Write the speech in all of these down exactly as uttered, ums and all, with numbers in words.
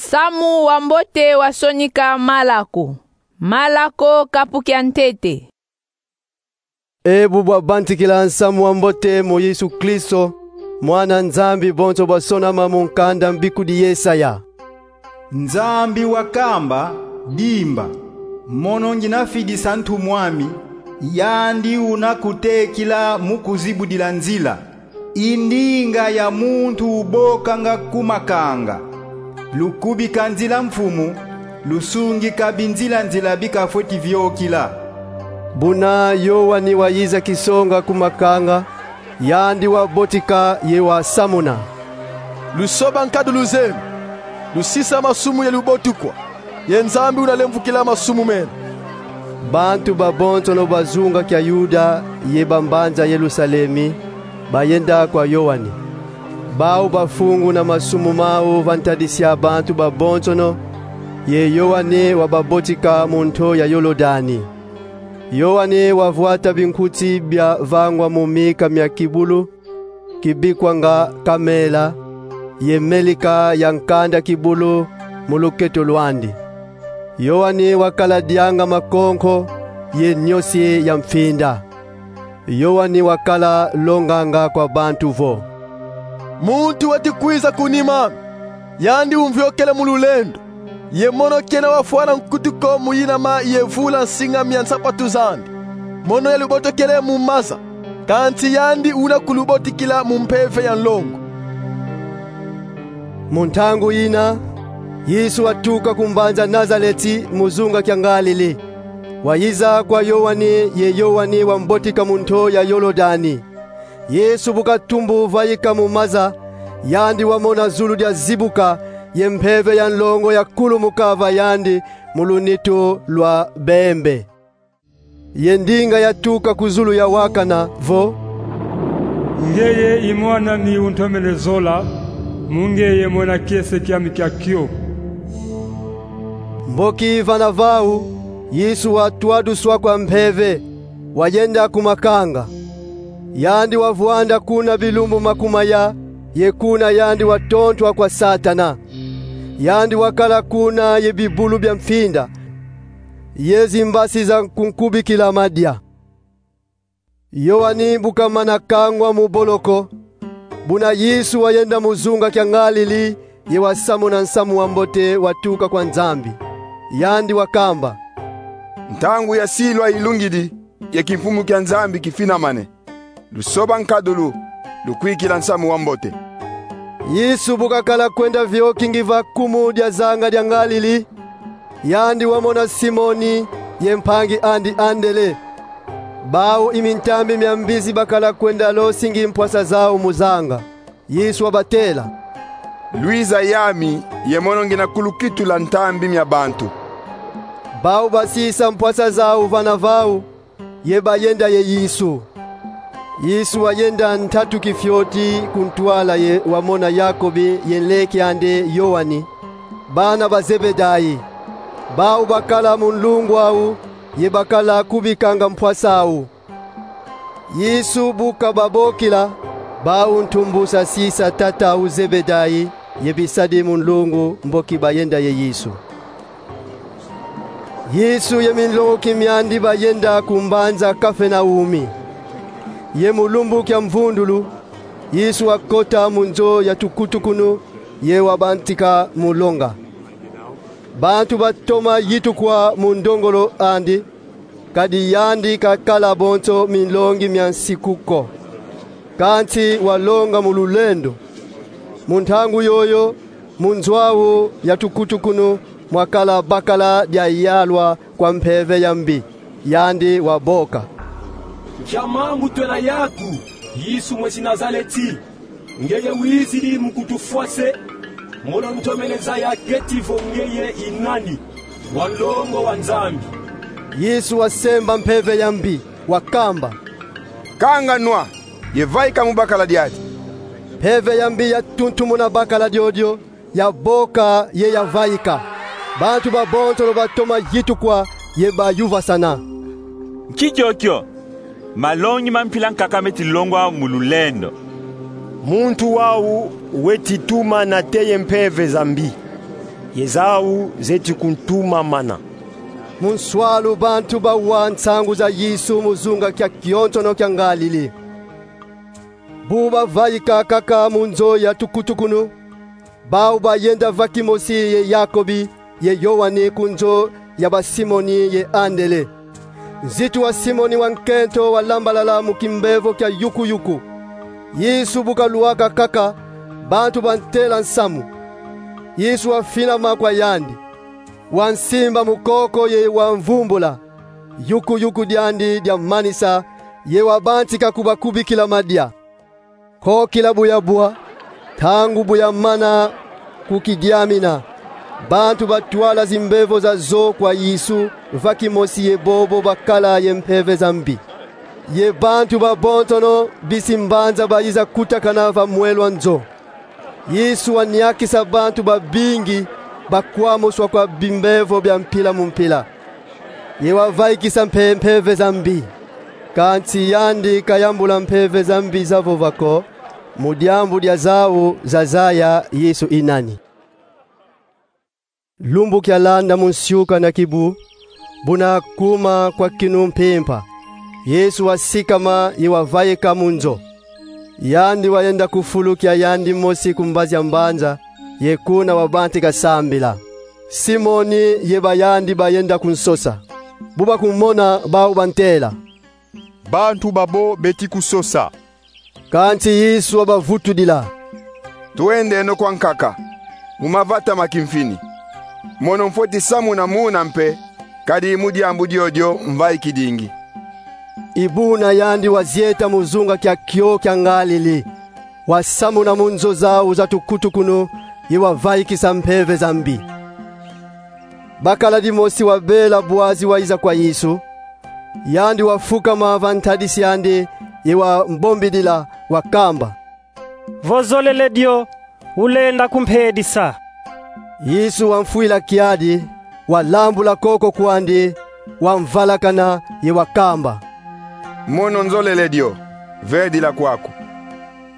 Nsamu wa mbote wa sonika Malako. Malako, kapu kia ntete. E bu bwabantikila nsamu wa mbote mu Yesu Kristo, Mwana Nzambi, bonso bwasonama mu nkanda mbikudi Yesaya. Nzambi wakamba: Dimba, mono ngina fidisa ntumw'ami, yandi una kutekila mu kuzibudila nzila. I ndinga ya muntu ubokanga ku makanga. Lukubika nzila mfumu, lusungika binzila-nzila bi kafweti viokila. Buna Yoani wayiza kisonga ku makanga, yandi wabotika ye wasamuna: Lusoba nkadulu zeno, lusisa masumu ye lubotukwa, ye Nzambi una lemvukila masumu mena. Bantu babonsono ba zunga kia Yuda ye ba mbanza Yerusalemi bayenda kwa Yoani. Bau bafunguna masumu mau va ntadisi ya bantu babonsono, ye Yoani wababotika mu nto ya Yolodani. Yoani wavwata binkuti bia vangwa mu mika mia kibulu, kibikwanga kamela, ye melika ya nkanda kibulu mu luketo lwandi. Yoani wakala dianga makonko ye nyosi ya mfinda. Yoani wakala longanga kwa bantu vo: Muntu weti kwiza ku nima, yandi umviokele mu lulendo. Ye mono kena wafwana nkutu ko mu yinama ye vula nsinga mia nsapatu zandi. Mono yalubotokele mu maza, kansi yandi una kulubotikila mu mpeve ya nlongo. Mu ntangu yina, Yesu watuka ku mbanza Nazaleti mu zunga kia Ngalili. Wayiza kwa Yoani, ye Yoani wambotika mu nto ya Yolodani. Yesu bu katumbu vaika mu maza, yandi wamona zulu diazibuka, ye mpeve ya nlongo yakulumuka va yandi mu lunitu lwa bembe. Ye ndinga yatuka ku zulu yawakana vo: Ngeye i Mwan'ami untomene zola, mu ngeye mona kiese kiami kia kio. Mboki vana vau, Yesu watwaduswa kwa mpeve, wayenda ku makanga. Yandi wavwanda kuna bilumbu makumaya, ye kuna yandi watontwa kwa Satana. Yandi wakala kuna ye bibulu bia mfinda, ye zimbasi za kunkubikila madia. Yoani bu kamana kangwa mu boloko, buna Yesu wayenda mu zunga kia Ngalili, ye wasamuna nsamu wa mbote watuka kwa Nzambi. Yandi wakamba: Ntangu ya silwa ilungidi, ye kimfumu kia Nzambi kifinamane. Lusoba nkadulu, lukwikila nsamu wa mbote. Yesu bu kakala kwenda vioki ngiva kumu dia zanga dia Ngalili, yandi wamona Simoni ye mpangi andi Andele. Bau i mintambi mia mbizi bakala kwenda losingi mpwasa zau mu zanga. Yesu wabatela: Lwiza yami, ye mono ngina kulukitula ntambi mia bantu. Bau basisa mpwasa zau vana vau, ye bayenda ye Yesu. Yesu wayenda ntatu kifioti ku ntwala ye wamona Yakobi ye nleke andi Yoani, bana ba Zebedai. Bau bakala mu nlungu au, ye bakala kubikanga mpwasa au. Yesu bu kababokila, bau ntumbusa sisa tata au Zebedai ye bisadi mu nlungu, mboki bayenda ye Yesu. Yesu ye minlongoki miandi bayenda ku mbanza Kafenaumi. Ye mu lumbu kia mvundulu, Yesu wakota mu nzo ya tukutukunu, ye wabantika mu longa. Bantu batoma yitukwa mu ndongolo andi, kadi yandi kakala bonso minlongi mia nsiku ko. Kansi walonga mu lulendo. Mu ntangu yoyo, mu nzo au ya tukutukunu mwakala bakala dia yalwa kwa mpeve ya mbi, yandi waboka: Nkia mambu twena yaku, Yesu mwesi Nazaleti? Ngeye wizidi mu kutufwa se? Mono ntomene zaya keti vo ngeye i nani, wa nlongo wa Nzambi. Yesu wasemba mpeve ya mbi, wakamba: Kanga nwa, ye vaika mu bakala diadi. Mpeve ya mbi yatuntumuna bakala diodio, yaboka ye yavaika. Bantu babonsono batoma yitukwa ye bayuvasana: Nki kiokio? Malongi ma mpila nkaka meti longwa mu lulendo. Muntu wau weti tuma nate ye mpeve za mbi. ye zau zeti kuntumamana. Mu nswalu bantu bawa nsangu za Yesu mu zunga kya kyonsono kya Ngalili. Bu bavaika kaka mu nzo ya tukutukunu, bau bayenda va kimosi ye Yakobi ye Yoani ku nzo ya ba Simoni ye Andele. Nzitu wa Simoni wa nkento walambalala mu kimbevo kya yukuyuku. Yesu bu kalwaka kaka, bantu bantela nsamu. Yesu wafinama kwa yandi, wansimba mu koko ye wamvumbula. Yukuyuku dyandi dyamanisa, ye wabantika kubakubikila madia. Kokila bu yabwa, ntangu bu yamana kukidiamina, bantu batwala zimbevo zazo kwa Yesu va kimosi ye bobo bakala ye mpeve za mbi. Ye bantu babonsono bisi mbanza bayiza kutakana va mwelo a nzo. Yesu waniakisa bantu babingi bakwamuswa kwa bimbevo bya mpila mu mpila. Ye wavaikisa mpe mpeve za mbi. Kansi yandi kayambula mpeve za mbi zavova ko, mu diambu dya zau zazaya Yesu i nani. Lumbu kyalanda mu nsiuka na kibu, buna kuma kwa kinu mpimpa, Yesu wasikama ye wavaika mu nzo. Yandi wayenda ku fulu kya yandi mosi ku mbazi ya mbanza, ye kuna wabantika sambila. Simoni ye bayandi bayenda kunsosa. Bu bakumona, bau bantela: Bantu babo beti kusosa. Kansi Yesu wabavutudila: Twendeno kwa nkaka, mu mavata ma kimfini. Mono mfweti samuna muna mpe, kadi mu diambu dyodyo mvaikidingi. I buna yandi wazieta mu zunga kya kyo kya Ngalili, wasamuna mu nzo zau za tukutukunu, ye wavaikisa mpeve za mbi. Bakala dimosi wabela bwazi wayiza kwa Yesu, yandi wafukama va ntadisi andi, ye wambombidila, wakamba: Vo zolele dio, ulenda kumpedisa. Yesu wamfwila kiadi, walambula koko kwandi, wamvalakana, ye wakamba: Mono nzolele dio, vedila kwaku.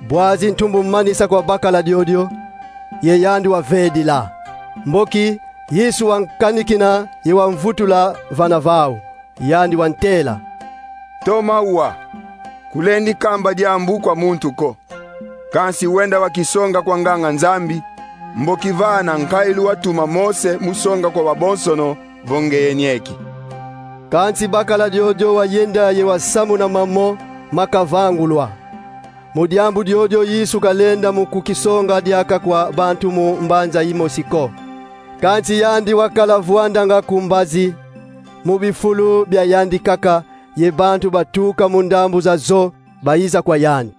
Bwazi ntumbu manisa kwa bakala diodio, ye yandi wavedila. Mboki, Yesu wankanikina ye wamvutula vana vau. Yandi wantela: Toma wa, kulendi kamba diambu kwa muntu ko. Kansi wenda wakisonga kwa nganga-Nzambi, mboki vana nkailu watuma Mose mu songa kwa babonsono vo ngeye nieki. Kansi bakala diodio wayenda ye wasamuna mamo makavangulwa. Mu diambu diodio Yesu kalenda mu kukisonga diaka kwa bantu mu mbanza yimosi ko. Kansi yandi wakala vwandanga ku mbazi, mu bifulu bya yandi kaka, ye bantu batuka mu ndambu zazo bayiza kwa yandi.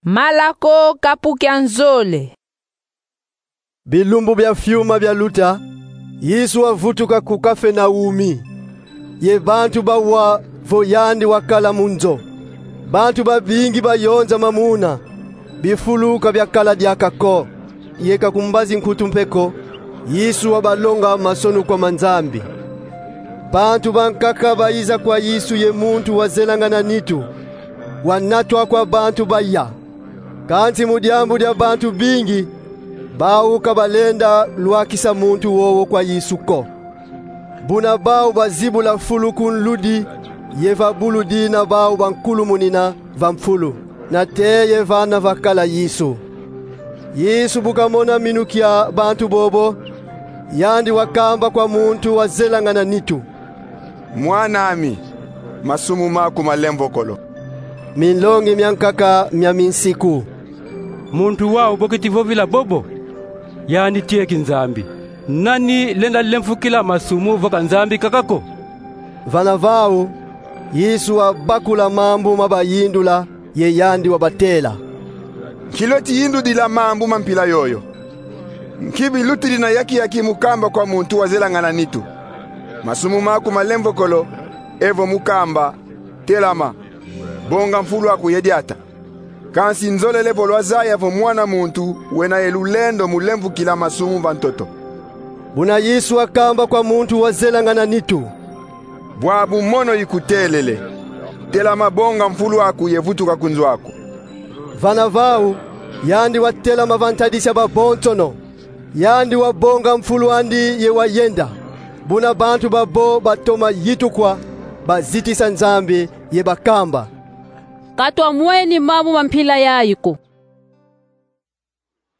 Malako kapu kya nzole. Bilumbu bya fiuma byaluta, Yesu wavutuka ku Kafernaumi, ye bantu bawa vo yandi wakala mu nzo. Bantu babingi bayonzama muna, bifulu ka byakala diaka ko, ye ka ku mbazi nkutu mpe ko, Yesu wabalonga masonukwa ma Nzambi. Bantu bankaka bayiza kwa Yesu ye muntu wazelangana nitu, wanatwa kwa bantu baya. Kansi mu diambu dia bantu bingi, bau ka balenda lwakisa muntu wowo kwa Yesu ko. Buna bau bazibula fulu ku nludi, ye va bulu dina bau bankulumunina va mfulu, nate ye vana vakala Yesu. Yesu bu kamona minu kya bantu bobo, yandi wakamba kwa muntu wazelangana nitu: Mwan'ami, masumu maku malemvokolo. Minlongi myankaka mya minsiku: Muntu wau bo keti vovila bobo? Yandi tieki Nzambi. Nani lenda lemfukila masumu vo ka Nzambi kaka ko? Vana vau, Yesu wabakula mambu ma bayindula, ye yandi wabatela: Nki lweti yindudila mambu ma mpila yoyo? Nki bilutidi na yaki-yaki mu kamba kwa muntu wazelangana nitu: Masumu maku malemvokolo, evo mu kamba: Telama, bonga mfulu aku ye diata? Kansi nzolele vo lwazaya vo Mwana muntu wena ye lulendo mu lemvukila masumu va ntoto. Buna Yesu wakamba kwa muntu wazelangana nitu: Bwabu mono ikutelele. Telama, bonga mfulu aku ye vutuka ku nzo aku. Vana vau, yandi watelama va ntadisi ya babonsono, Yandi wabonga mfulu andi ye wayenda. Buna bantu babo batoma yitukwa, bazitisa Nzambi ye bakamba: Ka twamweni mambu ma mpila yayi ko.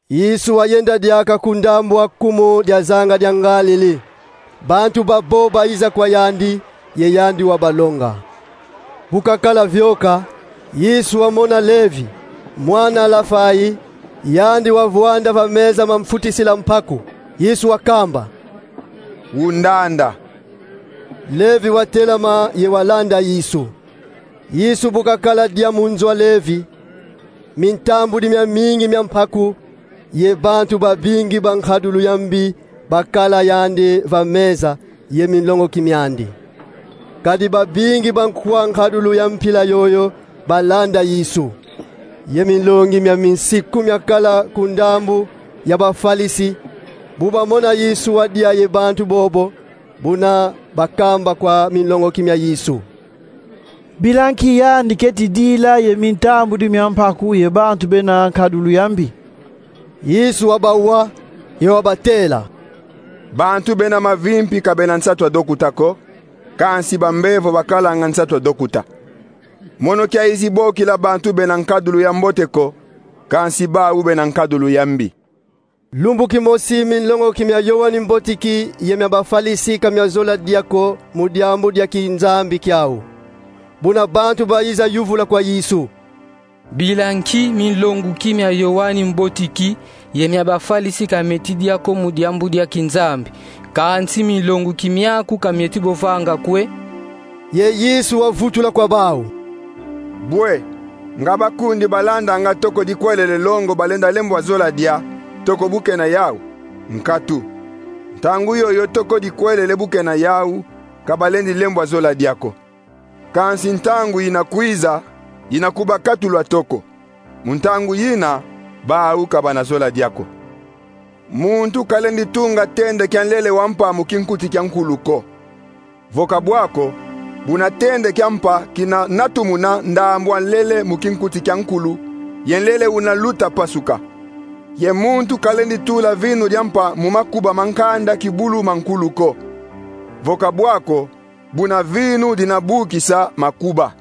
Yesu wayenda diaka ku ndambu a kumu dia zanga dia Ngalele. Bantu babo bayiza kwa yandi, ye yandi wabalonga. Bu kakala vioka, Yesu wamona Levi, mwana Alafai, yandi wavwanda va meza ma mfutisila mpaku. Yesu wakamba: Undanda. Levi watelama ye walanda Yesu. Yesu bu kakala dia mu nzo a Levi, mintambudi miamingi mia mpaku ye bantu babingi ba nkadulu ya mbi bakala yandi va meza ye minlongoki miandi. Kadi babingi ba nkwa nkadulu ya mpila yoyo balanda Yesu. Ye minlongi mia minsiku miakala ku ndambu ya Bafalisi, bu bamona Yesu wadia ye bantu bobo, buna bakamba kwa minlongoki mia Yesu: Bila nki yandi keti dila ye mintambudi mia mpaku ye bantu bena nkadulu ya mbi? Yesu wabawa, ye wabatela: Bantu bena mavimpi ka bena nsatu a dokuta ko, kansi bambevo bakalanga nsatu a dokuta. Mono kiayizi bokila bantu bena nkadulu ya mbote ko, kansi bau bena nkadulu ya mbi. Lumbu kimosi, minlongoki mia Yoani Mbotiki ye mia Bafalisi ka miazola dia ko mu diambu dia kinzambi kiau. Buna bantu bayiza yuvula kwa Yesu: Bila nki minlongoki mia Yoani Mbotiki ye mia Bafalisi ka mieti dia ko mu diambu dia kinzambi, kansi minlongoki miaku ka mieti bo vanga kwe? Ye Yesu wavutula kwa bau: Bwe, nga bakundi balandanga toko dikwelele longo balenda lembwa zola dia, toko bu kena yau? Nkatu. Ntangu yoyo toko dikwelele bu kena yau, ka balendi lembwa zola dia ko. Kansi ntangu yina kwiza, yina kubakatulwa toko. Mu ntangu yina, bau ka bana zola dia ko. Muntu kalendi tunga tende kia nlele wa mpa mu kinkuti kia nkulu ko. Vo ka bwa ko, buna tende kia mpa kina natumuna ndambu a nlele mu kinkuti kia nkulu, ye nlele una luta pasuka. Ye muntu kalendi tula vinu dia mpa mu makuba ma nkanda kibulu ma nkulu ko. Vo ka bwa ko, buna vinu dina bukisa makuba.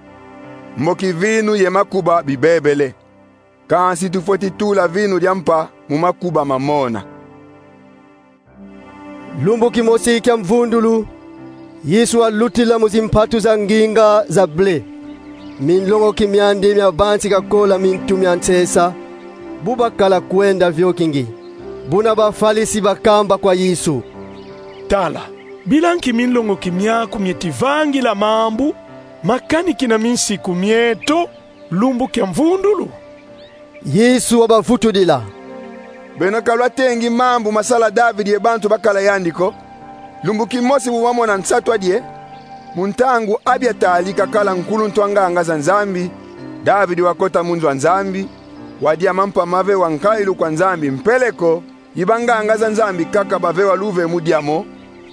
Mboki vinu ye makuba bibebele. Kansi tufweti tula vinu dia mpa mu makuba mamona. Lumbu kimosi kia mvundulu, Yesu walutila mu zimpatu za nginga za ble. Minlongoki miandi miabantika kola mintu mia nsesa, bu bakala kwenda viokingi. Buna Bafalisi bakamba kwa Yesu: Tala, bila nki minlongoki miaku mieti vangila mambu makanikina minsiku mieto lumbu kia mvundulu? Yesu wabavutudila: Beno ka lwatengi mambu masala Davidi ye bantu bakala yandi ko, lumbu kimosi bu bamona nsatu a die? Mu ntangu Abiatari kakala nkuluntu a nganga za Nzambi, Davidi wakota mu nzo a Nzambi, wadia mampa mavewa nkailu kwa Nzambi mpeleko, i banganga za Nzambi kaka bavewa luvemu diamo,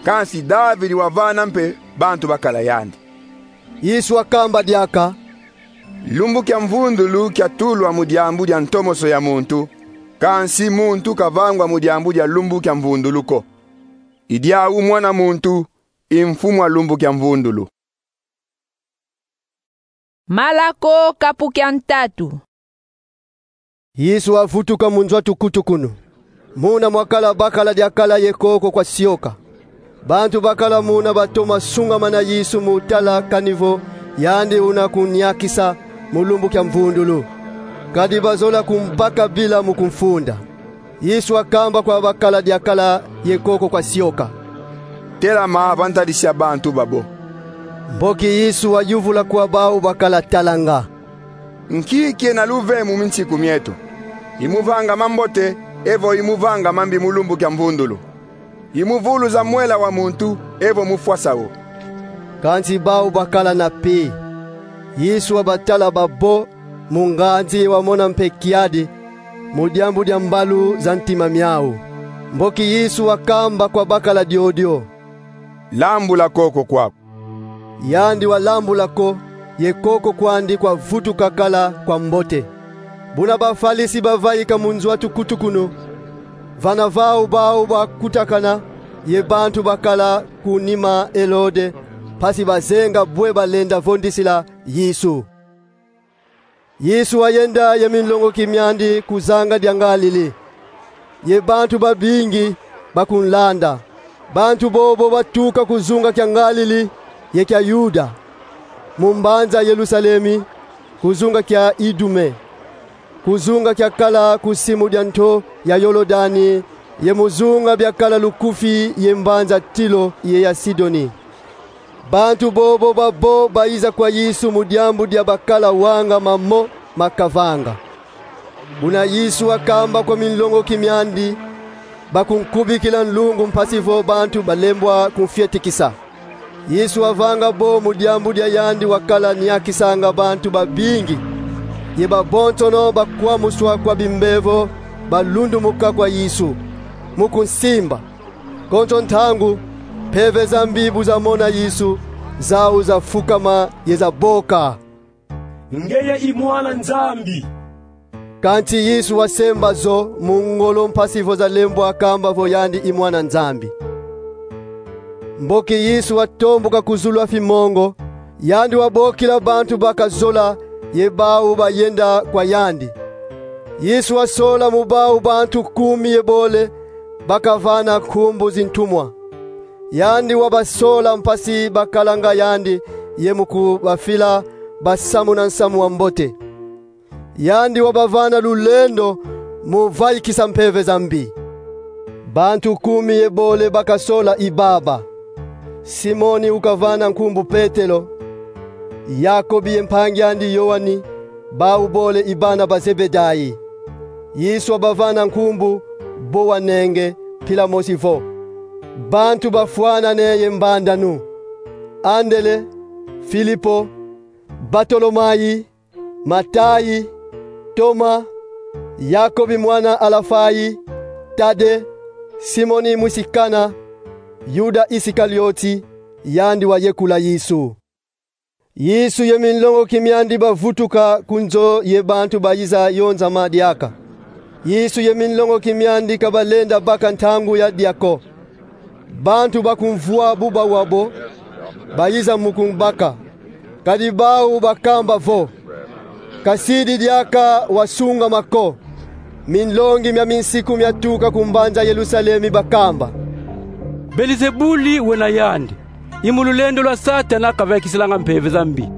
kansi Davidi wavana mpe bantu bakala yandi. Yesu wakamba diaka: Lumbu kia mvundulu kiatulwa mu diambu dia ntomoso ya muntu, kansi muntu kavangwa mu diambu dia lumbu kia mvundulu ko. I diau Mwana muntu i mfumu a lumbu kia mvundulu. Malako kapu kia ntatu. Yesu wavutuka mu nzo a tukutukunu. Muna mwakala bakala diakala ye koko kwa sioka. Bantu bakala muna batoma sungamana Yesu mu tala kani vo yandi una kuniakisa mu lumbu kia mvundulu. Kadi bazola kumbaka bila mu kumfunda. Yesu wakamba kwa bakala diakala ye koko kwa sioka: Telama va ntadisi a bantu babo. Mboki Yesu wayuvula kwa bau bakala talanga: Nki kiena luvemu minsiku mieto? I mu vanga mambote, evo i mu vanga mambi mu lumbu kia mvundulu? I mu vuluza mwela wa muntu, evo mu fwasa wo? Kansi bau bakala na pi. Yesu wabatala babo mu nganzi ye wamona mpe kiadi, mu diambu dia mbalu za ntima miau. Mboki Yesu wakamba kwa bakala diodio: Lambula koko kwaku. Yandi walambula ko, ye koko kwandi kwavutuka kala kwa mbote. Buna Bafalisi bavaika mu nzo a tukutukunu, Vana vau bau bakutakana ye bantu bakala ku nima Elode, mpasi bazenga bwe balenda vondisila Yesu. Yesu wayenda ye minlongoki miandi ku zanga dia Ngalili, ye bantu babingi bakunlanda. Bantu bobo batuka ku zunga kia Ngalili ye kia Yuda, mu mbanza Yerusalemi, ku zunga kia Idume, ku zunga kiakala ku simu dia nto ya Yolodani, ye mu zunga biakala lukufi ye mbanza Tilo ye ya Sidoni. Bantu bobo babo bayiza kwa Yesu mu diambu dia bakala wanga mamo makavanga. Buna Yesu wakamba kwa minlongoki miandi, bakunkubikila nlungu mpasi vo bantu balembwa kunfietikisa. Yesu wavanga bo mu diambu dia yandi wakala niakisanga bantu babingi, ye babonsono bakwamuswa kwa bimbevo balundumuka kwa Yesu, mu kunsimba. Konso ntangu, mpeve za mbi bu zamona Yesu, zau zafukama ye zaboka: Ngeye i Mwana Nzambi. Kansi Yesu wasemba zo mu ngolo mpasi vo zalembwa kamba vo yandi i Mwana Nzambi. Mboki Yesu watombuka ku zulu a fimongo, yandi wabokila bantu bakazola ye bau bayenda kwa yandi. Yesu wasola mu bau bantu kumi ye bole bakavana nkumbu zintumwa. Yandi wabasola mpasi bakalanga yandi ye mu kubafila basamuna nsamu wa mbote. Yandi wabavana lulendo mu vaikisa mpeve za mbi. Bantu kumi ye bole bakasola i baba: Simoni ukavana nkumbu Petelo, Yakobi ye mpangi andi Yoani, bau bole i bana ba Zebedai. Yesu wabavana nkumbu Bowanenge, mpila mosi vo: Bantu bafwanane ye mbandanu: Andele, Filipo, Batolomai, Matai, Toma, Yakobi mwana Alafai, Tade, Simoni mwisi Kana, Yuda Isikalioti, yandi wayekula Yesu. Yesu ye minlongoki miandi bavutuka ku nzo ye bantu bayiza yonzama diaka. Yesu ye minlongoki miandi ka balenda baka ntangu ya dia ko. Bantu bakumvwa bu bawabo, bayiza mu kumbaka. Kadi bau bakamba vo: Kasidi diaka wasungama ko. Minlongi mia minsiku miatuka ku mbanza Yerusalemi bakamba: Belizebuli wena yandi. I mu lulendo lwa Satana kavaikisilanga mpeve za mbi.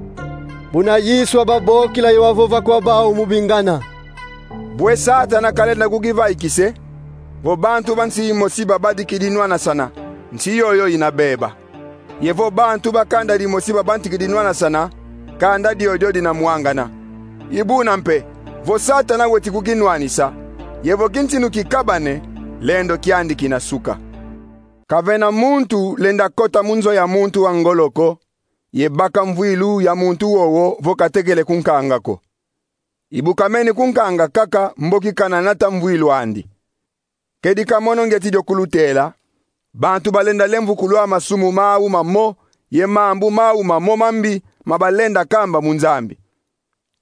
Buna Yesu wababokila ye wavova kwa bau mu bingana: Bwe Satana kalenda kukivaikise, vo bantu ba nsi imosi babadikidi nwanasana, nsi yoyo ina beba. Ye vo bantu ba kanda dimosi babadikidi nwanasana, kanda diodio dina mwangana. I buna mpe, vo Satana weti kukinwanisa, ye vo kintinu kikabane, lendo kiandi kina suka. Kavena muntu lenda kota mu nzo ya muntu wa ngolo ko, ye baka mvwilu ya muntu wowo vo katekele kunkanga ko. I bu kameni kunkanga kaka mboki kana nata mvwilu andi. Kedi ka mono ngieti dio kulutela: bantu balenda lemvukulwa masumu mau mamo ye mambu mau mamo mambi ma balenda kamba mu Nzambi.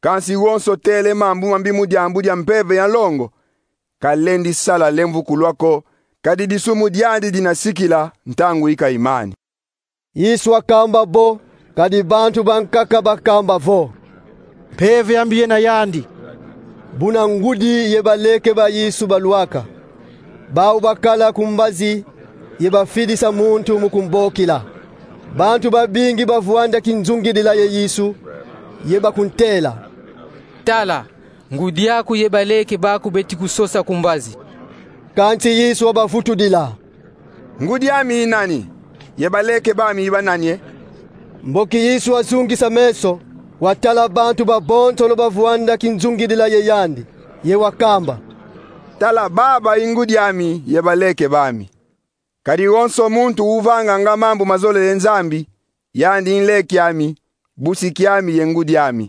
Kansi wonso tele mambu mambi mu diambu dia mpeve ya nlongo, kalendi sala lemvukulwa ko, kadi disumu diandi dina sikila ntangu i kaimani. Yesu wakamba bo, kadi bantu bankaka bakamba vo: Mpeve ya mbi yena yandi. Buna ngudi ye baleke ba Yesu balwaka. Bau bakala ku mbazi ye bafidisa muntu mu kumbokila. Bantu babingi bavwanda kinzungidila ye Yesu, ye bakuntela: Tala, ngudi aku ye baleke baku beti kusosa ku mbazi. Kansi Yesu wabavutudila: Ngudi ami i nani, ye baleke bami i banani e? Mboki Yesu wazungisa meso, watala bantu babonsono bavwanda kinzungidila ye yandi, ye wakamba: Tala, baba i ngudi ami ye baleke bami. Kadi wonso muntu uvanganga mambu mazolele Nzambi, yandi i nleke ami, busi kiami ye ngudi ami.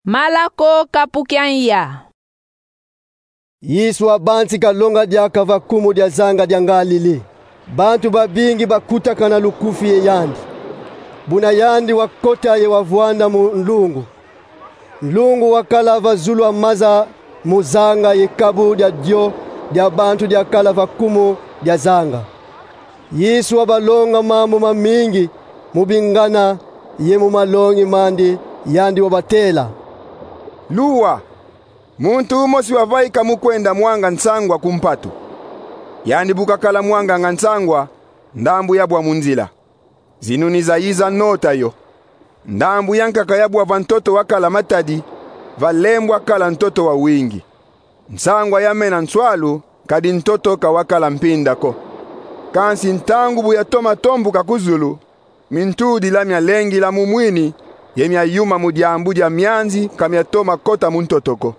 Malako kapu kia nya. Yesu wabantika longa diaka va kumu dia zanga dia Ngalili. Bantu babingi bakutakana lukufi ye yandi. Buna yandi wakota ye wavwanda mu nlungu. Nlungu wakala va zulu a maza Mu zanga ye kabu dia dio dia bantu diakala va kumu dia zanga, Yesu wabalonga mambu mamingi mu bingana ye mu malongi mandi, yandi wabatela: Luwa, muntu umosi wavaika mu kwenda mwanga nsangwa ku mpatu. Yandi bu kakala mwanganga nsangwa, ndambu yabwa mu nzila, zinuni zayiza nota yo. Ndambu yankaka yabwa va ntoto wakala matadi, va lembo akala ntoto wawingi. Nsangwa yamena nswalu, kadi ntoto ka wakala mpinda ko. Kansi ntangu bu yatoma tombuka ku zulu, mintudila mialengila mu mwini, ye miayuma mu diambu dia mianzi, ka miatoma kota mu ntoto ko.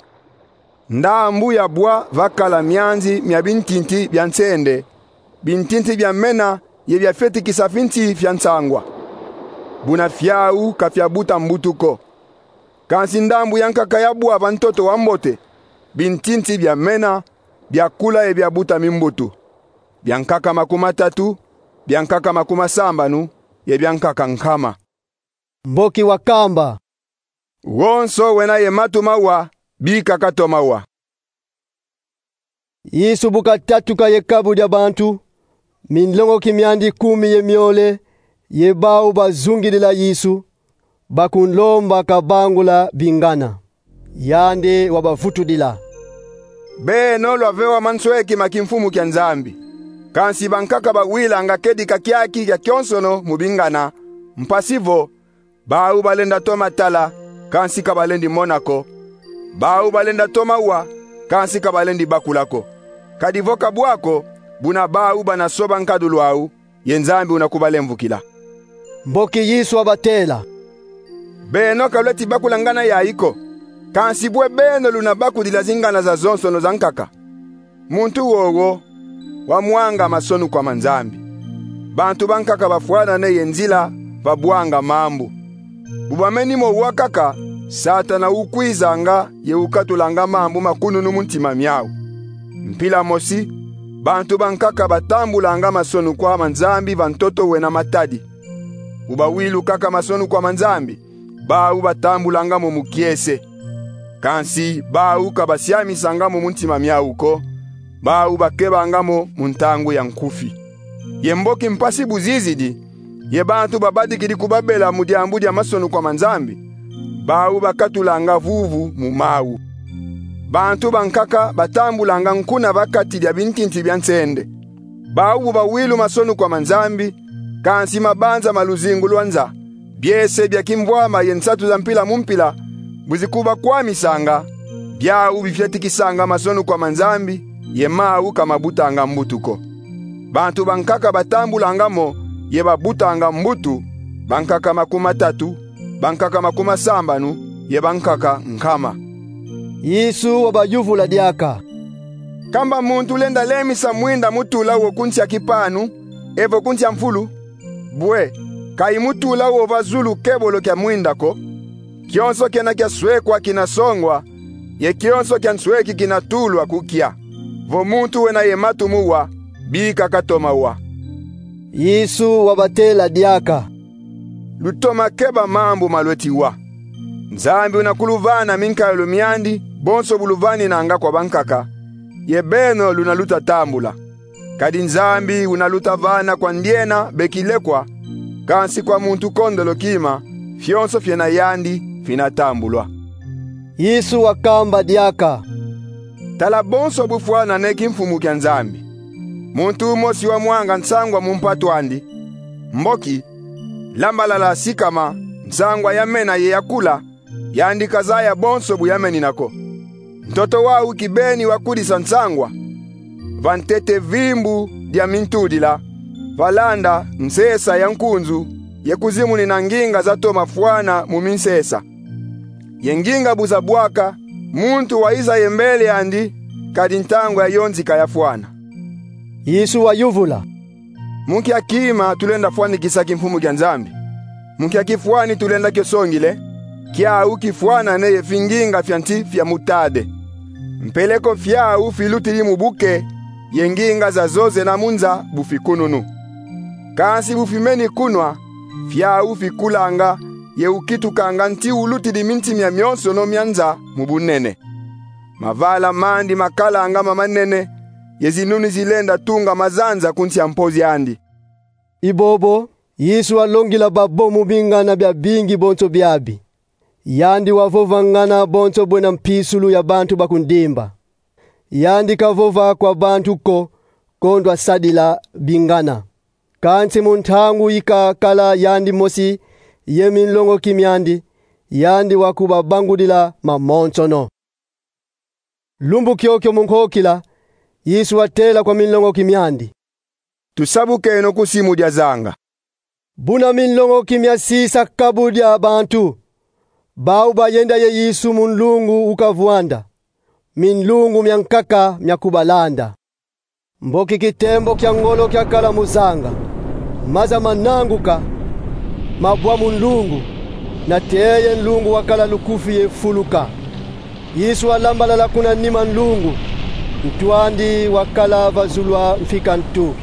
Ndambu yabwa vakala mianzi mia bintinti bia nsende, bintinti biamena ye biafetikisa finsi fia nsangwa. Buna fiau ka fiabuta mbutu ko. Kansi ndambu yankaka yabwa va ntoto wambote, bintinti biamena, biakula ye biabuta mimbutu: biankaka makumatatu, biankaka makumasambanu, ye biankaka nkama. Mboki wakamba: Wonso wena ye matu mawa, bika katoma wa. Yesu bu katatuka ye kabu dia bantu, minlongoki miandi kumi ye miole, ye bau bazungidila Yesu, bakunlomba kabangula bingana. Yandi wabavutudila: Beno lwavewa mansweki ma kimfumu kia Nzambi. Kansi bankaka bawilanga kedika kiaki kia kionsono mu bingana, mpasi vo bau balenda toma tala, kansi ka balendi mona ko; bau balenda toma wa, kansi ka balendi bakula ko. Kadi vo ka bwa ko, buna bau bana soba nkadulu au, ye Nzambi una kubalemvukila. Mboki Yesu wabatela: Beno ka lweti bakula ngana yayi ko, kansi bwe beno luna bakudila zingana zazonsono zankaka? Muntu wowo wamwanga masonukwa ma Nzambi. Bantu bankaka bafwanane ye nzila va bwanga mambu. Bu bameni mo wa kaka, Satana ukwizanga ye ukatulanga mambu ma kununu mu ntima miau. Mpila mosi, bantu bankaka batambulanga masonukwa ma Nzambi va ntoto wena matadi. Bu bawilu kaka masonukwa ma Nzambi, bau batambulanga mo mu kiese. Kansi bau ka basiamisanga mo mu ntima miau ko, bau bakebanga mo mu ntangu ya nkufi. Ye mboki mpasi bu zizidi, ye bantu babadikidi kubabela mu diambu dia masonukwa ma Nzambi, bau bakatulanga vuvu mu mau. Bantu bankaka batambulanga nkuna va kati dia bintinti bia nsende. Bau bu bawilu masonukwa ma Nzambi, kansi mabanza ma luzingu lwa nza, biese bia kimvwama ye nsatu za mpila mu mpila, bu zikubakwamisanga, biau bifetikisanga masonukwa ma Nzambi, ye mau ka mabutanga mbutu ko. Bantu bankaka batambulanga mo ye babutanga mbutu: bankaka makumatatu, bankaka makumasambanu, ye bankaka nkama. Yesu wabayuvula diaka: Kamba muntu lenda lemisa mwinda mu tula wo ku nsi a kipanu, evo ku nsi a mfulu? Bwe, ka imu tula wo va zulu kebolo kia mwinda ko. Kionso kena kia swekwa kina songwa, ye kionso kia nsweki kina tulwa ku kia. Vo muntu wena ye matu mu wa, bika katoma wa. Yesu wabatela diaka: Lutoma keba mambu ma lweti wa. Nzambi una kuluvana minkayilu miandi bonso bu luvaninanga kwa bankaka, ye beno luna luta tambula. Kadi Nzambi una luta vana kwa ndiena be kilekwa, kansi kwa muntu kondolo kima, fionso fiena yandi fina tambulwa. Yesu wakamba diaka: Tala bonso bufwanane kimfumu kia Nzambi. Muntu umosi wamwanga nsangwa mu mpatu andi. Mboki, lambalala sikama, nsangwa yamena ye yakula, yandi kazaya bonso bu yamenina ko. Ntoto wau kibeni wakudisa nsangwa. Va ntete vimbu dia mintudila, valanda nsesa ya nkunzu, ye kuzimunina nginga zatoma fwana mu minsesa. Ye nginga bu zabwaka, muntu wayiza ye mbele andi, kadi ntangu ya yonzika yafwana. Yesu wayuvula: Mu nkia kima tulenda fwanikisa kimfumu kia Nzambi? Mu nkia kifwani tulenda kio songile? Kiau kifwanane ye finginga fia nsi fia mutade. Mpeleko fiau filutidi mu buke, ye nginga zazo zena mu nza bu fikununu. Kansi bu fimeni kunwa, fiau fikulanga, ye ukitukanga nti ulutidi minsi mia mionsono mia nza mu bunene. Mavala mandi makalanga mamanene, ye zinuni zilenda tunga mazanza ku nsi a mpozi andi. I bobo, Yesu walongila babo mu bingana biabingi bonso biabi. Yandi wavovangana bonso bwena mpisulu ya bantu bakundimba. Yandi kavova kwa bantu ko, kondwa sadila bingana. Kansi mu ntangu yi kakala yandi mosi ye minlongoki miandi, yandi wakubabangudila mamonsono. Lumbu kiokio mu nkokila, Yesu watela kwa minlongoki miandi: Tusadukeno ku simu dia zanga. Buna minlongoki miasisa kabu dia bantu, bau bayenda ye Yesu mu nlungu ukavwanda, minlungu miankaka mia kubalanda. Mboki kitembo kia ngolo kiakala mu zanga, maza mananguka, mabwa mu nlungu, nate ye nlungu wakala lukufi ye fuluka. Yesu walambalala kuna nima nlungu, ntu andi wakala va zulu a mfika ntu.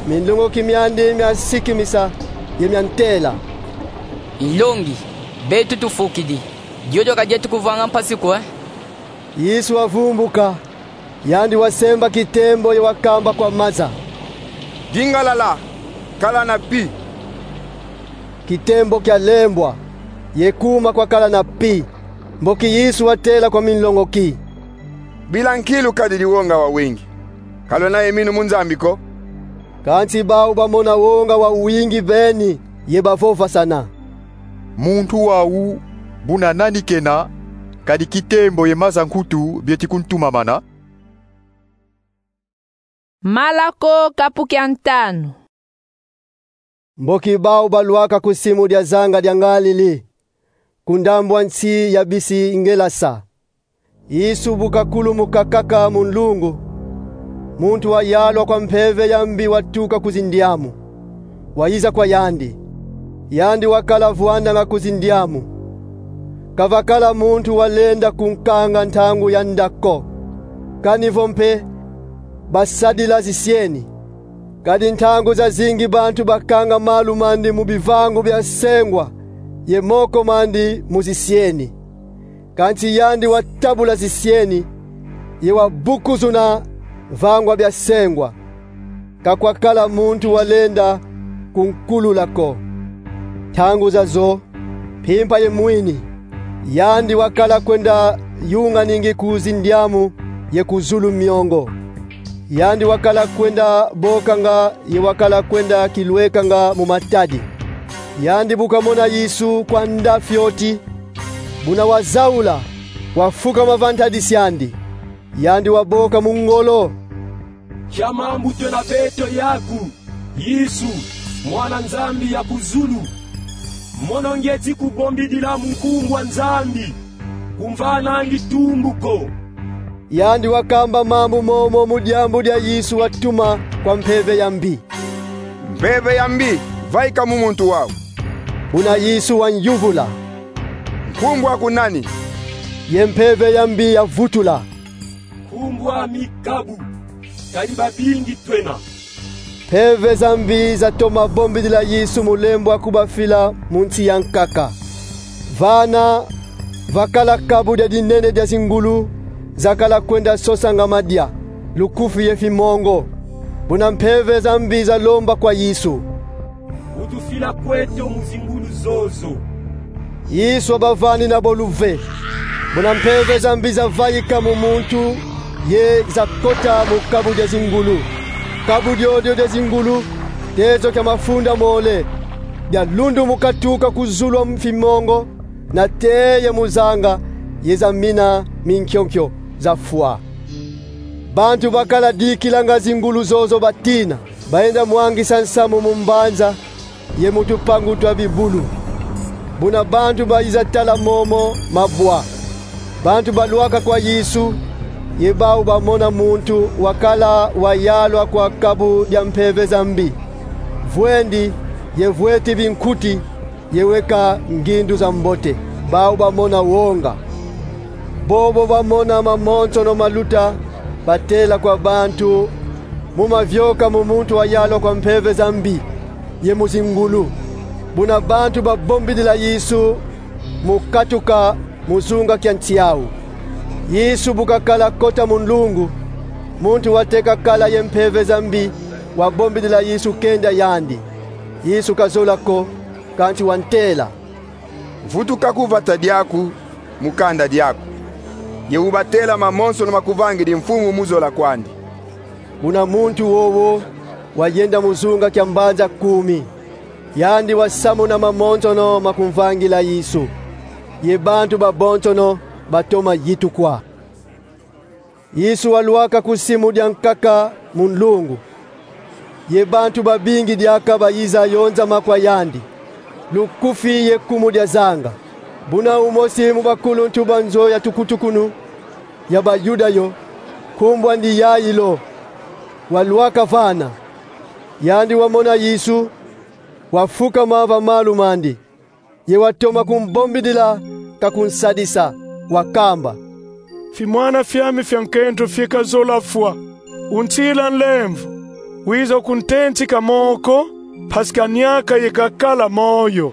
Minlongoki miandi miasikimisa ye miantela: Nlongi, beto tufukidi. Diodio ka dieto kuvwanga mpasi ko, eh? Yesu wavumbuka, yandi wasemba kitembo ye wakamba kwa maza: Dingalala, kala na pi. Kitembo kialembwa, ye kuma kwakala na pi. Mboki Yesu watela kwa minlongoki: Bila nkilu kadi di wonga wawingi. Ka lwena ye minu mu Nzambi ko. Kansi bau bamona wonga wawingi beni, ye bavovasana: Muntu wau, buna nani kena, kadi kitembo ye maza nkutu bieti kuntumamana? Malako kapu kia ntanu. Mboki bau balwaka ku simu dia zanga dia Ngalili, ku ndambu a nsi ya bisi Ngelasa. Yesu bu kakulumuka kaka mu nlungu, muntu wayalwa kwa mpeve ya mbi watuka ku zindiamu, wayiza kwa yandi. Yandi wakala vwandanga ku zindiamu. Ka vakala muntu walenda kunkanga ntangu yanda ko. Kani vo mpe basadila zisieni. Kadi ntangu zazingi bantu bakanga malu mandi mu bivangu bia sengwa, ye moko mandi mu zisieni. Kansi yandi watabula zisieni, ye wabukuzuna vangwa bia sengwa. Ka kwakala muntu walenda kunkulula ko. Ntangu zazo, mpimpa ye mwini, yandi wakala kwenda yunganingi ku zindiamu ye ku zulu miongo. Yandi wakala kwenda bokanga ye wakala kwenda kilwekanga mu matadi. Yandi bu kamona Yesu kwa nda fioti, buna wazaula, wafukama va ntadisi andi. Yandi waboka mu ngolo: Kia mambu twena beto yaku, Yesu, Mwana Nzambi ya ku zulu. Mono ngieti kubombidila mu nkumbu a Nzambi, kumvanangi tumbu ko. Yandi wakamba mambu momo mu diambu dia Yesu watuma kwa mpeve ya mbi: Mpeve ya mbi, vaika mu muntu wau. Buna Yesu wanyuvula: Nkumbu aku nani? Ye mpeve ya mbi yavutula: Nkumbu ami Kabu, kadi babingi twena. Mpeve za mbi zatoma bombidila Yesu mulembo a kubafila mu nsi ya nkaka. Vana vakala kabu dia dinene dia zingulu zakala kwenda sosanga madia, lukufi ye fimongo. Buna mpeve za mbi zalomba kwa Yesu: Utufila kweto mu zingulu zozo. Yesu wabavanina bo luve. Buna mpeve za mbi zavaika mu muntu, ye zakota mu kabu dia zingulu. Kabu diodio dia zingulu, tezo kia mafunda mole, dialundumuka tuka ku zulu a fimongo, nate ye mu zanga, ye zamina minkionkio, zafwa. Bantu bakala dikilanga zingulu zozo batina, bayenda mwangisa nsamu mu mbanza ye mu tupangu twa bibulu. Buna bantu bayiza tala momo mabwa, bantu balwaka kwa Yesu, ye bau bamona muntu wakala wayalwa kwa kabu dia mpeve za mbi, vwendi ye vweti binkuti, ye weka ngindu za mbote. Bau bamona wonga. Bobo bamona mamonsono maluta, batela kwa bantu mu mavioka mu muntu wayalwa kwa mpeve za mbi ye mu zingulu. Buna bantu babombidila Yesu mu katuka mu zunga kia nsi au. Yesu bu kakala kota mu nlungu, muntu wateka kala ye mpeve za mbi wabombidila Yesu kenda yandi. Yesu kazola ko, kansi wantela: Vutuka ku vata diaku, mu kanda diaku, ye ubatela mamonsono makuvangidi mfumu mu zola kwandi. Buna muntu wowo wayenda mu zunga kia mbanza kumi, yandi wasamuna mamonsono makumvangila Yesu, ye bantu babonsono batoma yitukwa. Yesu walwaka ku simu dia nkaka mu nlungu, ye bantu babingi diaka bayiza yonzama kwa yandi, lukufi ye kumu dia zanga. Buna umosi mu bakuluntu ba nzo ya tukutukunu ya Bayuda yo, nkumbu andi Yailo, walwaka vana. Yandi wamona Yesu, wafukama va malu mandi, ye watoma kumbombidila ka kunsadisa, wakamba: Fi mwana fiami fia nkento fika zola fwa, untila nlemvo, wiza kuntentika moko, mpasi kaniaka ye kakala moyo.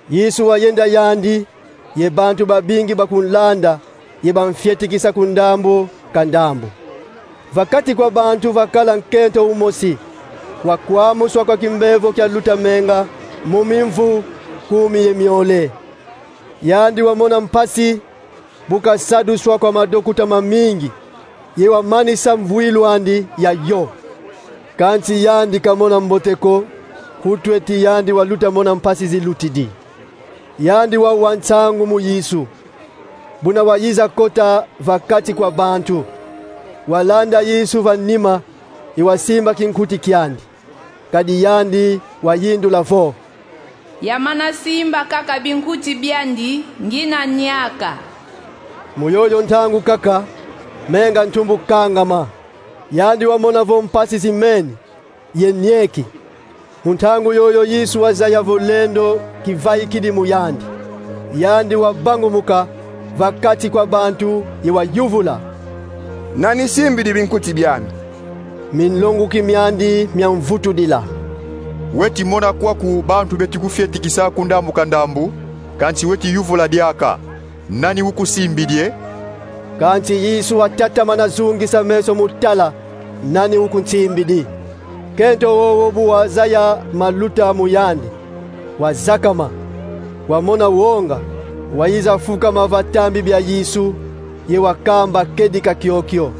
Yesu wayenda yandi, ye bantu babingi bakunlanda, ye bamfyetikisa ku ndambu ka ndambu. Va kati kwa bantu vakala nkento umosi, wakwamuswa kwa kimbevo kia luta menga mu mimvu kumi ye miole. Yandi wamona mpasi, bu kasaduswa kwa madokuta mamingi, ye wamanisa mvwilu andi ya yo. Kansi yandi kamona mbote ko, ku tweti yandi waluta mona mpasi zilutidi. Yandi wawa nsangu mu Yesu, buna wayiza kota va kati kwa bantu. Walanda Yesu va nima, ye wasimba kinkuti kiandi. Kadi yandi wayindula vo: Yamana simba kaka binkuti biandi, ngina niaka. Mu yoyo ntangu kaka, menga ntumbu kangama. Yandi wamona vo mpasi zimeni, ye nieki. Mu ntangu yoyo Yesu wazaya vo lendo kivaikidi mu yandi. Yandi wabangumuka va kati kwa bantu ye wayuvula: Nani simbidi binkuti biami? Minlongoki miandi miamvutudila: Weti mona kwaku bantu beti kufyetikisa ku ndambu ka ndambu, kansi weti yuvula diaka: Nani ukusimbidi e? Kansi Yesu watatamana zungisa meso mu tala nani ukunsimbidi. Nkento wowo bu wazaya maluta mu yandi, wazakama, wamona wonga, wayiza fukama va tambi bia Yesu, ye wakamba kedika kiokio.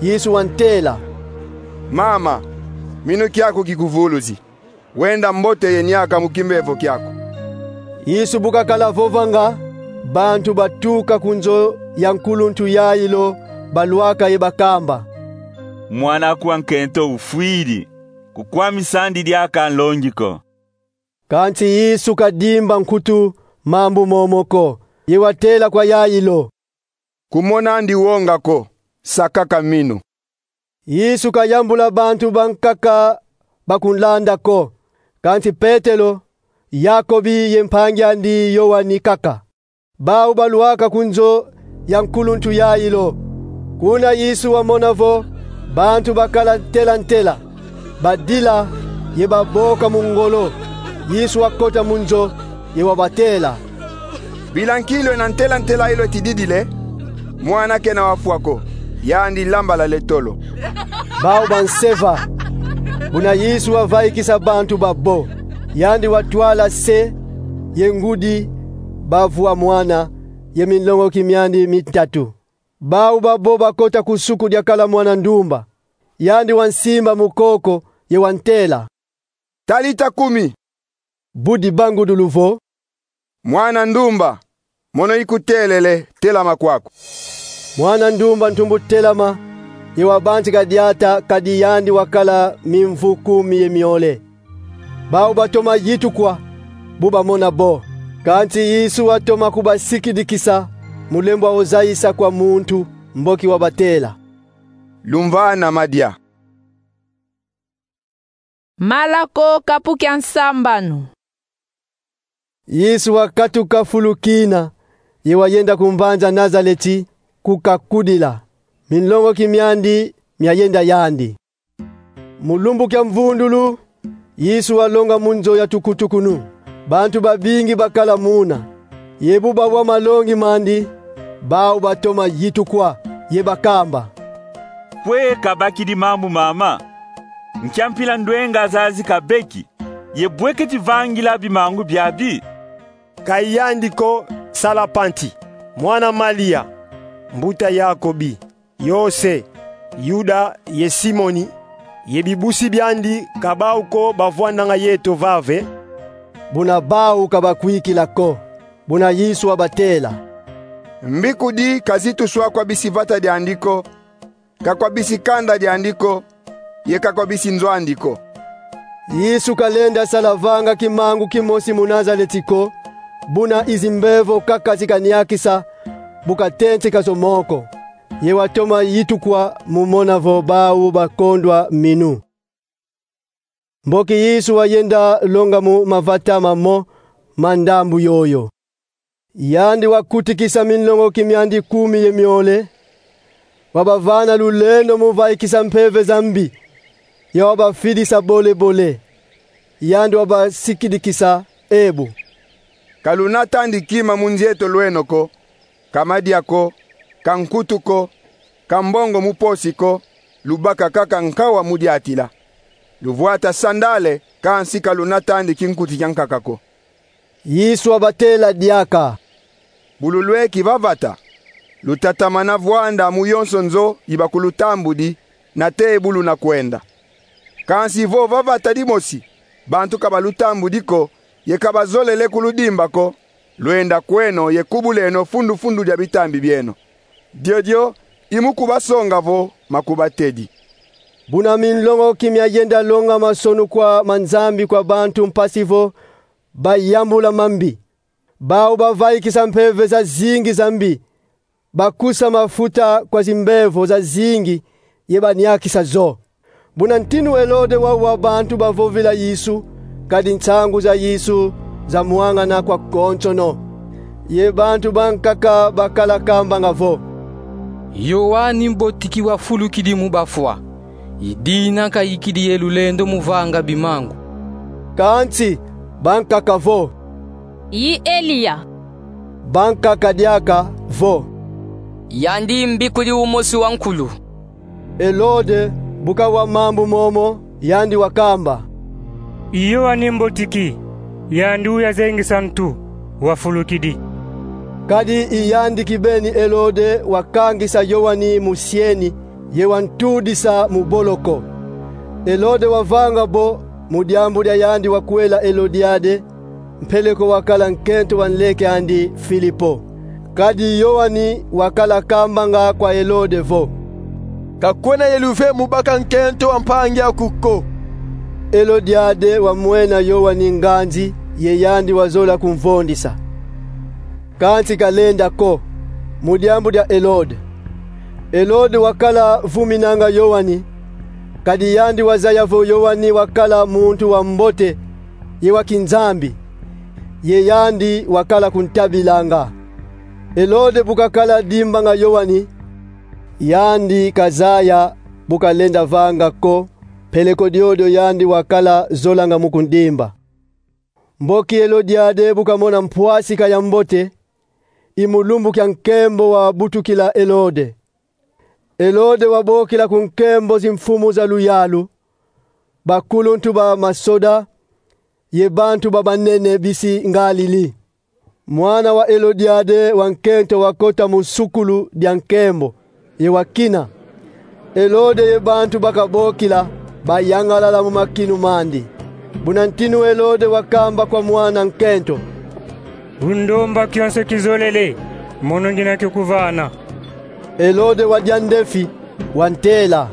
Yesu wantela: Mama, minu kiaku kikuvuluzi. Wenda mbote ye niaka mu kimbevo kiaku. Yesu bu kakala vovanga, bantu batuka ku nzo ya nkuluntu Yailo balwaka ye bakamba: Mwan'aku wa nkento ufwidi, kukwamisa andi diaka nlongi ko. Kansi Yesu kadimba nkutu mambu momo ko, ye watela kwa Yailo: Kumona andi wonga ko, sa kaka minu. Yesu kayambula bantu bankaka bakunlanda ko, kansi Petelo, Yakobi ye mpangi andi Yoani kaka. Bau balwaka ku nzo ya nkuluntu Yailo. Kuna Yesu wamona vo bantu bakala ntela-ntela, badila ye baboka mu ngolo. Yesu wakota mu nzo, ye wabatela: Bila nkilu ena ntela-ntela ilo tididile, mwana kena wafwa ko, yandi lambala le tolo. Bau banseva. Buna Yesu wavaikisa bantu babo, yandi watwala se ye ngudi, bavu a mwana, ye minlongoki miandi mitatu. Bau babo bakota ku suku diakala mwana ndumba. Yandi wansimba mu koko, ye wantela: Talita kumi! Bu dibangudulu vo: Mwana ndumba, mono ikutelele, telama kwaku. Mwana ndumba ntumbu telama, ye wabantika diata, kadi yandi wakala mimvu kumi ye miole. Bau batoma yitukwa bu bamona bo. Kansi Yesu watoma kubasikidikisa mu lembo a uzayisa kwa muntu, mboki wabatela: Lumvana madia. Malako kapu kia nsambanu. Yesu wakatuka fulu kina, ye wayenda ku mbanza Nazaleti, ku kakudila. Minlongoki miandi miayenda yandi. Mu lumbu kia mvundulu, Yesu walonga mu nzo ya tukutukunu. Bantu babingi bakala muna. Ye bu bawa malongi mandi, Bau batoma yitukwa, ye bakamba: Kwe kabakidi mambu mama? Nkia mpila ndwenga zazi kabeki, ye bwe keti vangila bimangu biabi? Ka yandi ko Salapanti, mwana Malia, mbuta Yakobi, Yose, Yuda ye Simoni, ye bibusi biandi ka bau ko bavwandanga yeto vave? Buna bau ka bakwikila ko. Buna Yesu wabatela: Mbikudi ka zituswa kwa bisi vata diandi ko, ka kwa bisi kanda diandi ko, ye ka kwa bisi nzo andi ko. Yesu ka lenda sala vanga kimangu kimosi mu Nazaleti ko, buna i zimbevo kaka zikaniakisa, bu katenteka zo moko. Ye watoma yitukwa mu mona vo bau bakondwa minu. Mboki Yesu wayenda longa mu mavata mamo ma ndambu yoyo. Yandi wakutikisa minlongoki miandi kumi ye miole, wabavana lulendo mu vaikisa mpeve za mbi, ye wabafidisa bole-bole. Yandi wabasikidikisa ebu: Ka lunatandi kima mu nzieto lweno ko, ka madia ko, ka nkutu ko, ka mbongo mu posi ko, lubaka kaka nkawa mu diatila. Luvwata sandale, kansi ka lunatandi kinkuti kia nkaka ko. Yesu wabatela diaka: Bu lulweki va vata, lutatamana vwanda mu yonso nzo yi bakulutambudi, nate bu luna kwenda. Kansi vo va vata dimosi bantu ka balutambudi ko, ye ka bazolele kuludimba ko, lwenda kweno ye kubuleno fundu-fundu dia bitambi bieno. Diodio i mu kubasonga vo makubatedi. Buna minlongoki miayenda longa masonukwa ma Nzambi kwa bantu mpasi vo bayambula mambi. Bau bavaikisa mpeve zazingi za mbi, bakusa mafuta kwa zimbevo zazingi ye baniakisa zo. Buna ntinu Elode wawa bantu bavovila Yesu, kadi nsangu za Yesu zamwangana kwa konsono. Ye bantu bankaka bakala kambanga vo: Yoani Mbotiki wafulukidi mu bafwa, ye dina kayikidi ye lulendo mu vanga bimangu. Kansi bankaka vo: I Eliya. Bankaka diaka vo: Yandi mbikudi umosi wa nkulu. Elode bu kawa mambu momo, yandi wakamba: I Yoani Mbotiki, yandi uyazengisa ntu, wafulukidi. Kadi i yandi kibeni Elode wakangisa Yoani mu sieni, ye wantudisa mu boloko. Elode wavanga bo mu diambu dia yandi wakwela Elodiade, mpeleko wakala nkento wa nleke andi Filipo. Kadi Yoani wakala kambanga kwa Elode vo: Ka kwena ye luve mu baka nkento wa mpangi aku ko. Elodiade wamwena Yoani nganzi, ye yandi wazola kumvondisa. Kansi kalenda ko, mu diambu dia Elode. Elode wakala vuminanga Yoani, kadi yandi wazaya vo Yoani wakala muntu wa mbote ye wa kinzambi, ye yandi wakala kuntabilanga. Elode bu kakala dimbanga Yoani, yandi kazaya bu kalenda vanga ko, peleko diodio yandi wakala zolanga mu kundimba. Mboki Elodiade bu kamona mpwasika ya mbote, i mu lumbu kia nkembo wabutukila Elode. Elode wabokila ku nkembo zimfumu za luyalu, bakuluntu ba masoda, ye bantu ba banene bisi ngalili. Mwana wa Elodiade wa nkento wakota mu sukulu dia nkembo, ye wakina. Elode ye bantu ba kabokila bayangalala mu makinu mandi. Buna ntinu Elode wakamba kwa mwana nkento: Bu ndomba kionso kizolele, mono ngina kikuvana. Elode wadia ndefi, wantela: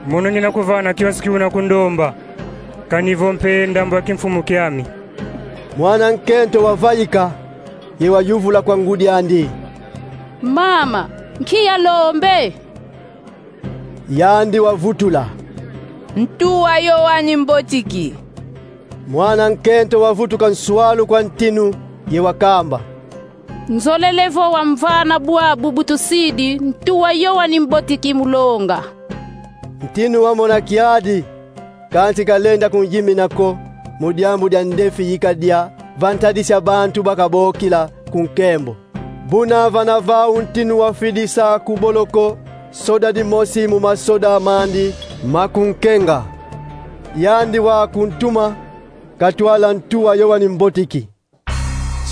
Mono ngina kuvana kionso ki una kundomba, kani vo mpe ndambu ya kimfumu kiami. Mwana nkento wavaika, ye wayuvula kwa ngudi andi: Mama, nkia lombe? Yandi wavutula: Ntu wa Yoani Mbotiki. Mwana nkento wavutuka nswalu kwa ntinu, ye wakamba: Nzolele vo wamvana bwabu bu tusidi ntu wa Yoani Mbotiki mu longa. Ntinu wamona kiadi, kansi kalenda kunyimina ko, mu diambu dia ndefi yi kadia va ntadisi ya bantu ba kabokila ku nkembo. Buna vana vau ntinu wafidisa ku boloko soda dimosi mu masoda mandi ma kunkenga. Yandi wa kuntuma katwala ntu wa Yoani Mbotiki.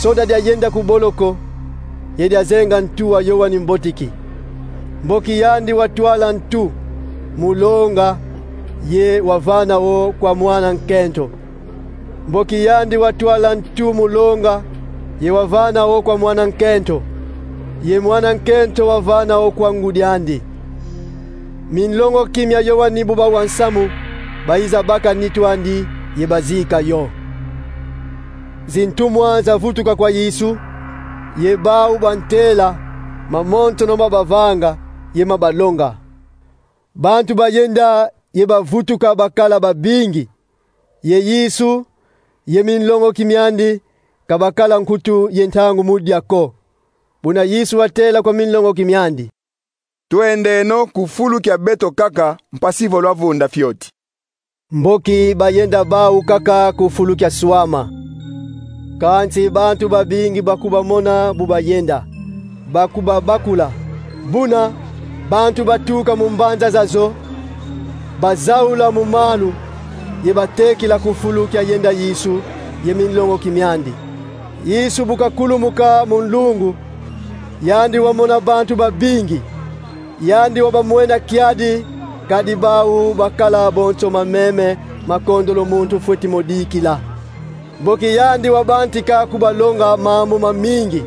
Soda diayenda ku boloko ye diazenga ntu wa Yoani Mbotiki. Mboki yandi watwala ntu mu longa ye wavana wo kwa mwana nkento. Mboki yandi watwala ntu mu longa ye wavana wo kwa mwana nkento, ye mwana nkento wavana wo kwa ngudi andi. Minlongoki mia Yoani bu bawa nsamu, bayiza baka nitu andi ye bazika yo. Zintumwa zavutuka kwa Yesu, ye bau bantela mamonsono ma bavanga ye ma balonga. Bantu bayenda ye bavutuka bakala babingi, ye Yesu ye minlongoki miandi ka bakala nkutu ye ntangu mu dia ko. Buna Yesu watela kwa minlongoki miandi: Twendeno ku fulu kia beto kaka, mpasi vo lwavunda fioti. Mboki bayenda bau kaka ku fulu kia swama. Kansi bantu babingi bakubamona bu bayenda, bakubabakula. Buna bantu batuka mu mbanza zazo bazaula mu malu ye batekila ku fulu kiayenda Yesu ye minlongoki miandi. Yesu bu kakulumuka mu nlungu, yandi wamona bantu babingi. Yandi wabamwena kiadi, kadi bau bakala bonso mameme ma kondolo muntu fweti mo dikila. Mboki yandi wabantika kubalonga mambu mamingi.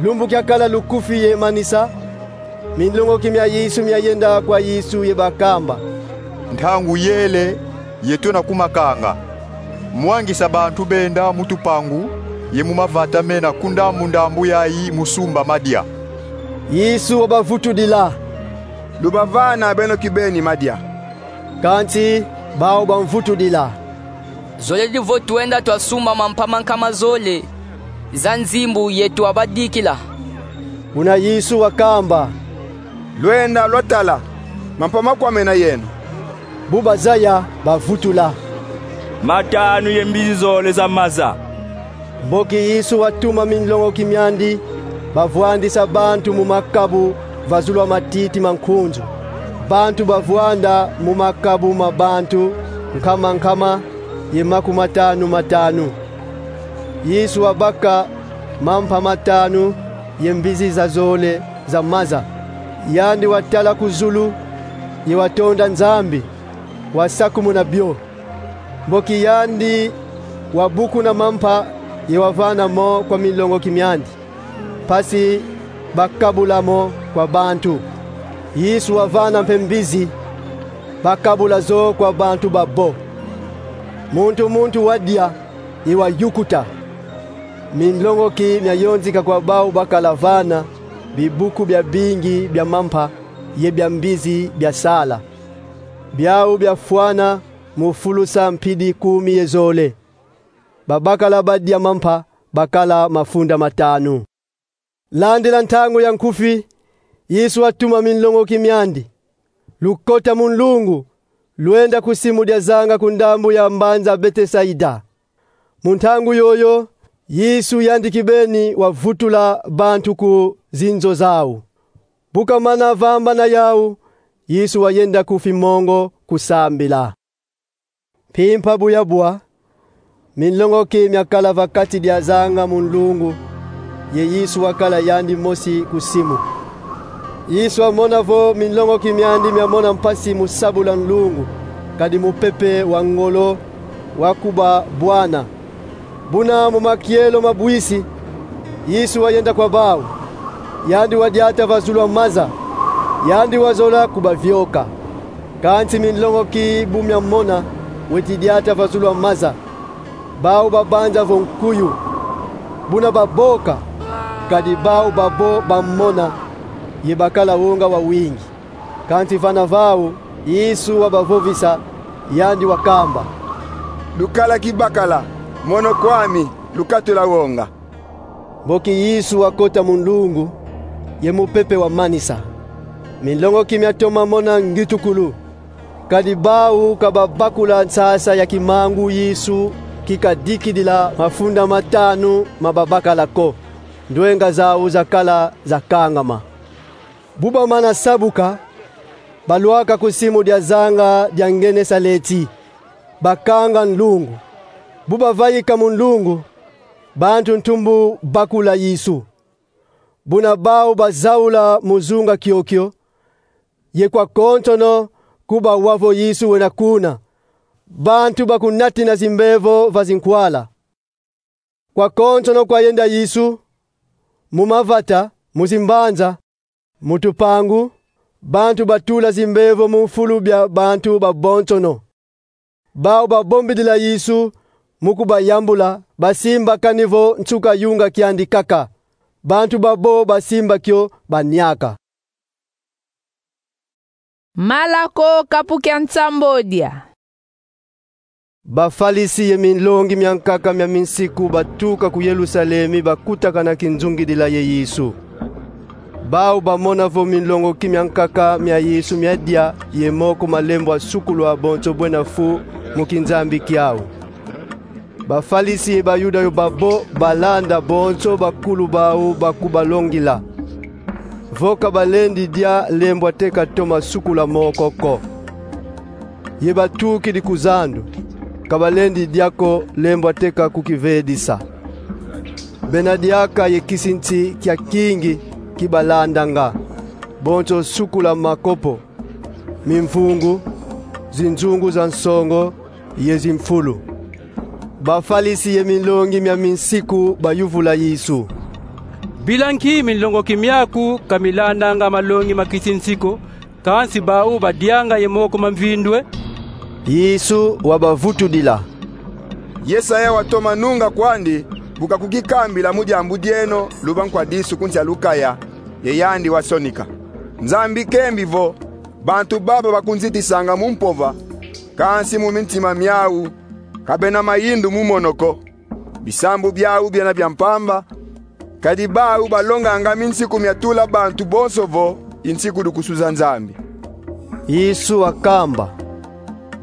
Lumbu kiakala lukufi ye manisa, minlongoki mia Yesu miayenda kwa Yesu ye bakamba: Ntangu yele ye tuna kumakanga. Mwangisa bantu benda mu tupangu ye mu mavata mena ku ndambu-ndambu yayi mu sumba madia. Yesu wabavutudila: Lubavana beno kibeni madia. Kansi bau bamvutudila: Zolele vo twenda twasumba mampa mankama zole za nzimbu ye twabadikila. Buna Yesu wakamba: Lwenda lwatala mampa makwamena yeno. Bu bazaya, bavutula: Matanu ye mbizi zole za maza. Mboki Yesu watuma minlongoki miandi, bavwandisa bantu mu makabu vazulwa matiti ma nkunzu. Bantu bavwanda mu makabu ma bantu nkama nkama ye makumatanu-matanu. Yesu wabaka mampa matanu ye mbizi zazole za maza. Yandi watala ku zulu ye watonda Nzambi, wasakumuna bio. Mboki yandi wabukuna mampa ye wavana mo kwa minlongoki miandi, mpasi bakabula mo kwa bantu. Yesu wavana mpe mbizi, bakabula zo kwa bantu babo. Muntu muntu wadia ye wayukuta. Minlongoki miayonzika kwa bau bakala vana bibuku biabingi bia mampa ye bia mbizi biasala. Biau biafwana mu fulusa mpidi kumi ye zole. Ba bakala badia mampa bakala mafunda matanu. Landila ntangu ya nkufi, Yesu watuma minlongoki miandi: Lukota mu nlungu, lwenda ku simu dia zanga ku ndambu ya mbanza Betesaida. Mu ntangu yoyo, Yesu yandi kibeni wavutula bantu ku zinzo zau. Bu kamana vambana yau, Yesu wayenda ku fimongo kusambila. Mpimpa bu yabwa, minlongoki miakala va kati dia zanga mu nlungu, ye Yesu wakala yandi mosi ku simu. Yesu wamona vo minlongoki miandi miamona mpasi mu sabula nlungu, kadi mupepe wa ngolo wakubabwana. Buna mu makielo ma bwisi, Yesu wayenda kwa bau. Yandi wadiata vazulwa maza. Yandi wazola kubavioka. Kansi minlongoki bu miamona weti diata vazulwa maza, bau babanza vo nkuyu. Buna baboka, kadi bau babo bamona ye bakala wonga wawingi. Kansi vana vau, Yesu wabavovisa, yandi wakamba: Lukala kibakala, mono kwami, lukatula wonga. Mboki Yesu wakota mu nlungu, ye mupepe wamanisa. Minlongoki miatoma mona ngitukulu. Kadi bau ka babakula nsasa ya kimangu Yesu kikadikidila mafunda matanu ma babakala ko. ndwenga zau zakala zakangama. Bu bamana sabuka, balwaka ku simu dia zanga dia Ngenesaleti, bakanga nlungu. Bu bavaika mu nlungu, bantu ntumbu bakula Yesu. Buna bau bazaula mu zunga kiokio, ye kwa konsono ku bawa vo Yesu wena kuna, bantu bakunatina zimbevo va zinkwala. Kwa konsono kwayenda Yesu, mu mavata, mu zimbanza, mu tupangu, bantu batula zimbevo mu mfulu bia bantu babonsono. Bau babombidila Yesu mu kubayambula, basimba kani vo nsuka yunga kiandi kaka. Bantu babo basimba kio baniaka. Malako kapu kia nsambodia. Bafalisi ye minlongi mia nkaka mia minsiku batuka ku Yerusalemi, bakutakana kinzungidila ye Yesu. Bau bamona vo minlongoki mia nkaka mia Yesu miadia ye moko malembwa sukulwa bonso bwena fu mu kinzambi kiau. Bafalisi ye Bayuda yo babo balanda bonso bakulu bau bakubalongila vo ka balendi dia lembwa te katoma sukula moko ko. Ye batukidi ku zandu, ka balendi dia ko lembwa te ka kukivedisa. Bena diaka ye kisinsi kia kingi kibalandanga, bonso sukula makopo, mimvungu, zinzungu za nsongo ye zimfulu. Bafalisi ye minlongi mia minsiku bayuvula Yesu: Bila nki minlongoki miaku ka milandanga malongi ma kisinsi ko, kansi bau badianga ye moko ma mvindu e? Yesu wabavutudila: Yesaya watoma nunga kwandi, bu kakukikambila mu diambu dieno: Luba nkwa disu ku nsi a lukaya, ye yandi wasonika. Nzambi kembi vo: Bantu baba bakunzitisanga mu mpova, kansi mu mintima miau ka bena mayindu mu mono ko. Bisambu biau biena bia mpamba, kadi bau balonganga minsiku mia tula bantu bonso vo i nsiku du kusuza Nzambi. Yesu wakamba: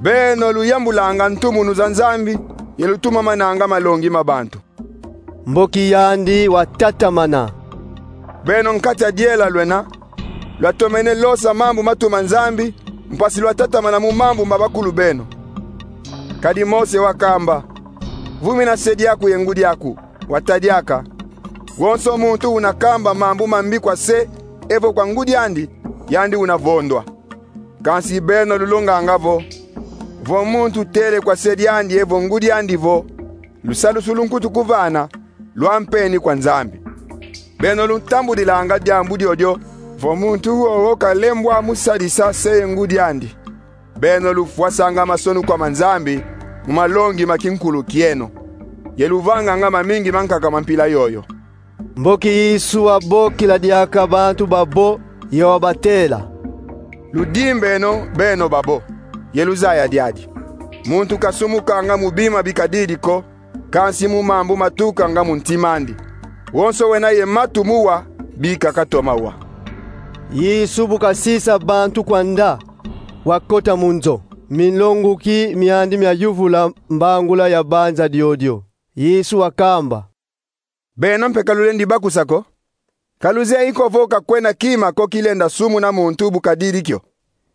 Beno luyambulanga ntumunu za Nzambi, ye lutumamananga malongi ma bantu. Mboki yandi watatamana: Beno nkati a diela lwena, lwatomene losa mambu matuma Nzambi, mpasi lwatatamana mu mambu ma bakulu beno. Kadi Mose wakamba: Vumina se diaku ye ngudi aku. Wata diaka: Wonso muntu una kamba mambu mambi kwa se evo kwa ngudi andi, yandi una vondwa. Kansi beno lulonganga vo: Vo muntu tele kwa se diandi evo ngudi andi vo: Lusalusu lu nkutu kuvana, lwampeni kwa Nzambi. Beno luntambudilanga diambu diodio: Vo muntu wowo kalembwa mu sadisa se ye ngudi andi. Beno lufwasanga masonu kwa ma Nzambi mu malongi ma kinkulu kieno, ye luvanganga mamingi mankaka ma mpila yoyo. Mboki Yesu wabokila diaka bantu babo, ye wabatela: Ludimbeno beno babo, ye luzaya diadi. Muntu kasumukanga mu bima bikadidi ko, kansi mu mambu matukanga mu ntim'andi. Wonso wena ye matu mu wa, bika katoma wa. Yesu bu kasisa bantu kwanda, wakota mu nzo. Minlongoki miandi miayuvula mbangula ya banza diodio. Yesu wakamba: Beno mpe ka lulendi bakusa ko? Ka luzeye ko vo ka kwena kima ko kilenda sumuna muntu bu kadidi kio?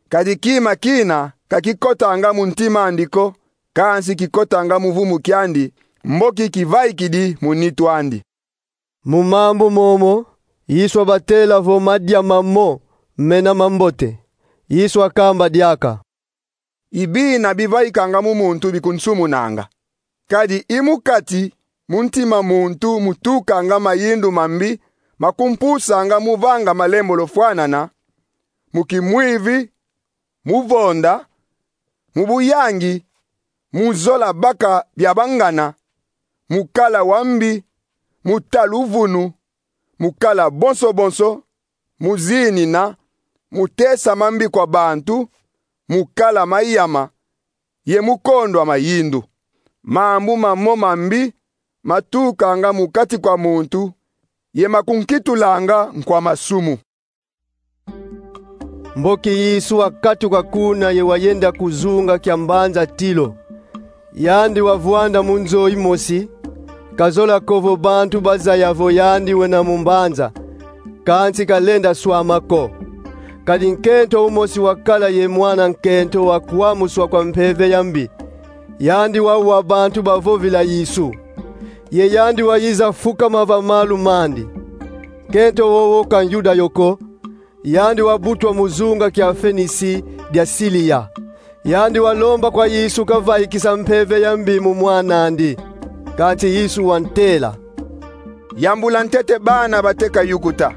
Kadi kima kina ka kikotanga mu ntim'andi ko, kansi kikotanga mu vumu kiandi, mboki kivaikidi mu nitu andi. Mu mambu momo, Yesu wabatela vo madia mamo mena mambote. Yesu wakamba diaka: I bina bivaikanga mu muntu bikunsumunanga. Kadi i mu kati, mu ntima muntu, mutukanga mayindu mambi, makumpusanga mu vanga malembolo fwanana: mu kimwivi, mu vonda, mu buyangi, mu zola baka bia bangana, mu kala wa mbi, mu ta luvunu, mu kala bonso bonso, mu zinina, mu tesa mambi kwa bantu, mu kala mayama, ye mu kondwa mayindu. Mambu mamo mambi matukanga mu kati kwa muntu, ye makunkitulanga nkwa masumu. Mboki Yesu wakatuka kuna ye wayenda ku zunga kia mbanza Tilo. Yandi wavwanda mu nzo imosi, kazola ko vo bantu bazaya vo yandi wena mu mbanza, kansi kalenda swama ko. Kadi nkento umosi wakala ye mwana nkento wa kwamuswa kwa mpeve ya mbi. Yandi wawa bantu bavovila Yesu, ye yandi wayiza fukama va malu mandi. Nkento wowo ka Yuda yo ko, yandi wabutwa mu zunga kia Fenisi dia Siliya. Yandi walomba kwa Yesu kavaikisa mpeve ya mbi mu mwan'andi. Kansi Yesu wantela: Yambula ntete bana bateka yukuta,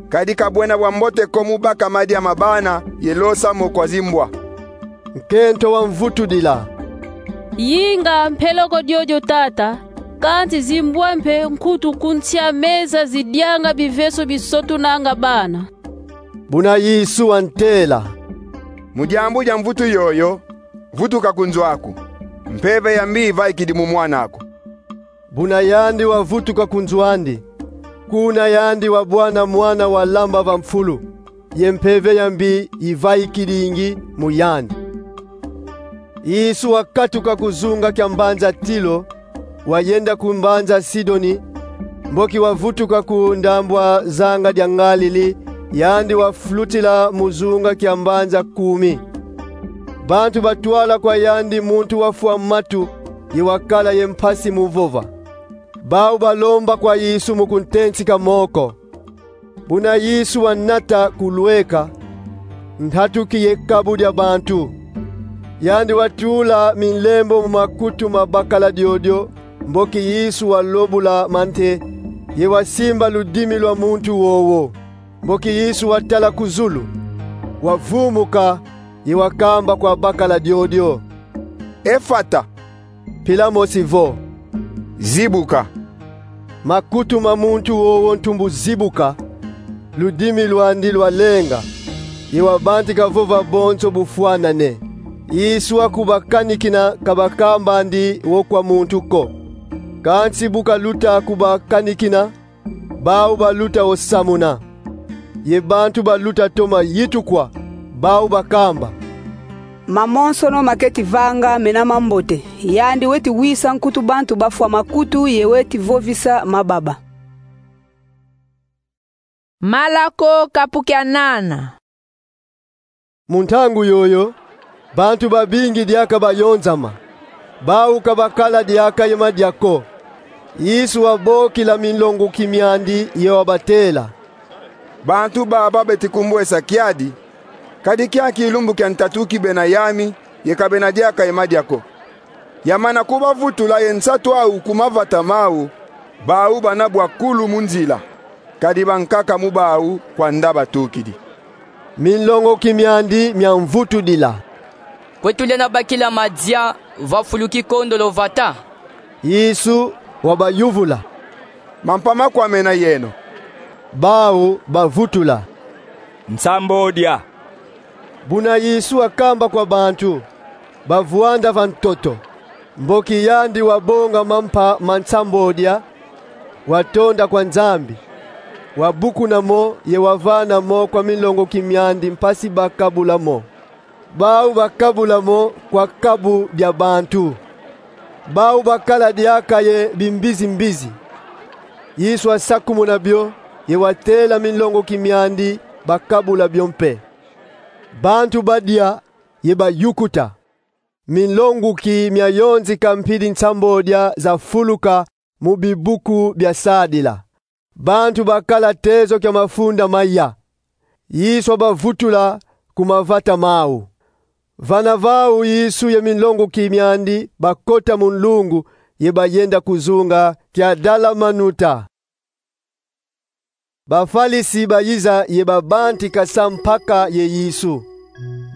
kadi ka bwena bwa mbote ko mu baka madia ma bana ye losa mo kwa zimbwa. Nkento wamvutudila: Yinga mpeleko diodio, Tata, kansi zimbwa mpe nkutu ku nsi a meza zidianga biveso bisotunanga bana. Buna Yesu wantela: Mu diambu dia mvutu yoyo, vutuka ku nzo aku. Mpeve ya mbi ivaikidi mu mwan'aku. Buna yandi wavutuka ku nzo andi. Kuna yandi wabwana mwana walamba va mfulu, ye mpeve ya mbi ivaikidingi mu yandi. Yesu wakatuka ku zunga kia mbanza Tilo, wayenda ku mbanza Sidoni. Mboki wavutuka ku ndambu a zanga dia Ngalili, yandi wafulutila mu zunga kia mbanza Kumi. Bantu batwala kwa yandi muntu wafwa matu ye wakala ye mpasi mu vova. Bau balomba kwa Yesu mu kuntentika moko. Buna Yesu wanata kulweka, ntatukidi ye kabu dia bantu. Yandi watula minlembo mu makutu ma bakala diodio, mboki Yesu walobula mante, ye wasimba ludimi lwa muntu wowo. Mboki Yesu watala ku zulu, wavumuka, ye wakamba kwa bakala diodio: Efata, mpila mosi vo: Zibuka. Makutu ma muntu wowo ntumbu zibuka, ludimi lwandi lwalenga, ye wabantika vova bonso bufwanane. Yesu wakubakanikina, ka bakambandi wo kwa muntu ko. Kansi bu kaluta kubakanikina, bau baluta wo samuna. Ye bantu baluta toma yitukwa, bau bakamba: Mamonsono maketi vanga mena mambote. Yandi weti wisa nkutu bantu bafwa makutu ye weti vovisa mababa. Malako kapu kia nana. Mu ntangu yoyo, bantu babingi diaka bayonzama. Bau ka bakala diaka ye madia ko. Yesu wabokila minlongoki miandi ye wabatela: Bantu baba beti kumbwesa kiadi, kadi kiaki lumbu kia ntatu kibena yami ye ka bena diaka ye madia ko. Yamana kubavutula ye nsatu au ku mavata mau, bau bana bwa kulu mu nzila, kadi bankaka mu bau kwanda batukidi. Minlongoki miandi miamvutudila: Kwe tulenda bakila madia va fulu kikondolo vata? Yesu wabayuvula: Mampa makwamena yeno? Bau bavutula: Nsambodia. Buna Yesu wakamba kwa bantu, bavwanda va ntoto. Mboki yandi wabonga mampa ma nsambodia, watonda kwa Nzambi, wabukuna mo ye wavana mo kwa minlongoki miandi mpasi bakabula mo. Bau bakabula mo kwa kabu dia bantu. Bau bakala diaka ye bimbizi-mbizi. Yesu wasakumuna bio, ye watela minlongoki miandi bakabula bio mpe. Bantu badia ye bayukuta. Minlongoki miayonzika mpidi nsambodia zafuluka mu bibuku bia sadila. Bantu bakala tezo kia mafunda maya. Yesu wabavutula ku mavata mau. Vana vau Yesu ye minlongoki miandi bakota mu nlungu ye bayenda ku zunga kia Dalamanuta. Bafalisi bayiza ye babantika sampaka ye Yesu.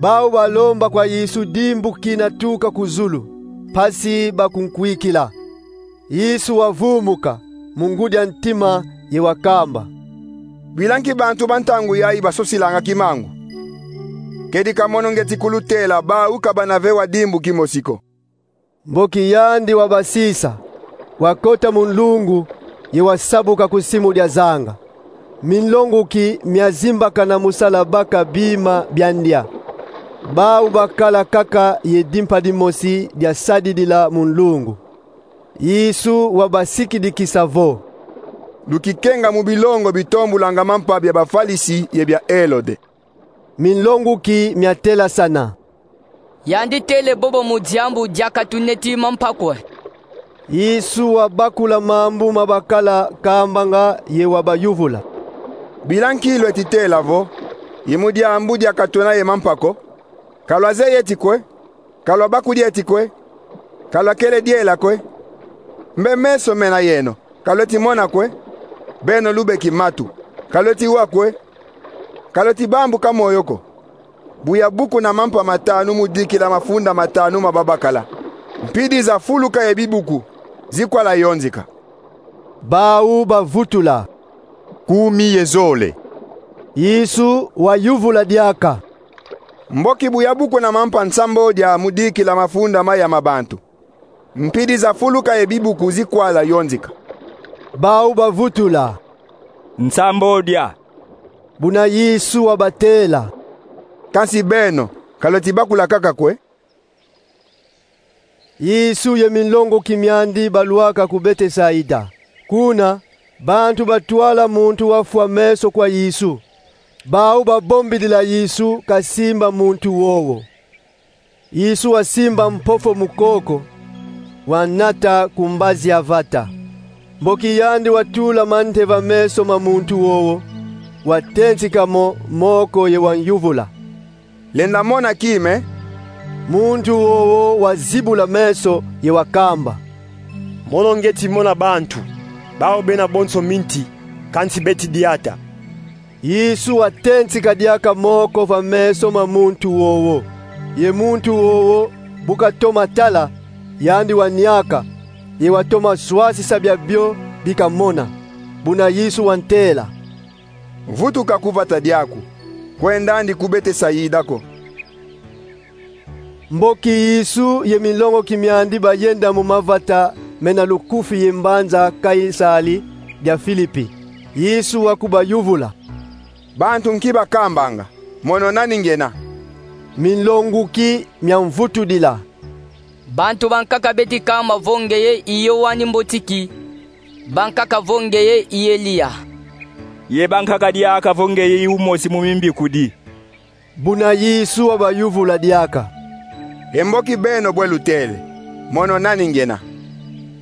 Bau balomba kwa Yesu dimbu kina tuka ku zulu, mpasi bakunkwikila. Yesu wavumuka mu ngudi a ntima ye wakamba: Bwila nki bantu ba ntangu yayi basosilanga kimangu? Kedi ka mono ngieti kulutela, bau ka bana ve wa dimbu kimosi ko. Mboki yandi wabasisa, wakota mu nlungu ye wasabuka ku simu dia zanga. Minlongoki miazimbakana mu sala baka bima bia ndia. Bau bakala kaka ye dimpa dimosi dia sadidila mu nlungu. Yesu wabasikidikisa vo: Lukikenga mu bilongo bitombulanga mampa bia Bafalisi ye bia Elode. Minlonguki miatelasana: Yandi tele bobo mu diambu diaka tuneti mampa kwe? Yesu wabakula mambu mabakala kambanga ye wabayuvula: Bila nki lweti tela vo: Ye mu diambu diaka twena ye mampa ko? Ka lwazeye eti kwe? Ka lwabakudi eti kwe? Ka lwakele diela kwe? Mbe meso mena yeno, ka lweti mona kwe? Beno lubeki matu, ka lweti wa kwe? Ka lweti bambuka moyo ko? Bu yabukuna mampa matanu mu dikila mafunda matanu ma babakala, mpidi zafuluka ye bibuku zikwala yonzika. Bau bavutula: Kumi ye zole. Yesu wayuvula diaka: Mboki bu yabukuna mampa nsambodia mu dikila mafunda maya ma bantu, mpidi zafuluka ye bibuku zikwala yonzika. Bau bavutula: Nsambodia. Buna Yesu wabatela: Kansi beno, ka lweti bakula kaka kwe? Yesu ye minlonguki miandi balwaka ku Betesaida. Kuna, bantu batwala muntu wafwa meso kwa Yesu. Bau babombidila Yesu kasimba muntu wowo. Yesu wasimba mpofo mu koko, wanata ku mbazi ya vata. Mboki yandi watula mante va meso ma muntu wowo, watentika mo moko ye wanyuvula: Lenda mona kime. Muntu wowo wazibula meso ye wakamba: Mono ngieti mona bantu, bau bena bonso minti, kansi beti diata. Yesu watentika diaka moko va meso ma muntu wowo. Ye muntu wowo bu katoma tala, yandi waniaka, ye watoma swasisa biabio bi kamona. Buna Yesu wantela: Vutuka ku vata diaku, kwendandi ku Betesaida ko. Mboki Yesu ye minlonguki miandi bayenda mu mavata mena lukufi ye mbanza Kaisali dia Filipi, Yesu wakubayuvula: Bantu nki bakambanga? Mono nani ngena? Minlonguki miamvutudila: Bantu bankaka beti kamba vo ngeye i Yoani Mbotiki, bankaka vo ngeye i Eliya, ye bankaka diaka vo ngeye i umosi mu mimbikudi. Buna Yesu wabayuvula diaka: E mboki beno bwe lutele, mono nani ngena?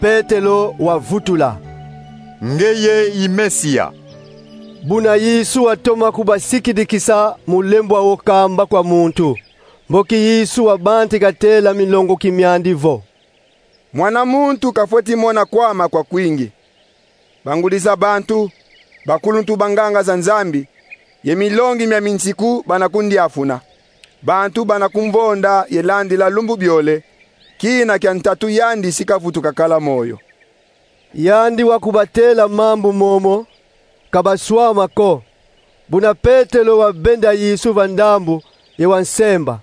Petelo wavutula: Ngeye i Mesia. Buna Yesu watoma kubasikidikisa mu lembwa wo kamba kwa muntu. Mboki Yesu wabantika tela minlonguki miandi vo: Mwana muntu kafweti mona kwama kwa kwingi. Bangudi za bantu, bakuluntu ba nganga za Nzambi, ye milongi mia minsiku bana kundiafuna. Bantu bana kumvonda ye landila lumbu biole, kina kia ntatu yandi si kavutuka kala moyo. Yandi wakubatela mambu momo, ka baswama ko. Buna Petelo wabenda Yesu va ndambu ye wansemba.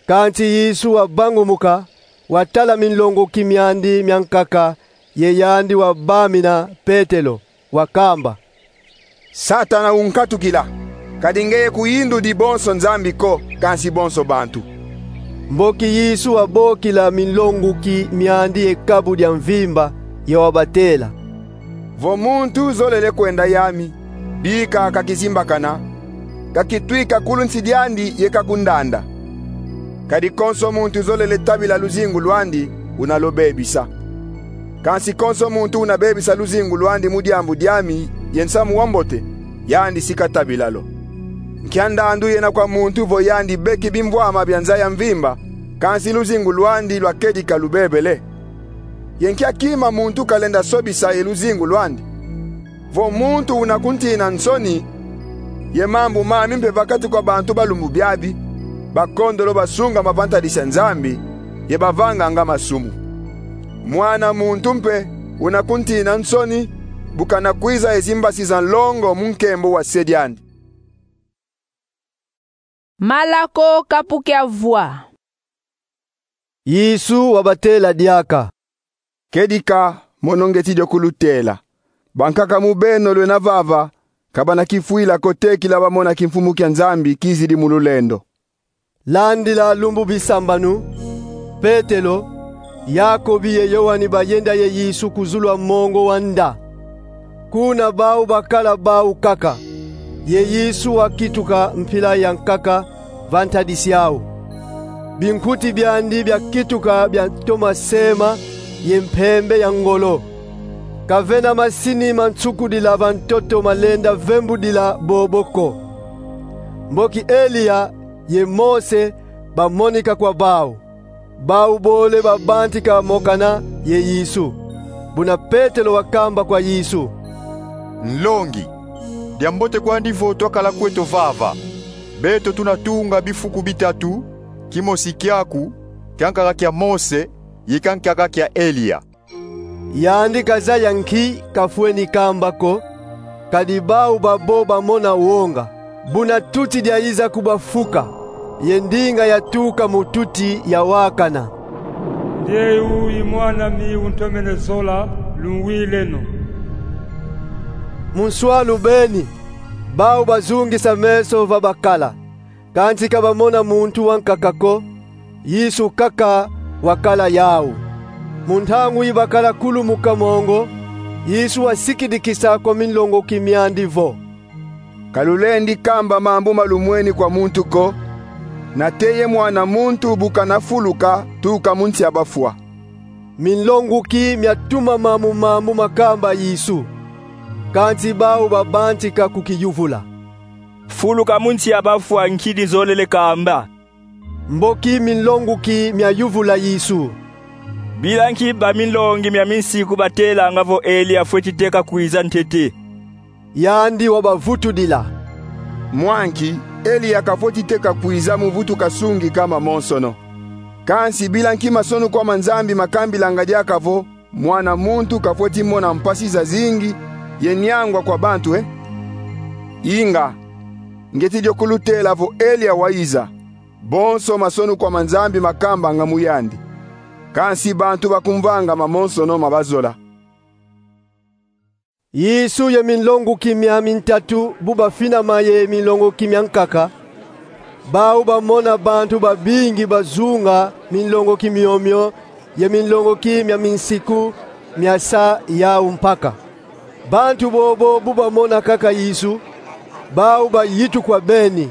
Kansi Yesu wabangumuka, watala minlonguki miandi miankaka, ye yandi wabamina Petelo, wakamba: Satana unkatukila, kadi ngeye kuyindudi bonso Nzambi ko, kansi bonso bantu. Mboki Yesu wabokila minlonguki miandi ye kabu dia mvimba, ye wabatela: Vo muntu zolele kwenda yami, bika kakizimbakana, kakitwika kulu nsi diandi ye kakundanda. Kadi konso muntu zolele tabila luzingu lwandi, una lubebisa. Kansi konso muntu una bebisa luzingu lwandi mu diambu diami ye nsamu wa mbote, yandi si katabila lo. Nkia ndandu yena kwa muntu vo yandi beki bimvwama bia nza ya mvimba, kansi luzingu lwandi lwakedika lubebele? Ye nkia kima muntu kalenda sobisa ye luzingu lwandi? Vo muntu una kuntina nsoni, ye mambu mami mpe va kati kwa bantu ba lumbu biabi, bakondolo basunga mavantadisi a Nzambi, ye bavanganga masumu. Mwana muntu mpe una kuntina nsoni, bu kana kwiza ye zimbasi za nlongo mu nkembo wa Se diandi. Malako kapu kia vwa. Yesu wabatela diaka: Kedika, mono ngieti dio kulutela. Bankaka mu beno lwena vava, ka bana kifwila ko te kila bamona kimfumu kia Nzambi kizidi mu lulendo. Landila lumbu bisambanu, Petelo, Yakobi ye Yoani bayenda ye Yesu ku zulu a mongo wa nda. Kuna bau bakala bau kaka, ye Yesu wakituka mpila ya nkaka va ntadisi au. Binkuti biandi biakituka biatoma sema ye mpembe ya ngolo. Kavena masini ma nsukudila va ntoto malenda vembudila bobo ko. Mboki Eliya ye Mose bamonika kwa bau. Bau bole babantika mokana ye Yesu. Buna Petelo wakamba kwa Yesu: Nlongi, diambote kwandi vo twakala kweto vava. Beto tuna tunga bifuku bitatu, kimosi kiaku, kia nkaka kia Mose, ye kia nkaka kia Eliya. Yandi kazaya nki kafweni kamba ko, kadi bau babo bamona wonga, buna tuti diayiza kubafuka, ye ndinga yatuka mu tuti yawakana: Nde eu i Mwan'ami untomene zola, lunwileno. Mu nswalu beni, bau bazungisa meso va bakala, kansi ka bamona muntu wa nkaka ko, Yesu kaka wakala yau. Mu ntangu yi bakala kulumuka mongo, Yesu wasikidikisa kwa minlongoki miandi vo: Ka lulendi kamba mambu ma lumweni kwa muntu ko, nate ye Mwana muntu bu kana fuluka tuka mu nsi a bafwa. Minlongoki miatumama mu mambu makamba Yesu, kansi bau babantika kukiyuvula: Fuluka mu nsi a bafwa nki dizolele kamba? Mboki minlongoki miayuvula Yesu: Bila nki baminlongi mia minsiku batelanga vo Eliya fweti teka kwiza ntete? Yandi wabavutudila: Mwa nki, Eliya kafweti teka kwiza mu vutuka sungi kama monsono. Kansi bila nki masonukwa ma Nzambi makambilanga diaka vo Mwana muntu kafweti mona mpasi zazingi ye niangwa kwa bantu, e? Inga, ngieti dio kulutela vo Eliya wayiza, bonso masonukwa ma Nzambi makambanga mu yandi. Kansi bantu bakumvanga mamonsono ma bazola. Yesu ye minlongoki mia mintatu bu bafinama ye minlongoki mia nkaka, bau bamona bantu babingi bazunga minlongoki miomio ye minlongoki mia minsiku miasa yau mpaka. Bantu bobo bu bamona kaka Yesu, bau bayitukwa beni,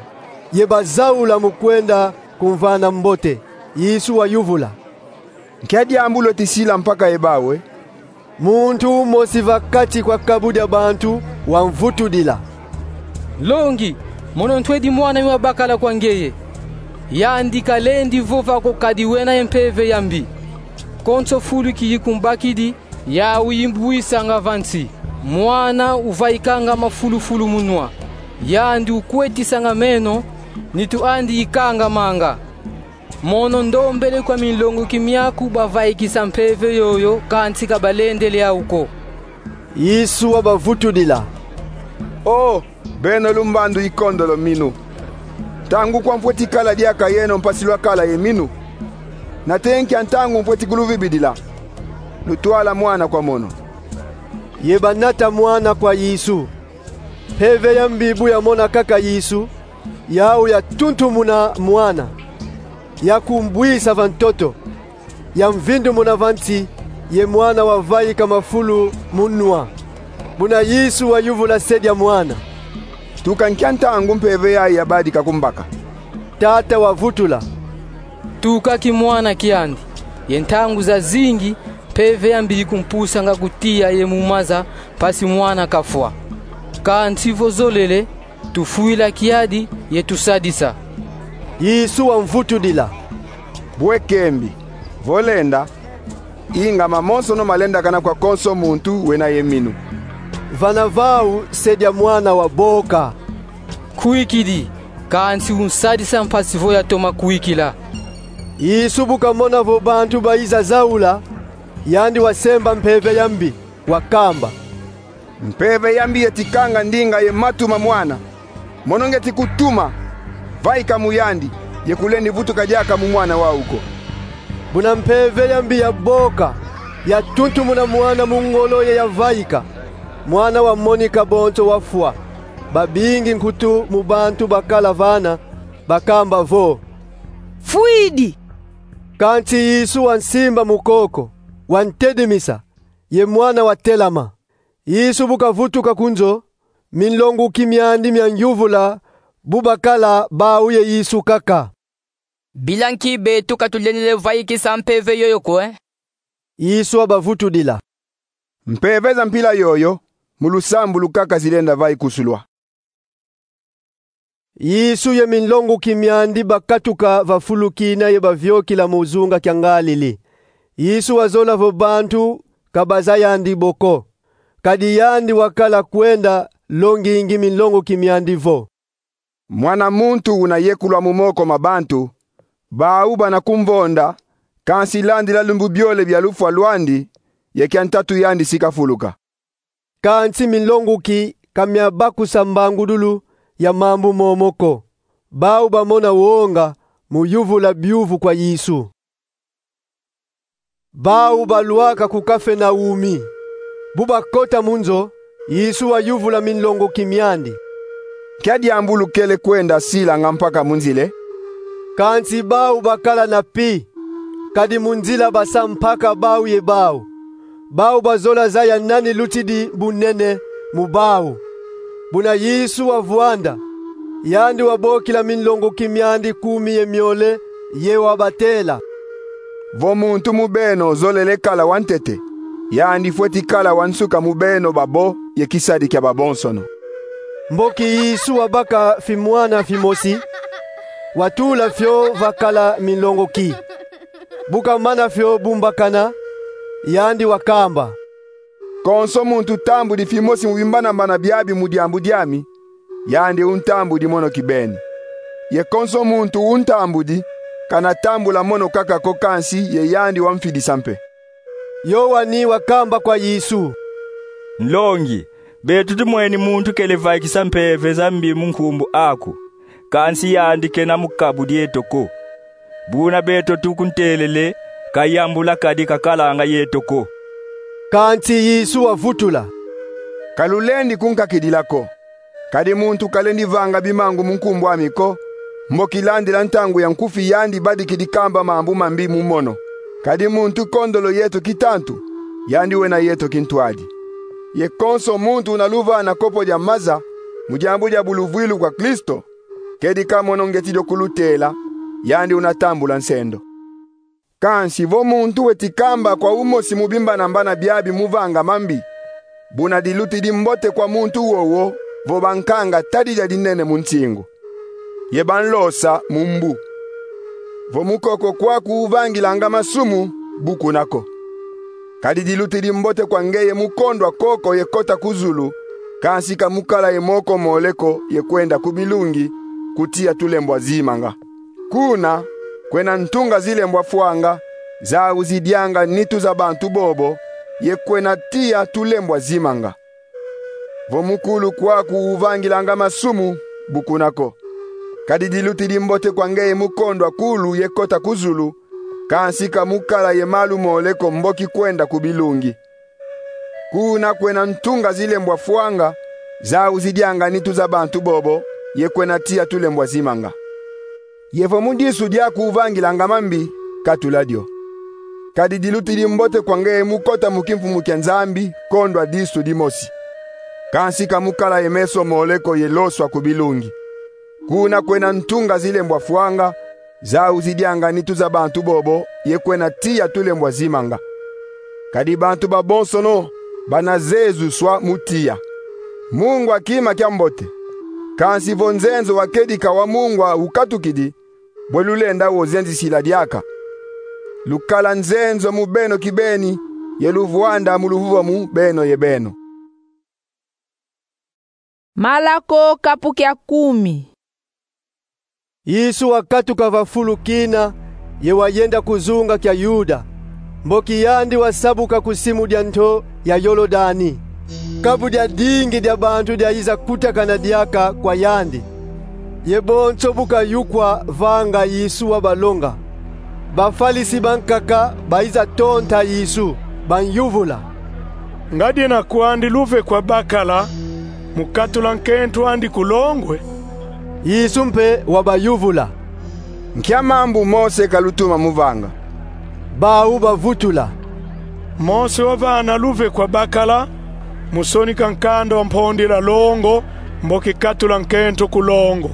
ye bazaula mu kwenda kumvana mbote. Yesu wayuvula: Nkia diambu lweti sila mpaka ye bau, e? Muntu umosi va kati kwa kabu dia bantu wamvutudila: Nlongi, mono ntwedi mwan'ami wabakala kwa ngeye. Yandi kalendi vova ko kadi wena ye mpeve ya mbi. Konso fulu kiyi kumbakidi, yau yimbwisanga va nsi. Mwana uvaikanga mafulufulu mu nwa. Yandi ukwetisanga meno, nitu andi ikangamanga. Mono ndombele kwa minlongoki miaku bavaikisa mpeve yoyo, kansi ka balendele yau ko. Yesu wabavutudila: O beno lumbandu ikondolo minu, ntangu kwa mfweti kala diaka yeno mpasi lwakala ye minu? Nate nkia ntangu mfweti kuluvibidila? Lutwala mwana kwa mono. Ye banata mwana kwa Yesu. Mpeve ya mbi bu yamona kaka Yesu, yau yatuntumuna mwana, yakumbwisa va ntoto, yamvindumuna va nsi, ye mwana wavaika mafulu mu nwa. Buna Yesu wayuvula se dia mwana: Tuka nkia ntangu mpeve yayi yabadika kumbaka? Tata wavutula: Tuka kimwana kiandi, ye ntangu zazingi mpeve ya mbi ikumpusanga ku tiya ye mu maza mpasi mwana kafwa. Kansi vo zolele, tufwila kiadi ye tusadisa. Yesu wamvutudila: Bwe kembi, vo lenda, inga mamonsono malendakana kwa konso muntu wena ye minu. Vana vau se dia mwana waboka: Nkwikidi, kansi unsadisa mpasi vo yatoma kwikila. Yesu bu kamona vo bantu bayiza zaula, yandi wasemba mpeve ya mbi, wakamba: Mpeve ya mbi yeti kanga ndinga ye matu ma mwana. Mono ngieti kutuma, vaika mu yandi, ye kulendi vutuka diaka mu mwana wau ko. Buna mpeve ya mbi yaboka, yatuntumuna mwana mu ngolo ye yavaika. Mwana wamonika bonso wafwa. Babingi nkutu mu bantu bakala vana bakamba vo: Fwidi. Kansi Yesu wansimba mu koko, wantedimisa, ye mwana watelama. Yesu bu kavutuka ku nzo, minlonguki miandi mianyuvula, bu bakala bau ye Yesu kaka: Bila nki beto ka tulendele vaikisa mpeve yoyo ko, eh? Yesu wabavutudila: Mpeve za mpila yoyo, mu lusambulu kaka zilenda vaikusulwa. Yesu ye minlonguki miandi bakatuka va fulu kina ye baviokila mu zunga kia Ngalili. Yesu wazola vo bantu ka bazaya yandi bo ko. Kadi yandi wakala kwenda longingi minlonguki miandi vo: Mwana muntu una yekulwa mu moko ma bantu, bau bana kumvonda, kansi landila lumbu biole bia lufwa lwandi, ye kia ntatu yandi si kafuluka. Kansi minlonguki ka miabakusa mbangudulu ya mambu momo ko. Bau bamona wonga mu yuvula biuvu kwa Yesu. Bau balwaka ku Kafenaumi. Bu bakota mu nzo, Yesu wayuvula minlonguki miandi: Nkia diambu lukele kwenda silanga mpaka mu nzila, eh? Kansi bau bakala na pi, kadi mu nzila basa mpaka bau ye bau. Bau bazola zaya nani lutidi bunene mu bau. Buna Yesu wavwanda, yandi wabokila minlonguki miandi kumi ye miole, ye wabatela: Vo muntu mu beno zolele kala wantete, yandi fweti kala wa nsuka mu beno babo ye kisadi kia babonsono. Mboki Yesu wabaka fimwana fimosi, watula fio va kala minlonguki. Bu kamana fio bumbakana, yandi wakamba: Konso muntu tambudi fimosi mu bimbanambana biabi mu diambu diami, yandi untambudi mono kibeni. Ye konso muntu untambudi, kana tambula mono kaka ko, kansi ye yandi wamfidisa mpe. Yowani wakamba kwa Yesu: Nlongi, beto tumweni muntu kele vaikisa mpeve za mbi mu nkumbu aku, kansi yandi kena mu kabu dieto ko. Buna beto tukuntelele, kayambula kadi kakalanga yeto ko. Kansi Yesu wavutula: Ka lulendi kunkakidila ko. Kadi muntu kalendi vanga bimangu mu nkumbu ami ko, mboki landila ntangu ya nkufi yandi badikidi kamba mambu mambi mu mono. Kadi muntu kondolo yeto kitantu, yandi wena yeto kintwadi. Ye konso muntu una luvana kopo dia maza mu diambu dia buluvwilu kwa Kristo, kedika mono ngeti dio kulutela, yandi una tambula nsendo. Kansi vo muntu weti kamba kwa umosi mu bimbanambana biabi mu vanga mambi, buna dilutidi mbote kwa muntu wowo vo bankanga tadi dia dinene mu nsingu, ye banlosa mu mbu. Vo mu koko kwaku uvangilanga masumu, bu kuna ko. Kadi dilutidi mbote kwa ngeye mu kondwa koko ye kota ku zulu, kansi ka mu kala ye moko mole ko ye kwenda ku bilungi, ku tiya tulembwa zimanga. Kuna kwena ntunga zilembwa fwanga, zau zidianga nitu za bantu bobo, ye kwena tiya tulembwa zimanga. Vo mu kulu kwaku uvangilanga masumu, bu kuna ko. Kadi dilutidi mbote kwa ngeye mu kondwa kulu ye kota ku zulu, kansi ka mu kala ye malu mole ko mboki kwenda ku bilungi. Kuna kwena ntunga zilembwa fwanga, zau zidianga nitu za bantu bobo, ye kwena tiya tulembwa zimanga. Ye vo mu disu diaku uvangilanga mambi, katula dio. Kadi dilutidi mbote kwa ngeye mu kota mu kimfumu kia Nzambi, kondwa disu dimosi. Kansi ka mu kala ye meso mole ko ye loswa ku bilungi. Kuna kwena ntunga zilembwa fwanga, zau zidianga nitu za bantu bobo, ye kwena tiya tulembwa zimanga. Kadi bantu babonsono bana zezuswa mu tiya. Mungwa kima kia mbote. Kansi vo nzenzo wa kedika wa mungwa ukatukidi, bwe lulenda wo zenzisila diaka? Lukala nzenzo mu beno kibeni, ye luvwanda mu luvuvamu beno ye beno. Malako kapu kia kumi. Yesu wakatuka va fulu kina, ye wayenda ku zunga kia Yuda, mboki yandi wasabuka ku simu dia nto ya Yolodani. Kabu diadingi dia bantu diayiza kutakana diaka kwa yandi. Ye bonso bu kayukwa vanga Yesu wabalonga, Bafalisi bankaka bayiza tonta Yesu, banyuvula: Ngadiena kwandi luve kwa bakala mu katula nkento andi ku longwe? Yesu mpe wabayuvula: Nkia mambu Mose kalutuma mu vanga? Bau bavutula: Mose wavana luve kwa bakala mu sonika nkanda wa mpondila longo, mboki katula nkento ku longo.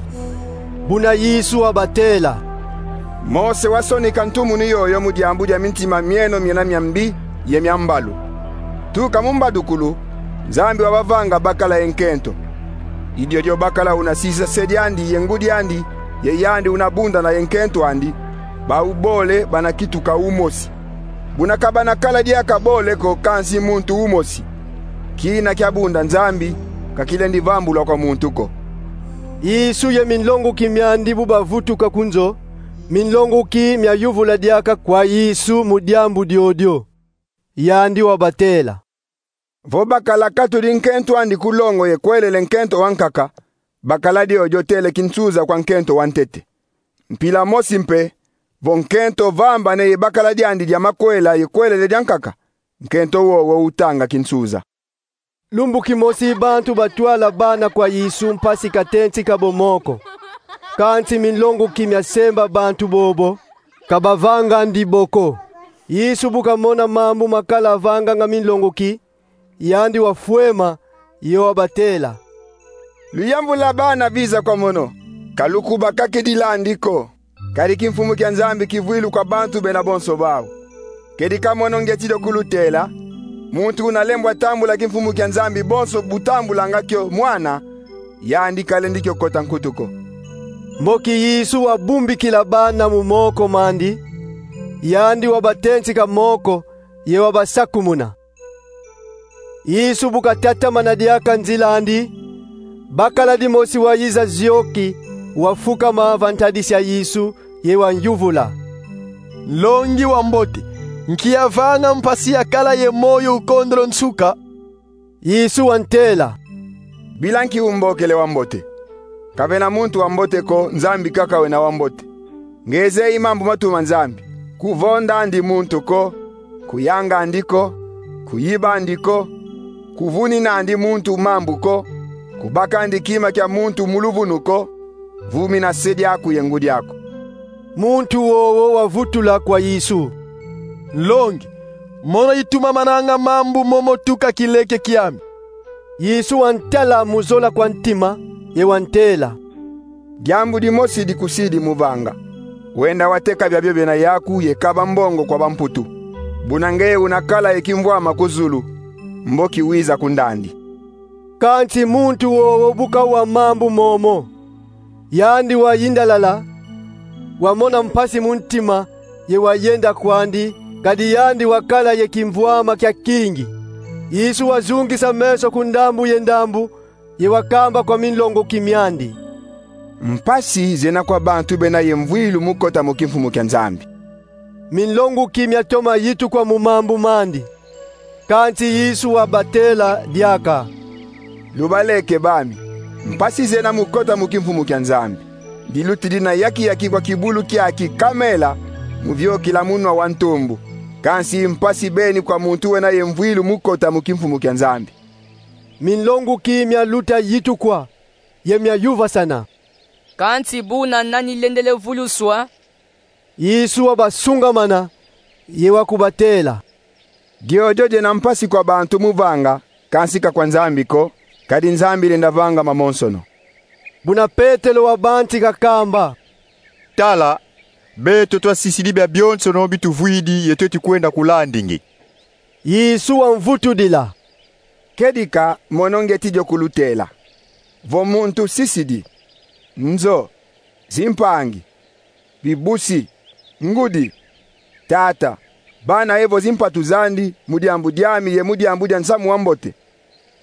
Buna Yesu wabatela: Mose wasonika ntumunu yoyo mu diambu dia mintima mieno miena mia mbi ye mia mbalu. Tuka mu mbadukulu, Nzambi wabavanga bakala ye nkento. I diodio bakala una sisa se diandi ye ngudi andi, ye yandi una bundana ye nkento andi, bau bole bana kituka umosi. Buna ka bana kala diaka bole ko, kansi muntu umosi. Kina kia bunda Nzambi ka kilendi vambulwa kwa muntu ko. Yesu ye minlonguki miandi bu bavutuka ku nzo, minlonguki mia yuvula diaka kwa Yesu mu diambu diodio. Yandi wabatela: Vo bakala katudi nkento andi ku longo ye kwelele nkento wa nkaka, bakala diodio tele kinsuza kwa nkento wa ntete. Mpila mosi mpe, vo nkento vambane ye bakala diandi dia makwela ye kwelele dia nkaka, nkento wowo utanga kinsuza. Lumbu kimosi bantu batwala bana kwa Yesu mpasi katensi kabo mo ko. Kansi minlonguki mia semba bantu bobo, ka bavangandi bo ko. Yesu bu kamona mambu makala vanganga minlonguki, yandi wafwema, ye wabatela: Luyambula bana biza kwa mono, ka lukubakakidilandi ko. Kadi kimfumu kia Nzambi kivwilu kwa bantu bena bonso bau. Kedika mono ngeti dio kulutela: muntu una lembwa tambula kimfumu kia Nzambi bonso bu tambulanga kio mwana, yandi kalendi kio kota nkutu ko. Mboki Yesu wabumbikila bana mu moko mandi, yandi wabatensika moko, ye wabasakumuna. Yesu bu katatamana diaka nzila andi, bakala dimosi wayiza zioki, wafukama va ntadisi ya Yesu, ye wayuvula: Nlongi wa mbote, nki yavanga mpasi ya kala ye moyo ukondolo nsuka? Yesu wantela: Bila nki umbokele wa mbote? Ka vena muntu wa mbote ko, Nzambi kaka wena wa mbote. Nge zeyi mambu matuma Nzambi: kuvondandi muntu ko, kuyangandi ko, kuyibandi ko, kuvuninandi muntu mambu ko, kubakandi kima kia muntu mu luvunu ko, vumina se diaku ye ngudi aku. Muntu wowo wavutula kwa Yesu: Nlongi, mono itumamananga mambu momo tuka kileke kiami. Yesu wantala mu zola kwa ntima, ye wantela: Diambu dimosi dikusidi mu vanga. Wenda wateka biabio bena yaku ye kaba mbongo kwa bamputu. Buna nge una kala ye kimvwama ku zulu, mboki wiza kundandi. Kansi muntu wowo bu kawa mambu momo, yandi wayindalala, wamona mpasi mu ntima, ye wayenda kwandi, kadi yandi wakala ye kimvwama kia kingi. Yesu wazungisa meso ku ndambu ye ndambu, ye wakamba kwa minlonguki miandi: Mpasi zena kwa bantu bena ye mvwilu mu kota mu kimfumu kia Nzambi. Minlonguki miatoma yitukwa mu mambu mandi. Kansi Yesu wabatela diaka: Lubaleke bami. Mpasi zena mu kota mu kimfumu kia Nzambi. Dilutidi na yaki-yaki kwa kibulu kiaki kamela mu viokila munwa wa ntumbu. Kansi mpasi beni kwa muntu wena ye mvwilu mu kota mu kimfumu kia Nzambi. Minlonguki mialuta yitukwa, ye miayuvasana: Kansi buna nani lendele vuluswa? Yesu wabasungamana, ye wakubatela: Diodio diena mpasi kwa bantu mu vanga, kansi ka kwa Nzambi ko, kadi Nzambi lenda vanga mamonsono. Buna Petelo wabantika kamba: Tala, beto twasisidi biabionsono bi tuvwidi ye tweti kwenda kulandi nge. Yesu wamvutudila: Kedika mono ngeti dio kulutela: vo muntu sisidi nzo, zimpangi, bibusi, ngudi, tata, bana ye vo zimpatu zandi mu diambu diami ye mu diambu dia nsamu wa mbote,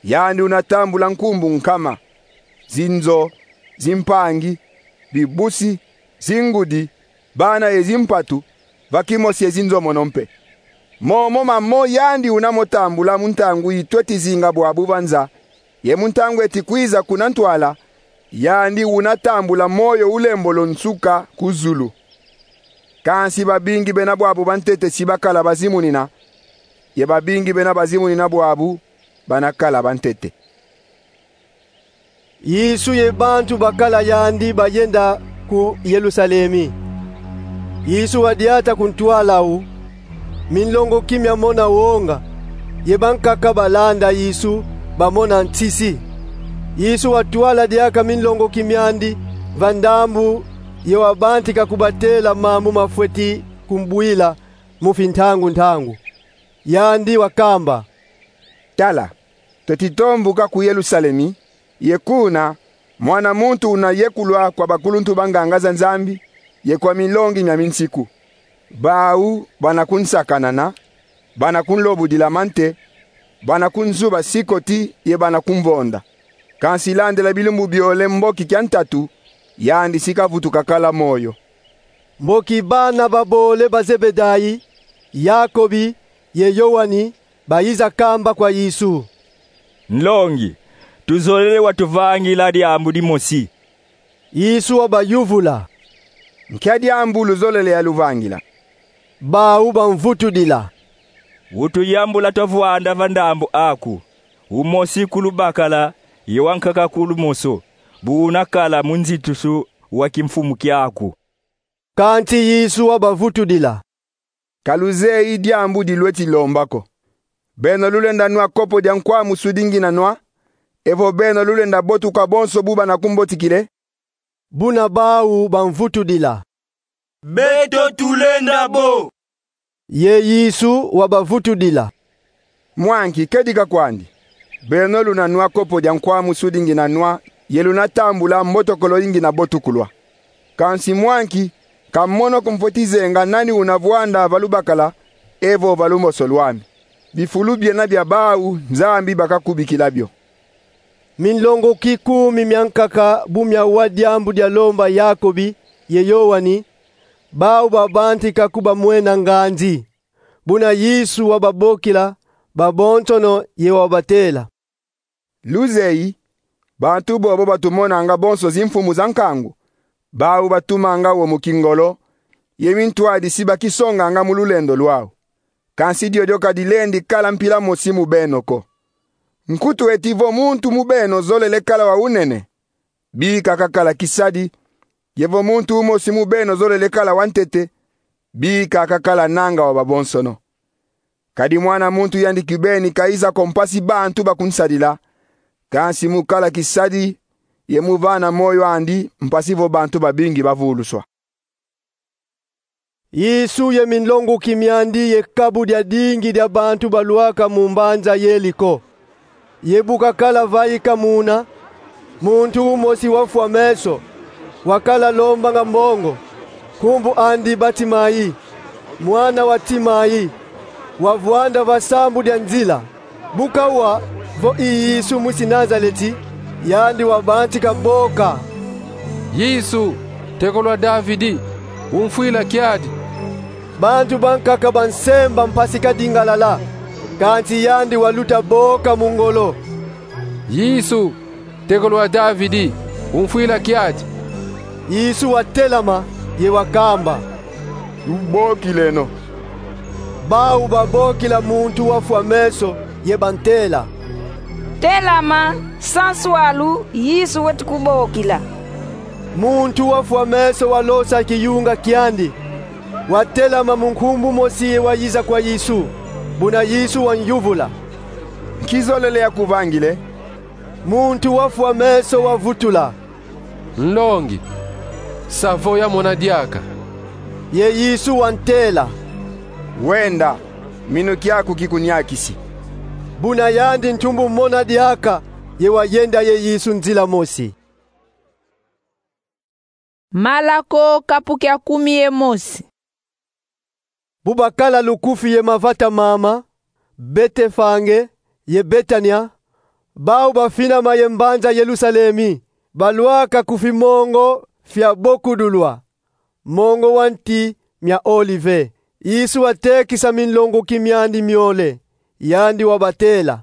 yandi una tambula nkumbu nkama, zinzo, zimpangi, bibusi, zingudi, bana ye zimpatu, va kimosi ye zinzo mono mpe. Momo mamo yandi una mo tambula mu ntangu yi tweti zinga bwabu va nza, ye mu ntangu eti kwiza kuna ntwala, yandi una tambula moyo ulembolo nsuka ku zulu. Kansi babingi bena bwabu bantete si bakala bazimunina, ye babingi bena bazimunina bwabu bana kala bantete. Yesu ye bantu bakala yandi bayenda ku Yerusalemi. Yesu wadiata ku ntwala awu, Minlongoki miamona wonga, ye bankaka balanda Yesu bamona nsisi. Yesu watwala diaka minlongoki miandi va ndambu ye wabantika kubatela mambu mafweti kumbwila mu fintangu-ntangu. Yandi wakamba: Tala, tweti tombuka ku Yerusalemi, ye kuna Mwana muntu una yekulwa kwa bakuluntu ba nganga za Nzambi ye kwa milongi mia minsiku. Bau bana kunsakanana, bana kunlobudila mante, bana kunzuba sikoti ye bana kumvonda. Kansi landila bilumbu biole mboki kia ntatu, yandi si kavutuka kala moyo. Mboki bana babole ba Zebedai, Yakobi ye Yowani, bayiza kamba kwa Yesu: Nlongi, tuzolele watuvangila diambu dimosi. Yesu wabayuvula: Nkia diambu luzolele yaluvangila? Bau bamvutudila: Utuyambula twavwanda va ndambu aku, umosi ku lubakala ye wankaka ku lumoso, bu unakala mu nzitusu wa kimfumu kiaku. Kansi Yesu wabavutudila: Ka luzeyi diambu di lweti lomba ko. Beno lulenda nwa kopo dia nkwa musudi ngina nwa, evo beno lulenda botuka bonso bu bana kumbotikila? Buna bau bamvutudila: Beto tulenda bo. Ye Yesu wabavutudila: Mwa nki, kedika kwandi. Beno luna nwa kopo dia nkwa musudi ngina nwa, ye luna tambula mbotokolo yi ngina botukulwa. Kansi mwa nki, ka mono ko mfweti zenga nani una vwanda va lubakala evo va lumoso lwami. Bifulu biena bia bau Nzambi bakakubikila bio. Minlongoki kumi miankaka bu miawa diambu dia lomba Yakobi ye Yowani, bau babantika kubamwena nganzi. Buna Yesu wababokila babonsono ye wabatela: Luzeyi, bantu bobo batumonanga bonso zimfumu za nkangu, bau batumanga wo mu kingolo, ye mintwadi si bakisonganga mu lulendo lwau. Kansi diodio ka dilendi kala mpila mosi mu beno ko. Nkutu eti vo muntu mu beno zolele kala wa unene, bika kakala kisadi, ye vo muntu umosi mu beno zolele kala wa ntete, bika kakala nanga wa babonsono. Kadi Mwana muntu yandi kibeni kayiza ko mpasi bantu bakunsadila, kansi mu kala kisadi ye mu vana moyo andi mpasi vo bantu babingi bavuluswa. Yesu ye minlongoki miandi ye kabu dia dingi dia bantu balwaka mu mbanza Yeriko. Ye bu kakala vaika muna, muntu umosi wafwa meso, wakala lombanga mbongo, nkumbu andi Batimai, mwana wa Timai, wavwanda va sambu dia nzila. Bu kawa vo i Yesu mwisi Nazaleti, yandi wabantika boka: Yesu, ntekolo wa Davidi, umfwila kiadi. Bantu bankaka bansemba mpasi kadingalala, kansi yandi waluta boka mu ngolo: Yesu, ntekolo wa Davidi, umfwila kiadi. Yesu watelama ye wakamba: Lubokileno. Bau babokila muntu wafwa meso ye bantela: Telama, sanswalu, Yesu weti kubokila. Muntu wafwa meso walosa kiyunga kiandi, watelama mu nkumbu mosi ye wayiza kwa Yesu. Buna Yesu wanyuvula: Nki zolele yakuvangila? Muntu wafwa meso wavutula: Nlongi, sa vo yamona diaka. Ye Yesu wantela: Wenda, minu kiaku kikuniakisi. Buna yandi ntumbu mona diaka, ye wayenda ye Yesu nzila mosi. Malako, kapu kia kumi ye mosi. Bu bakala lukufi ye mavata mama, Betefage ye Betania, bau bafinama ye mbanza Yerusalemi, balwaka ku fimongo fia bokudulwa, mongo wa nti mia Olive. Yesu watekisa minlongoki miandi miole, yandi wabatela: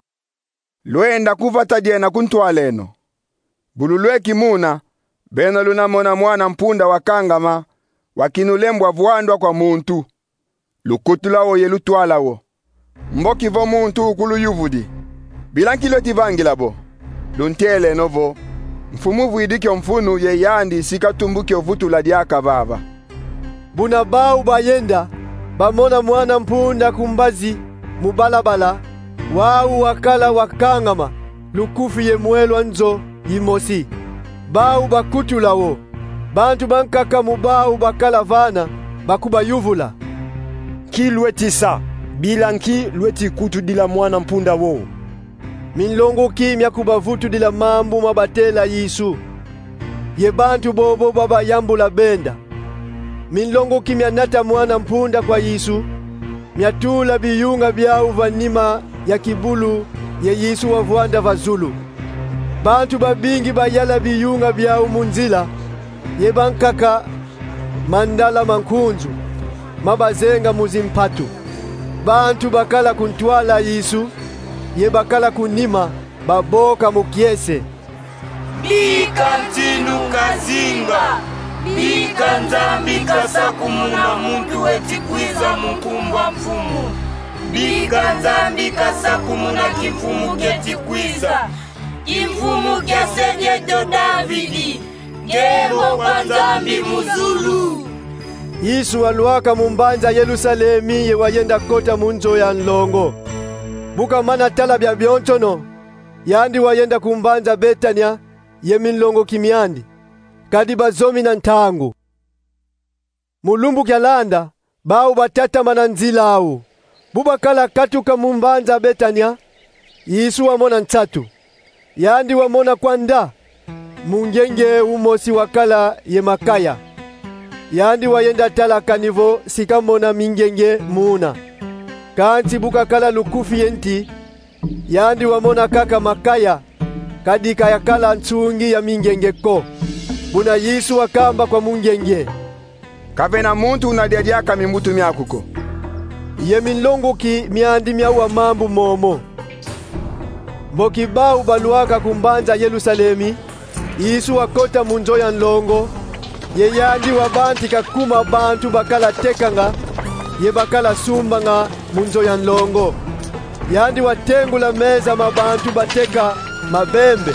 Lwenda ku vata diena ku ntwaleno. Bu lulweki muna, beno luna mona mwana-mpunda wakangama, wa kinulembwa vwandwa kwa muntu. Lukutula wo ye lutwala wo. Mboki vo muntu ukuluyuvudi: Bila nki lweti vangila bo? Lunteleno vo: Mfumu vwidi kio mfunu ye yandi si katumbu kio vutula diaka vava. Buna bau bayenda, bamona mwana mpunda ku mbazi mu balabala, wau wakala wakangama, lukufi ye mwelwa nzo yimosi. Bau bakutula wo. Bantu bankaka mu bau bakala vana bakubayuvula: Nki lweti sa? Bila nki lweti kutudila mwana mpunda wo? Minlongoki mia kubavutudila mambu ma batela Yesu, ye bantu bobo babayambula benda. Minlongoki mia nata mwana mpunda kwa Yesu, mia tula biyunga biau va nima ya kibulu, ye Yesu wavwanda va zulu. Bantu babingi bayala biyunga biau mu nzila, ye bankaka mandala ma nkunzu, mabazenga mu zimpatu. Bantu bakala ku ntwala Yesu, ye bakala ku nima, baboka mu kiese: Bika ntinu kazinga! Bika Nzambi kasakumuna muntu weti kwiza mu nkumbu a Mfumu! Bika Nzambi kasakumuna kimfumu kieti kwiza, kimfumu kia se dieto Davidi, nkembo kwa Nzambi mu zulu! Yesu walwaka mu mbanza Yerusalemi ye wayenda kota mu nzo ya nlongo. Bu kamana tala bia bionsono, yandi wayenda ku mbanza Betania ye minlongoki miandi, kadi bazomi na ntangu. Mu lumbu kialanda, bau batatamana nzila au. Bu bakala katuka mu mbanza Betania, Yesu wamona nsatu. Yandi wamona kwanda mungenge umosi wakala ye makaya. Yandi wayenda tala kani vo si kamona mingenge muna. Kansi bu kakala lukufi ye nti, yandi wamona kaka makaya, kadi ka yakala nsungi ya mingenge ko. Buna Yesu wakamba kwa mungenge: Kavena muntu una dia diaka mimbutu miaku ko. Ye minlongoki miandi miawa mambu momo. Mboki bau balwaka ku mbanza Yerusalemi, Yesu wakota mu nzo ya nlongo, ye yandi wabantika kuma bantu bakala tekanga ye bakala sumbanga mu nzo ya nlongo. Yandi watengula meza ma bantu bateka mabembe,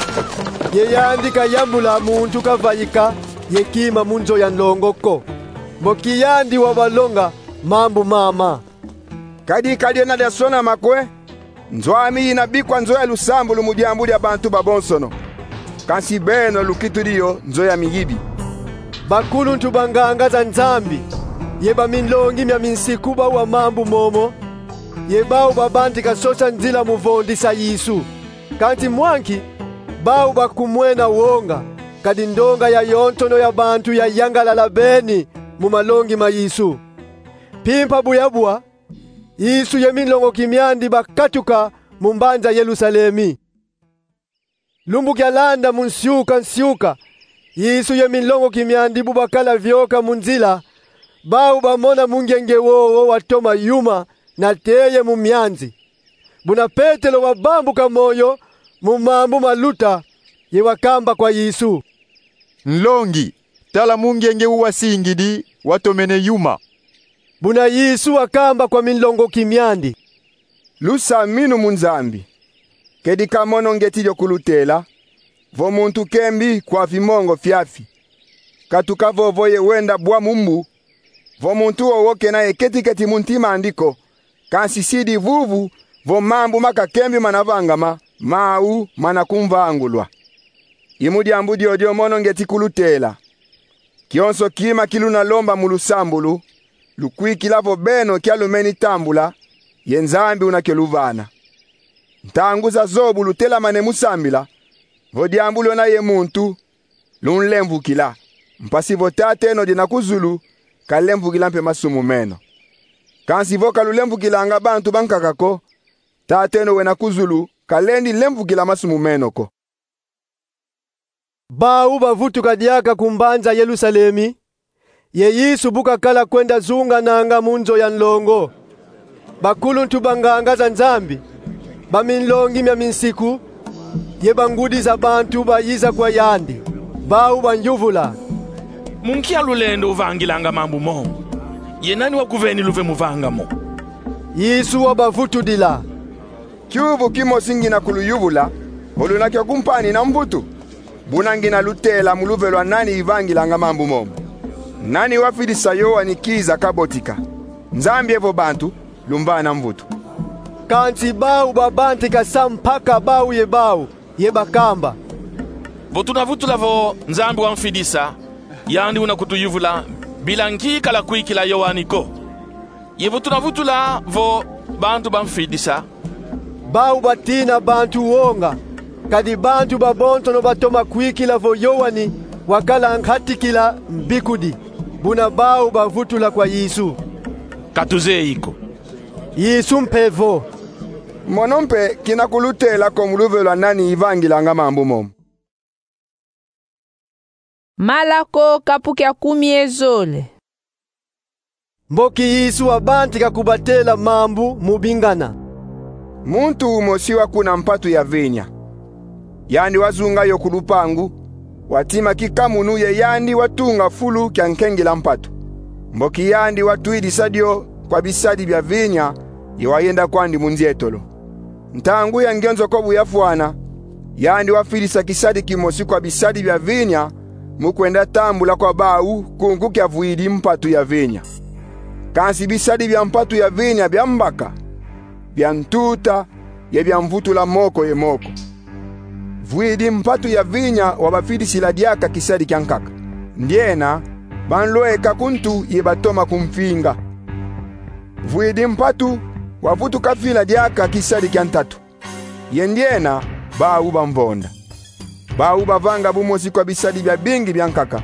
ye yandi kayambula muntu kavaika ye kima mu nzo ya nlongo ko. Mboki yandi wabalonga mambu mama. Kadi ka diena diasonama kwe, nzo ami yina bikwa nzo ya lusambulu mu diambu dia bantu babonsono. Kansi beno lukitudi yo nzo ya miyibi. Bakuluntu ba nganga za Nzambi ye baminlongi mia minsiku bawa mambu momo, ye bau babantika sosa nzila mu vondisa Yesu. Kansi mwa nki, bau bakumwena wonga, kadi ndonga ya yonsono ya bantu yayangalala beni mu malongi ma Yesu. Mpimpa bu yabwa, Yesu ye minlongoki miandi bakatuka mu mbanza Yerusalemi. Lumbu kialanda mu nsiuka nsiuka, Yesu ye minlongoki miandi bu bakala vioka mu nzila, bau bamona mungenge wowo watoma yuma na teye mu mianzi. Buna Petelo wabambuka moyo mu mambu maluta, ye wakamba kwa Yesu: Nlongi, tala mungenge wu wasingidi watomene yuma. Buna Yesu wakamba kwa minlongoki miandi: Lusaminu mu Nzambi. Kedi ka mono ngieti dio kulutela, vo muntu kembi kwafi mongo fiafi, katuka vovo ye wenda bwa mu mbu, vo muntu wowo kena ye keti-keti mu ntima andi ko, kansi sidi vuvu vo mambu ma kakembi manavangama, mau mana kumvangulwa. I mu diambu diodio mono ngieti kulutela: kionso kima ki luna lomba mu lusambulu, lukwikila vo beno kia lumeni tambula, ye Nzambi una kio luvana. Ntangu zazo bu lutelamane mu sambila, vo diambu lwena ye muntu, lunlemvukila, mpasi vo Tateno diena ku zulu kalemvukila mpe masumu meno. Kansi vo ka lulemvukilanga bantu bankaka ko, Tateno wena ku zulu kalendi lemvukila masumu meno ko. Bau bavutuka diaka ku mbanza Yerusalemi, ye Yesu bu kakala kwenda zungananga mu nzo ya nlongo, bakuluntu ba nganga za Nzambi, baminlongi mia minsiku, ye bangudi za bantu bayiza kwa yandi. Bau banyuvula: Mu nkia lulendo uvangilanga mambu mo? Ye nani wakuveni luve mu vanga mo? Yesu wabavutudila: Kiuvu kimosi ngina kuluyuvula, vo luna kio kumpanina mvutu. Buna ngina lutela mu luve lwa nani ivangilanga mambu momo. Nani wafidisa Yoani kiza kabotika? Nzambi evo bantu, lumvana mvutu. Kansi bau babantika sampaka bau ye bau, ye bakamba: Vo tuna vutula vo Nzambi wamfidisa, yandi una kutuyuvula bila nki kala kwikila Yoani ko. Ye vo tuna vutula vo bantu bamfidisa, bau batina bantu wonga, kadi bantu babonsono batoma kwikila vo Yoani wakala nkatikila mbikudi, buna bau bavutula kwa Yesu. Ka tuzeyi ko. Yesu mpe vo: Mono mpe kina kulutela ko mu luve lwa nani ivangilanga mambu momo. Malako kapu kia kumi ye zole. Mboki Yesu wabantika kubatela mambu mu bingana. Muntu umosi wakuna mpatu ya vinya. Yandi wazunga yo ku lupangu, watima kikamunu ye yandi watunga fulu kia nkengila mpatu. Mboki yandi watwidisa dio kwa bisadi bia vinya, ye wayenda kwandi mu nzietolo. Ntangu ya ngenzoko bu yafwana, yandi wafidisa kisadi kimosi kwa bisadi bia vinya mu kwenda tambula kwa bau kunku kiavwidi mpatu ya vinya. Kansi bisadi bia mpatu ya vinya biambaka, bia ntuta, ye bia mvutula moko ye moko. Vwidi mpatu ya vinya wabafidisila diaka kisadi kiankaka. Ndiena, banlweka ku ntu ye batoma kumfinga. Vwidi mpatu wavutuka fila diaka kisadi kia ntatu. Ye ndiena, bau bamvonda. Bau bavanga bumosi kwa bisadi biabingi biankaka.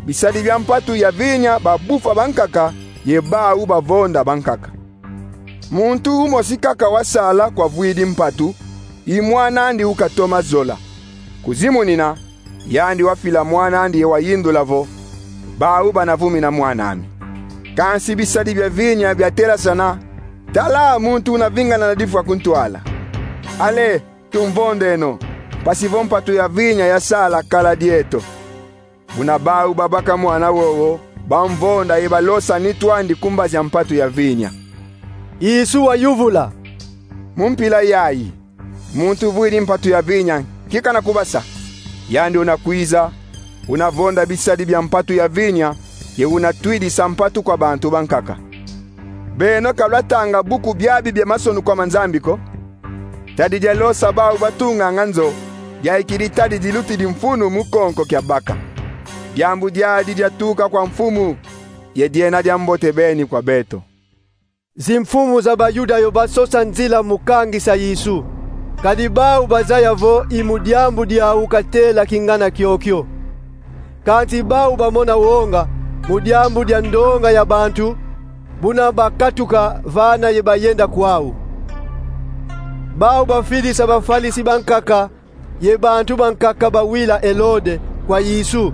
Bisadi bia mpatu ya vinya babufa bankaka, ye bau bavonda bankaka. Muntu umosi kaka wasala kwa vwidi mpatu, i mwan'andi ukatoma zola. Kuzimunina, yandi wafila mwan'andi ye wayindula vo: Bau bana vumina mwan'ami. Kansi bisadi bia vinya biatelasana: Tala muntu una vingana na difwa ku ntwala. Ale, tumvondeno, mpasi vo mpatu ya vinya yasala kala dieto. Buna bau babaka mwana wowo, bamvonda ye balosa nitu andi ku mbazi a mpatu ya vinya. Yesu wayuvula: Mu mpila yayi, muntu uvwidi mpatu ya vinya nki kana kubasa? Yandi una kwiza, una vonda bisadi bia mpatu ya vinya, ye una twidisa mpatu kwa bantu bankaka. Beno ka lwatanga buku biabi bia masonukwa ma Nzambi ko? Tadi dialosa bau batunganga nzo, diayikidi tadi dilutidi mfunu mu konko kia baka. Diambu diadi diatuka kwa Mfumu, ye diena diambote beni kwa beto. Zimfumu za Bayuda yo basosa nzila mu kangisa Yesu. Kadi bau bazaya vo i mu diambu diau katela kingana kiokio. Kansi bau bamona wonga mu diambu dia ndonga ya bantu, buna bakatuka vana ye bayenda kwau. Bau bafidisa bafalisi bankaka ye bantu bankaka bawila Elode kwa Yesu,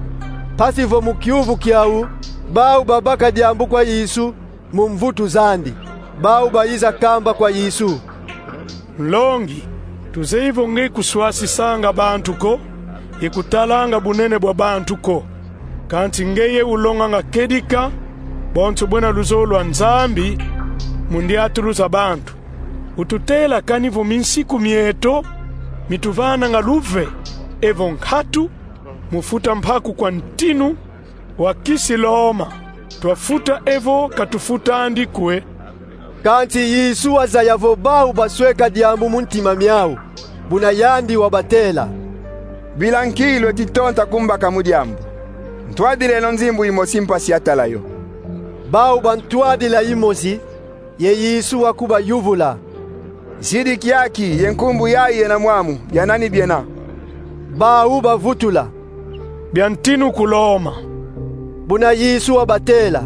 mpasi vo mu kiuvu kiau bau babaka diambu kwa Yesu mu mvutu zandi. Bau bayiza kamba kwa Yesu: Nlongi, tuzeyi vo nge kuswasisanga bantu ko, ye kutalanga bunene bwa bantu ko. Kansi ngeye ulonganga kedika bonso bwena luzolo lwa Nzambi mu ndiatulu za bantu. Ututela kani vo minsiku mieto mituvananga luve evo nkatu mu futa mpaku kwa ntinu wa kisi Loma? Twafuta evo katufut'andi kwe? Kansi Yesu wazaya vo bau basweka diambu mu ntima miau, buna yandi wabatela: Bila nki lweti tonta kumbaka mu diambu? Ntwadileno nzimbu imosi mpasi ya tala yo. Bau bantwadila imosi, ye Yesu wakubayuvula: Zidi kiaki ye nkumbu yayi yena mwamu, bia nani biena? Bau bavutula: Bia ntinu ku Loma. Buna Yesu wabatela: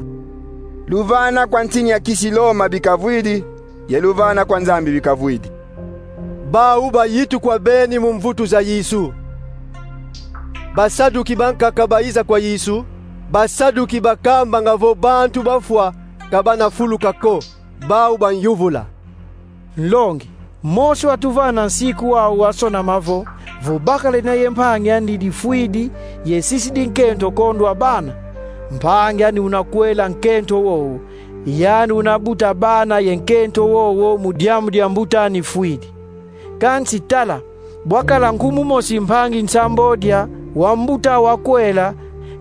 Luvana kwa ntini ya kisi Loma bikavwidi, ye luvana kwa Nzambi bikavwidi. Bau bayitukwa beni mu mvutu za Yesu. Basaduki bankaka bayiza kwa Yesu, Basaduki bakambanga vo bantu bafwa ka bana fuluka ko. Bau banyuvula: Nlongi, Mose watuvana nsiku wau wasonama vo, vo bakala ina ye mpangi andi difwidi, ye sisidi nkento kondwa bana, mpangi andi una kwela nkento wowo, yandi una buta bana ye nkento wowo mu diambu dia mbuta andi fwidi. Kansi tala, bwakala nkumbu mosi mpangi nsambodia wa mbuta wa kwela,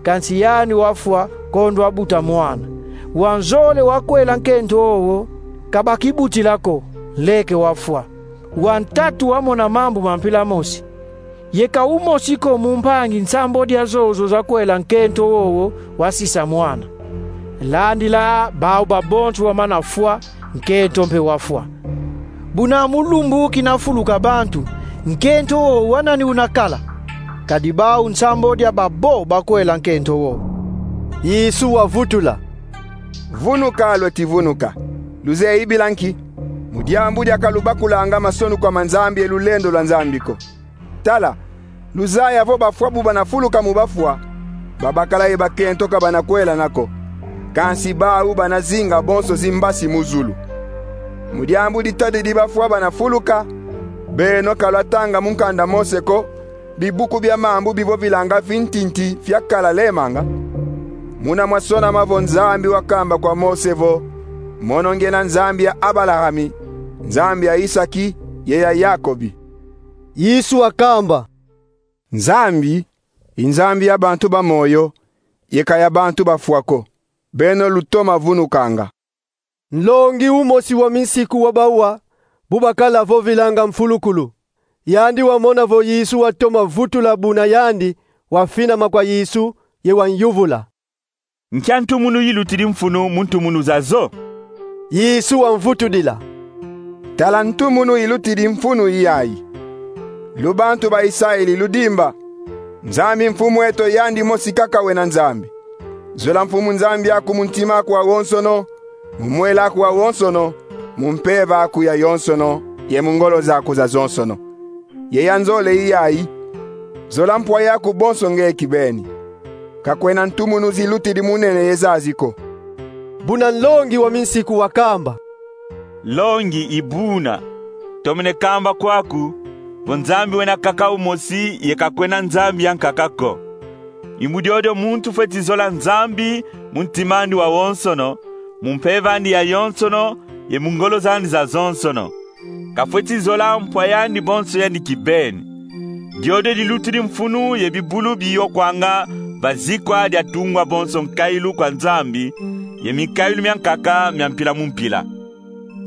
kansi yandi wafwa kondwa buta mwana. Wa nzole wakwela nkento wowo ka bakibutila ko, nleke wafwa. Wa ntatu wamona mambu ma mpila mosi. Ye ka umosi ko mu mpangi nsambwadi zozo zakwela nkento wowo wasisa mwana. Landila bau babonso wamana fwa, nkento mpe wafwa. Buna mu lumbu kina fuluka bantu, nkento wowo wa nani una kala? Kadi bau nsambwadi babo bakwela nkento wowo. Yesu wavutula: Vunuka lweti vunuka. Luzeyi bila nki? Mu diambu dia ka lubakulanga masonukwa ma Nzambi ye lulendo lwa Nzambi ko. Tala, luzaya vo bafwa bu bana fuluka mu bafwa, babakala ye bakento ka bana kwelana ko. Kansi bau bana zinga bonso zimbasi mu zulu. Mu diambu ditadidi bafwa bana fuluka, beno ka lwatanga mu nkanda Mose ko, bibuku bia mambu bivovilanga fintinti fiakala lemanga? Muna mwasonama vo Nzambi wakamba kwa Mose vo: Mono ngiena Nzambi ya Abalahami, Nzambi ya Isaki, ye ya Yakobi. Yesu wakamba: Nzambi i Nzambi ya bantu ba moyo, ye ka ya bantu bafwa ko. Beno lutoma vunukanga. Nlongi umosi wa minsiku wa bawa, bu bakala vovilanga mfulukulu. Yandi wamona vo Yesu watoma vutula buna yandi, wafinama kwa Yesu, ye wanyuvula: Nkia ntumunu ilutidi mfunu mu ntumunu zazo? Yesu wamvutudila: Tala ntumunu ilutidi mfunu i yayi: Lubantu ba Isayeli ludimba, Nzambi Mfumu eto yandi mosi kaka wena Nzambi. Zola Mfumu Nzambi aku mu ntima aku wawonsono, mu mwela aku wawonsono, mu mpeve aku yayonsono, ye mu ngolo zaku zazonsono. Ye ya nzole i yayi: Zola mpwa yaku bonso nge kibeni. Ka kwena ntumunu zilutidi mu nene ye zazi ko. Buna nlongi wa minsiku wakamba: Nlongi, i buna tomene kamba kwaku vo Nzambi wena kaka umosi ye ka kwena Nzambi ya nkaka ko. I mu diodio muntu fweti zola Nzambi mu ntima andi wawonsono, mu mpeve andi yayonsono, ye mu ngolo zandi zazonsono. Kafweti zola mpwa yandi bonso yandi kibeni. Diodio dilutidi mfunu ye bibulu biyokwanga va zikwa dia tungwa bonso nkailu kwa Nzambi, ye minkailu mia nkaka mia mpila mu mpila.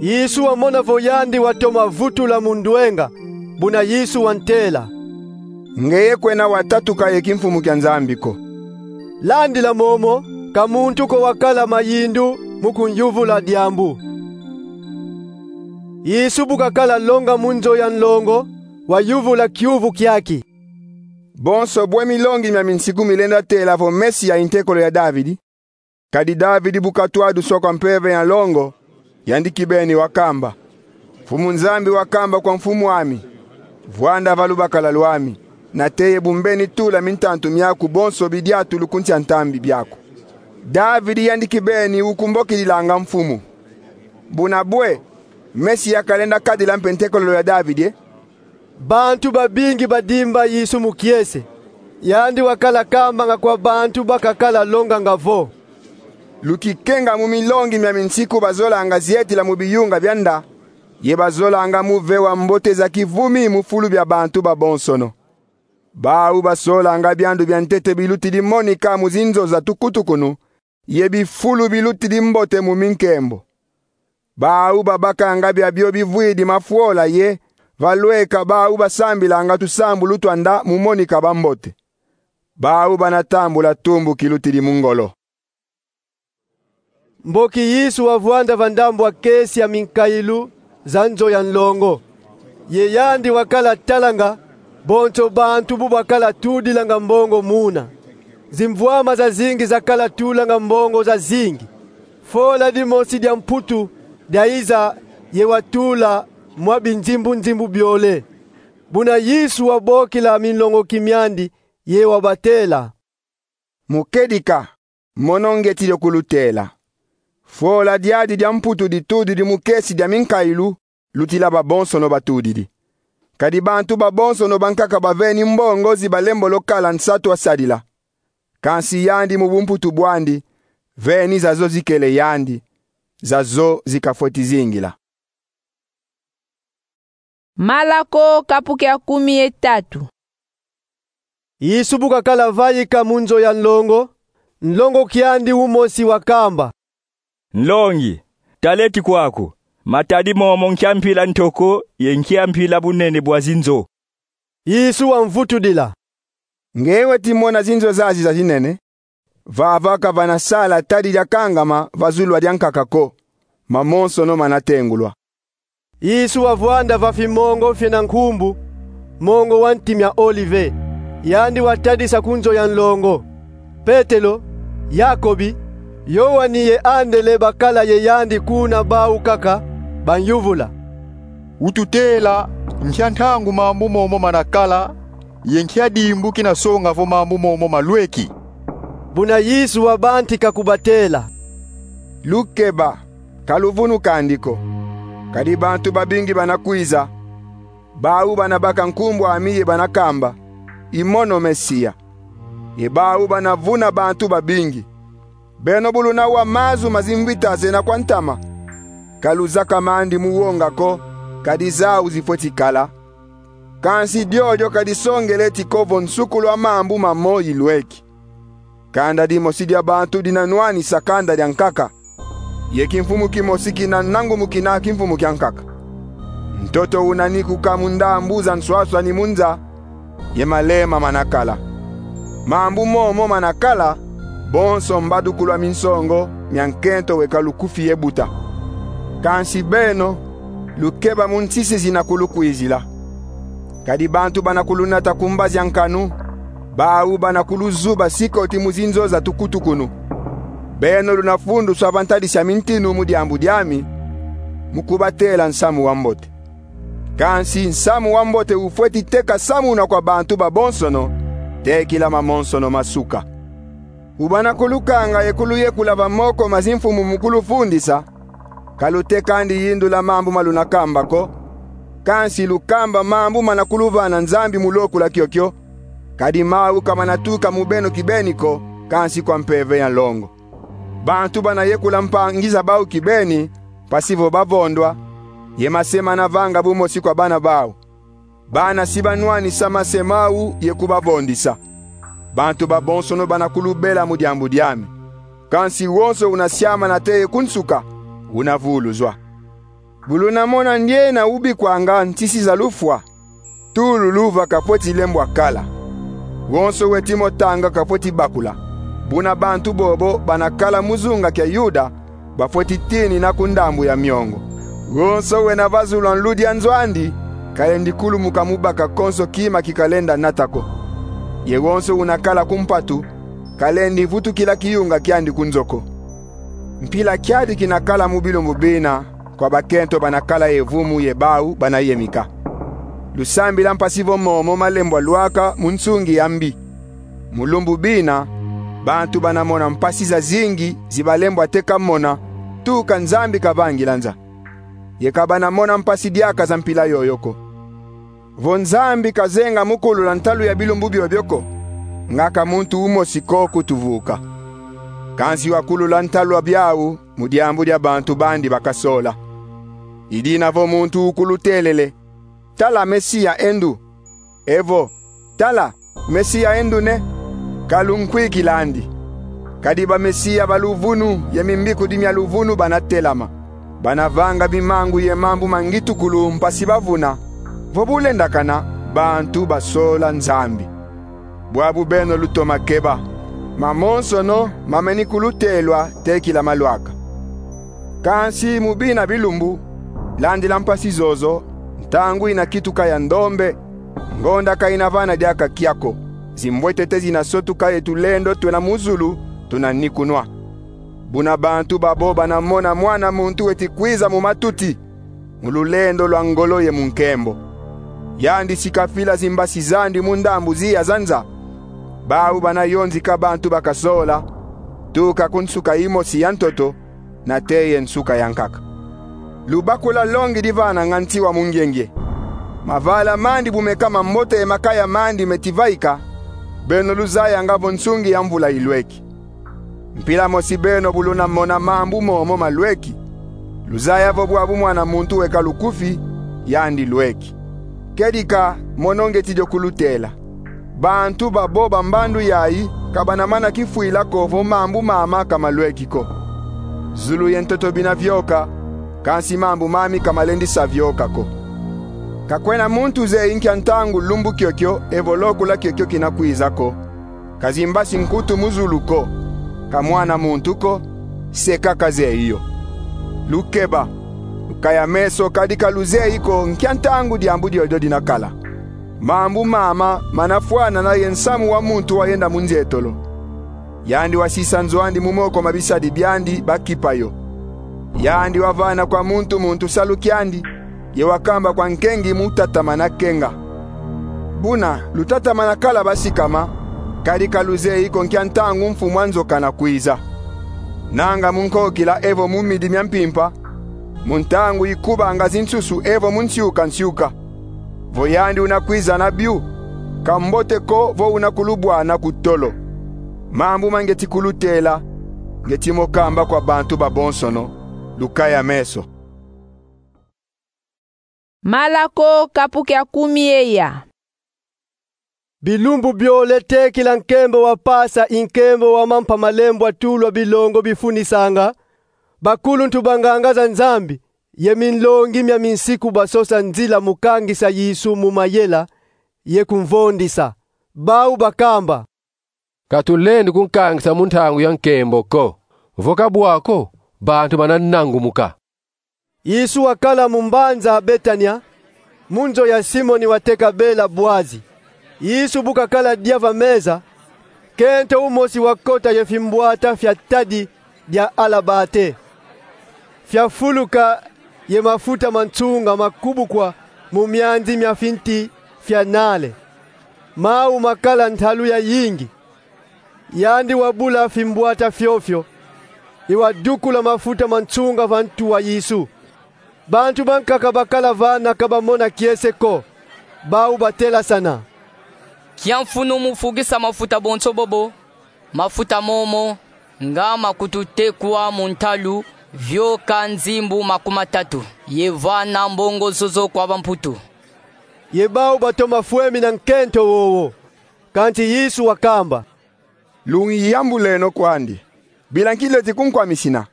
Yesu wamona vo yandi watoma vutula mu ndwenga, buna Yesu wantela: Ngeye kwena watatuka ye kimfumu kia Nzambi ko. Landila momo, ka muntu ko wakala mayindu mu kunyuvula diambu. Yesu bu kakala longa mu nzo ya nlongo, wayuvula kiuvu kiaki: Bonso bwe milongi mia minsiku milenda tela vo Mesia i ntekolo ya Davidi. Kadi Davidi bu katwadu sokwa mpeve ya nlongo, yandi kibeni wakamba: Mfumu Nzambi wakamba kwa mfumu ami: Vwanda va lubakala lwami, nate ye bu mbeni tula mintantu miaku bonso bidiatulu ku nsi a ntambi biaku. Davidi yandi kibeni ukumbokidilanga mfumu. Buna bwe, Mesia kalenda kadila mpe ntekolo ya Davidi, e? Bantu babingi badimba Yesu mu kiese. Yandi wakala kambanga kwa bantu ba kakala longanga vo: Lukikenga mu milongi mia minsiku bazolanga zietila mu biyunga bia nda, ye bazolanga mu vewa mbote za kivumi mu fulu bia bantu babonsono. Bau basolanga biandu bia ntete bilutidi monika mu zinzo za tukutukunu, ye bifulu bilutidi mbote mu minkembo. Bau babakanga biabio bivwidi mafwola ye, va lweka bau basambilanga tusambulu twa nda mu monika bambote. Bau bana tambula tumbu kilutidi mu ngolo. Mboki Yesu wavwanda va ndambu a kesi a minkailu za nzo ya nlongo. Ye yandi wakala talanga bonso bantu bu bakala tudilanga mbongo muna. Zimvwama zazingi zakala tulanga mbongo zazingi. Fola dimosi dia Mputu diaiza ye watula mwa binzimbu-nzimbu biole. Buna Yesu wabokila minlongoki miandi ye wabatela: Mu kedika, mono ngieti dio kulutela. Fola diadi dia Mputu ditudidi mu kesi dia minkailu, lutila babonsono batudidi. Kadi bantu babonsono bankaka baveni mbongo zi balembolo kala nsatu a sadila. Kansi yandi mu bumputu bwandi, veni zazo zikele yandi, zazo zikafweti zingila. Malako kapu kia kumi ye tatu. Yesu bu kakala vaika mu nzo ya nlongo, nlongoki andi umosi wakamba: "Nlongi, tala eti kwaku, matadi momo nkia mpila ntoko ye nkia mpila bunene bwa zinzo." Yesu wamvutudila: "Nge weti mona zinzo zazi zazinene? Vava ka vana sala tadi diakangama va zulu a diankaka ko, mamonsono manatengulwa." Yesu wavwanda va fimongo fiena nkumbu, mongo wa nti mia Olive, yandi watadisa ku nzo ya nlongo. Petelo, Yakobi, Yoani ye Andele bakala ye yandi kuna bau kaka, banyuvula: "Ututela, nkia ntangu mambu momo manakala, ye nkia dimbu kinasonga vo mambu momo malweki?" Buna Yesu wabantika kubatela: "Lukeba, ka luvunu kandi ko. Kadi bantu babingi banakwiza. Bau banabaka nkumbu ami ye banakamba: 'I mono Mesia.' Ye bau banavuna bantu babingi. Beno bu lunawa mazu ma zimvita zena kwa ntama, ka luzaka mandi mu wonga ko, kadi zau zifweti kala. Kansi diodio ka disongele eti ko vo nsukulu a mambu mamo ilweki. Kanda dimosi dia bantu dinanwanisa kanda diankaka, ye kimfumu kimosi kinanangumukina kimfumu kiankaka. Ntoto unanikuka mu ndambu za nswaswani mu nza, ye malema manakala. Mambu momo manakala, bonso mbadukulu a minsongo mia nkento weka lukufi ye buta. Kansi beno, lukeba mu nsisi zinakulukwizila. Kadi bantu banakulunata ku mbazi a nkanu, bau banakuluzuba sikoti mu zinzo za tukutukunu. Beno lunafunduswa va ntadisi a mintinu mu diambu diami, mu kubatela nsamu wa mbote. Kansi nsamu wa mbote ufweti teka samunwa kwa bantu babonsono, tekila mamonsono masuka. Bu banakulukanga ye kuluyekula va moko ma zimfumu mu kulufundisa, ka lutekandi yindula mambu ma lunakamba ko, kansi lukamba mambu manakuluvana Nzambi mu lokula kiokio, kadi mau ka manatuka mu beno kibeni ko, kansi kwa Mpeve ya longo. Bantu banayekula mpangi za bau kibeni, mpasi vo bavondwa, ye mase manavanga bumosi kwa bana bau. Bana si banwanisa mase mau ye kubavondisa. Bantu babonsono banakulubela mu diambu diami. Kansi wonso unasiama nate ye ku nsuka, unavuluzwa. Bu lunamona ndiena ubikwanga nsisi za lufwa, tulu luva kafweti lembwa kala. Wonso weti mo tanga kafweti bakula. Buna bantu bobo banakala mu zunga kia Yuda, bafweti tinina ku ndambu ya miongo. Wonso wena va zulu a nludi a nzo andi, kalendi kulumuka mu baka konso kima kikalenda nata ko. Ye wonso unakala ku mpatu, kalendi vutukila kiyunga kiandi ku nzo ko. Mpila kiadi kinakala mu bilumbu bina kwa bakento banakala ye vumu ye bau banayemika. Lusambila mpasi vo momo malembwa lwaka mu nsungi ya mbi. Mu lumbu bina, bantu banamona mpasi zazingi zibalembwa te kamona, tuka Nzambi kavangila nza. Ye ka banamona mpasi diaka za mpila yoyo ko. Vo Nzambi kazenga mu kulula ntalu ya bilumbu biobio ko, nga ka muntu umosi ko kutuvuka. Kansi wakulula ntalu a biau mu diambu dia bantu bandi bakasola. I dina vo muntu ukulutelele: "Tala Mesia e ndu!" Evo: "Tala, Mesia e ndu ne!" Ka lunkwikilandi. Kadi bamesia ba luvunu ye mimbikudi mia luvunu banatelama. Banavanga bimangu ye mambu ma ngitukulu mpasi bavuna vo bu lendakana bantu basola Nzambi. Bwabu beno lutoma keba. Mamonsono mameni kulutelwa tekila malwaka. Kansi mu bina bilumbu, landila mpasi zozo, ntangu inakituka ya ndombe, ngonda ka inavana diaka kia ko, zimbwetete zinasotuka ye tulendo twena mu zulu tunanikunwa. Buna bantu babo banamona Mwana muntu weti kwiza mu matuti, mu lulendo lwa ngolo ye mu nkembo. Yandi si kafila zimbasi zandi mu ndambu ziya za nza, bau banayonzika bantu bakasola, tuka ku nsuka imosi ya ntoto, nate ye nsuka ya nkaka. Lubakula longi divananga nti wa mungiengie. Mavala mandi bu meka mambote ye makaya mandi meti vaika, beno luzayanga vo nsungi ya mvula ilweki. Mpila mosi beno bu lunamona mambu momo malweki, luzaya vo bwabu Mwana muntu weka lukufi, yandi lweki. Kedika, mono ngeti dio kulutela. Bantu babo ba mbandu yayi ka banamana kifwila ko vo mambu mama ka malweki ko. Zulu ye ntoto bina vioka, kansi mambu mami ka malendi sa vioka ko. Ka kwena muntu zeyi nkia ntangu lumbu kiokio evo lokula kiokio kina kwiza ko. Ka zimbasi nkutu mu zulu ko, ka Mwana muntu ko, se kaka zeyi yo. Lukeba, lukaya meso, kadi ka luzeyi ko nkia ntangu diambu diodio dina kala. Mambu mama mana fwanana ye nsamu wa muntu wayenda mu nzietolo. Yandi wasisa nzo andi mu moko ma bisadi biandi bakipa yo. Yandi wavana kwa muntu muntu salu kiandi, ye wakamba kwa nkengi mu tatamana kenga. Buna lutatamana kala basikama, kadi ka luzeyi ko nkia ntangu mfumu a nzo kana kwiza. Nanga mu nkokila evo mu midi mia mpimpa, mu ntangu ikubanga zinsusu evo mu nsiuka nsiuka. Vo yandi una kwiza na biu, ka mbote ko vo una kulubwana ku tolo. Mambu ma ngeti kulutela, ngeti mo kamba kwa bantu babonsono, lukaya meso. Malako kapu kia kumi ye ya. Bilumbu biole tekila nkembo wa Pasa i nkembo wa mampa malembo a tulwa bilongo bifunisanga, bakuluntu banganga za Nzambi ye minlongi mia minsiku basosa nzila mu kangisa Yesu mu mayela ye kumvondisa. Bau bakamba: Ka tulendi kunkangisa mu ntangu ya nkembo ko. Vo ka bwa ko, bantu bana nangumuka. Yesu wakala mu mbanza Betania, mu nzo ya Simoni wateka bela Bwazi. Yesu bu kakala dia va meza, nkento umosi wakota ye fimbwata fia tadi dia alabate, fiafuluka ye mafuta ma nsunga makubukwa mu mianzi mia finti fia nale. Mau makala ntalu ya yingi. Yandi wabula fimbwata fiofio, ye wadukula mafuta ma nsunga va ntu wa Yesu. Bantu bankaka bakala vana ka bamona kiese ko. Bau batelasana: Nkia mfunu mu fukisa mafuta bonso bobo? Mafuta momo nga makutu tekwa mu ntalu vioka nzimbu makumatatu, ye vana mbongo zozo kwa bamputu. Ye bau batoma fwemina nkento wowo. Kansi Yesu wakamba: Lungiyambuleno kwandi. Bila nki leti kunkwamisina?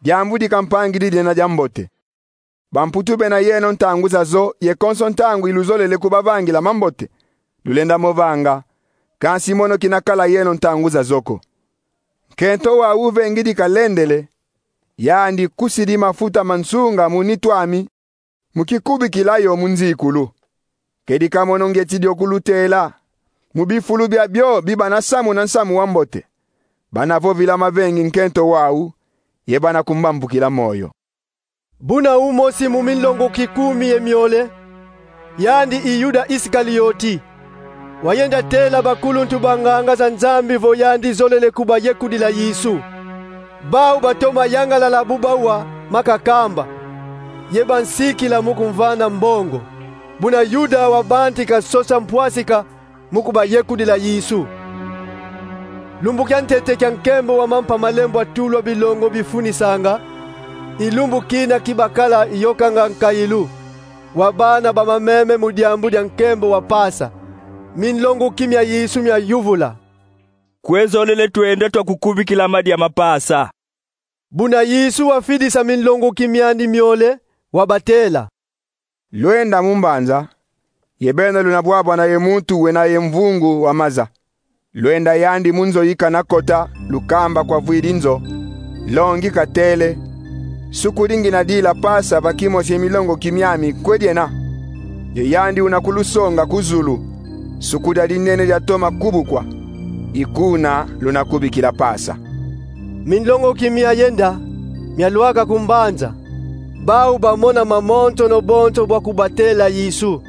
Diambu di ka mpangidi diena diambote. Bamputu bena yeno ntangu zazo ye konso ntangu iluzolele kubavangila mambote, lulenda mo vanga, kansi mono kina kala yeno ntangu zazo ko. Nkento wau uvengidi kalendele, yandi kusidi mafuta ma nsunga mu nitu ami, mu kikubikila yo mu nzikulu. Kedika mono ngeti dio kulutela, mu bifulu bia bio bi bana samuna nsamu wa mbote, bana vovila mavengi nkento wau, ye bana kumbambukila moyo. Buna umosi mu minlonguki kumi ye miole, yandi i Yuda Isikalioti, wayenda tela bakuluntu banganga za Nzambi vo yandi zolele kubayekudila Yesu. Bau batoma yangalala bu bawa ma kakamba, ye bansikila mu kumvana mbongo. Buna Yuda wabantika sosa mpwasika mu kubayekudila Yesu. Lumbu kia ntete kia nkembo wa mampa malembo a tulwa bilongo bifunisanga, i lumbu kina ki bakala yokanga nkayilu wa bana ba mameme mu diambu dia nkembo wa Pasa. Minlonguki mia Yesu miayuvula: Kwe zolele twenda twakukubikila madia ma Pasa? Buna Yesu wafidisa minlonguki miandi miole, wabatela: Lwenda mu mbanza, ye beno luna bwabwana ye muntu wena ye mvungu wa maza. Lwenda yandi mu nzo yi kana kota, lukamba kwa vwidi nzo: Nlongi katele: Suku di ngina dila Pasa va kimosi ye milonguki miami kwe diena? Ye yandi una kulusonga ku zulu: Suku dia dinene diatoma kubukwa. I kuna luna kubikila Pasa. Minlonguki miayenda, mialwaka ku mbanza. Bau bamona mamonsono bonso bwa kubatela Yesu,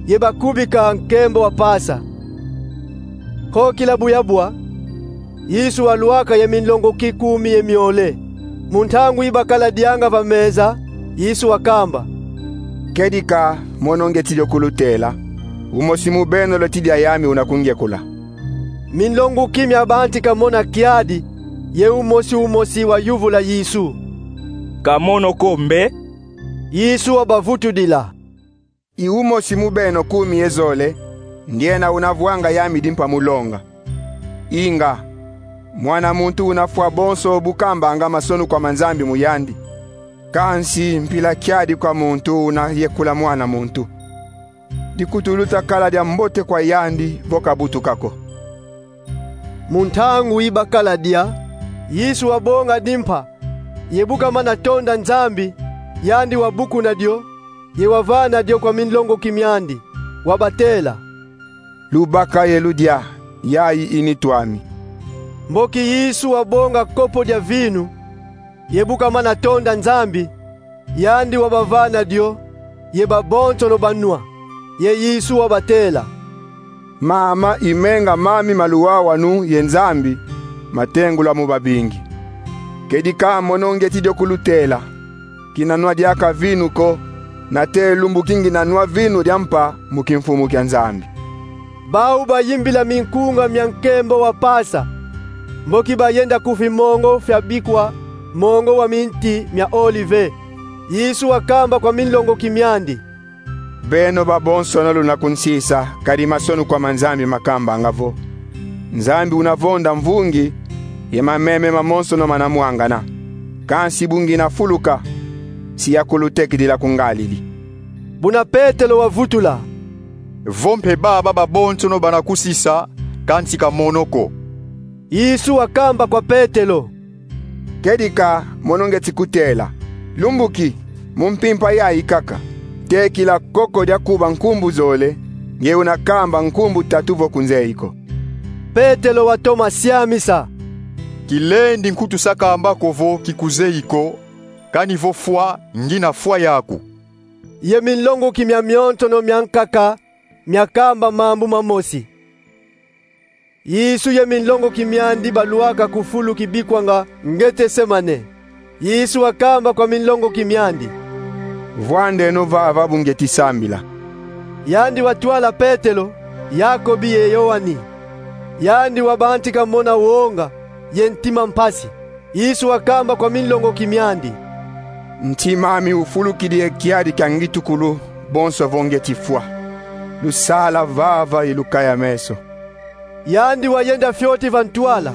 ye bakubika nkembo wa Pasa. Nkokila bu yabwa, Yesu walwaka ye minlonguki kumi ye miole. Mu ntangu yi bakala dianga va meza, Yesu wakamba: Kedika mono ngeti dio kulutela, umosi mu beno lweti dia yami una kungyekula. Minlonguki miabantika mona kiadi, ye umosi umosi wayuvula Yesu: Ka mono ko mbe? Yesu wabavutudila: I umosi mu beno kumi ye zole, ndiena una vwanga yami dimpa mu longa. Inga, Mwana muntu una fwa bonso bu kambanga masonukwa ma Nzambi mu yandi. Kansi mpila kiadi kwa muntu una yekula Mwana muntu. Dikutu luta kala dia mbote kwa yandi vo kabutuka ko. Mu ntangu yi bakala dia, Yesu wabonga dimpa, ye bu kamana tonda Nzambi, yandi wabukuna dio, ye wavana dio kwa minlongoki miandi, wabatela: Lubaka ye ludia, yayi i nitu ami. Mboki Yesu wabonga kopo dia vinu, ye bu kamana tonda Nzambi, yandi wabavana dio, ye babonsono banwa. Ye Yesu wabatela: Mama i menga mami ma luwawanu ye Nzambi, matengulwa mu babingi. Kedika mono ngeti dio kulutela: Kina nwa diaka vinu ko, nate lumbu ki ngina nwa vinu dia mpa mu kimfumu kia Nzambi. Bau bayimbila minkunga mia nkembo wa Pasa, mboki bayenda ku fimongo fiabikwa mongo wa minti mia olive. Yesu wakamba kwa minlongoki miandi: Beno babonsono luna kunsisa, kadi masonukwa ma Nzambi makambanga vo: Nzambi una vonda mvungi, ye mameme mamonsono mana mwangana. Kansi bu ngina fuluka, si yakulutekidila ku ngalili. Buna Petelo wavutula: Vo mpe baba babonsono bana kusisa, kansi ka mono ko. Yesu wakamba kwa Petelo: Kedika mono ngeti kutela: Lumbu ki, mu mpimpa yayi kaka, tekila koko dia kuba nkumbu zole, nge una kamba nkumbu tatu vo kunzeyi ko. Petelo watoma siamisa: Kilendi nkutu sa kamba ko vo kikuzeyi ko, kani vo fwa, ngina fwa yaku. Ye minlongoki miamionsono miankaka miakamba mambu mamosi. Yesu ye minlongoki miandi balwaka ku fulu kibikwanga Ngetsemane. Yesu wakamba kwa minlongoki miandi: Vwandeno vava bu ngeti sambila. Yandi watwala Petelo, Yakobi ye Yoani. Yandi wabantika mona wonga ye ntima mpasi. Yesu wakamba kwa minlongoki miandi: Ntima ami ufulukidi ye kiadi kia ngitukulu bonso vo ngeti fwa. Lusala vava ye lukaya meso. Yandi wayenda fioti va ntwala,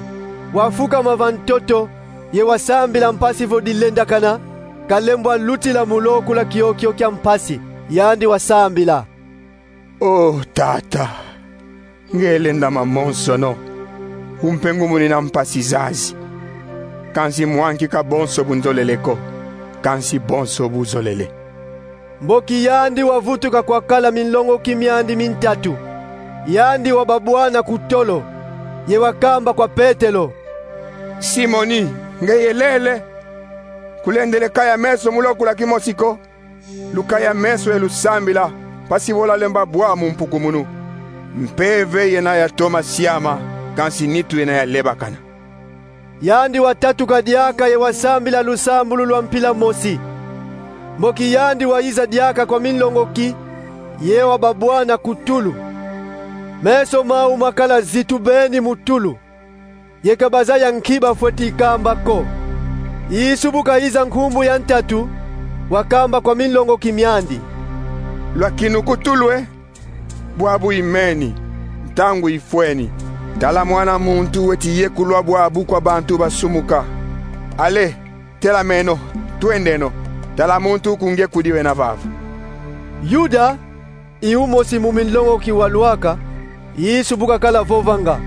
wafukama va ntoto, ye wasambila mpasi vo dilendakana, kalembwa lutila mu lokula kiokio kia mpasi. Yandi wasambila: O Tata, nge lenda mamonsono, umpe ngumunina mpasi zazi. Kansi mwankika bonso bu nzolele ko, kansi bonso bu zolele. Mboki yandi wavutuka kwakala minlongoki miandi mintatu, yandi wababwana ku tolo, ye wakamba kwa Petelo: Simoni, nge yelele kulendele kaya meso mu lokula kimosi ko? Lukaya meso ye lusambila, mpasi vo lwalemba bwa mu mpukumunu. Mpeve yena yatoma siama, kansi nitu yena yalebakana. Yandi watatuka diaka ye wasambila lusambulu lwa mpila mosi. Mboki yandi wayiza diaka kwa minlongoki, ye wababwana ku tulu. Meso mau makala zitu beni mu tulu, ye ka bazaya nki bafweti kamba ko. Yesu bu kayiza nkumbu ya ntatu, wakamba kwa minlongoki miandi: Lwakinuka ku tulu e, bwabu imeni, ntangu ifweni. Tala, Mwana muntu weti yekulwa bwabu kwa bantu basumuka. Ale, telameno, twendeno. Tala, muntu kungekudi wena vava. Yuda, i umosi mu minlongoki walwaka, Yesu bu kakala vovanga.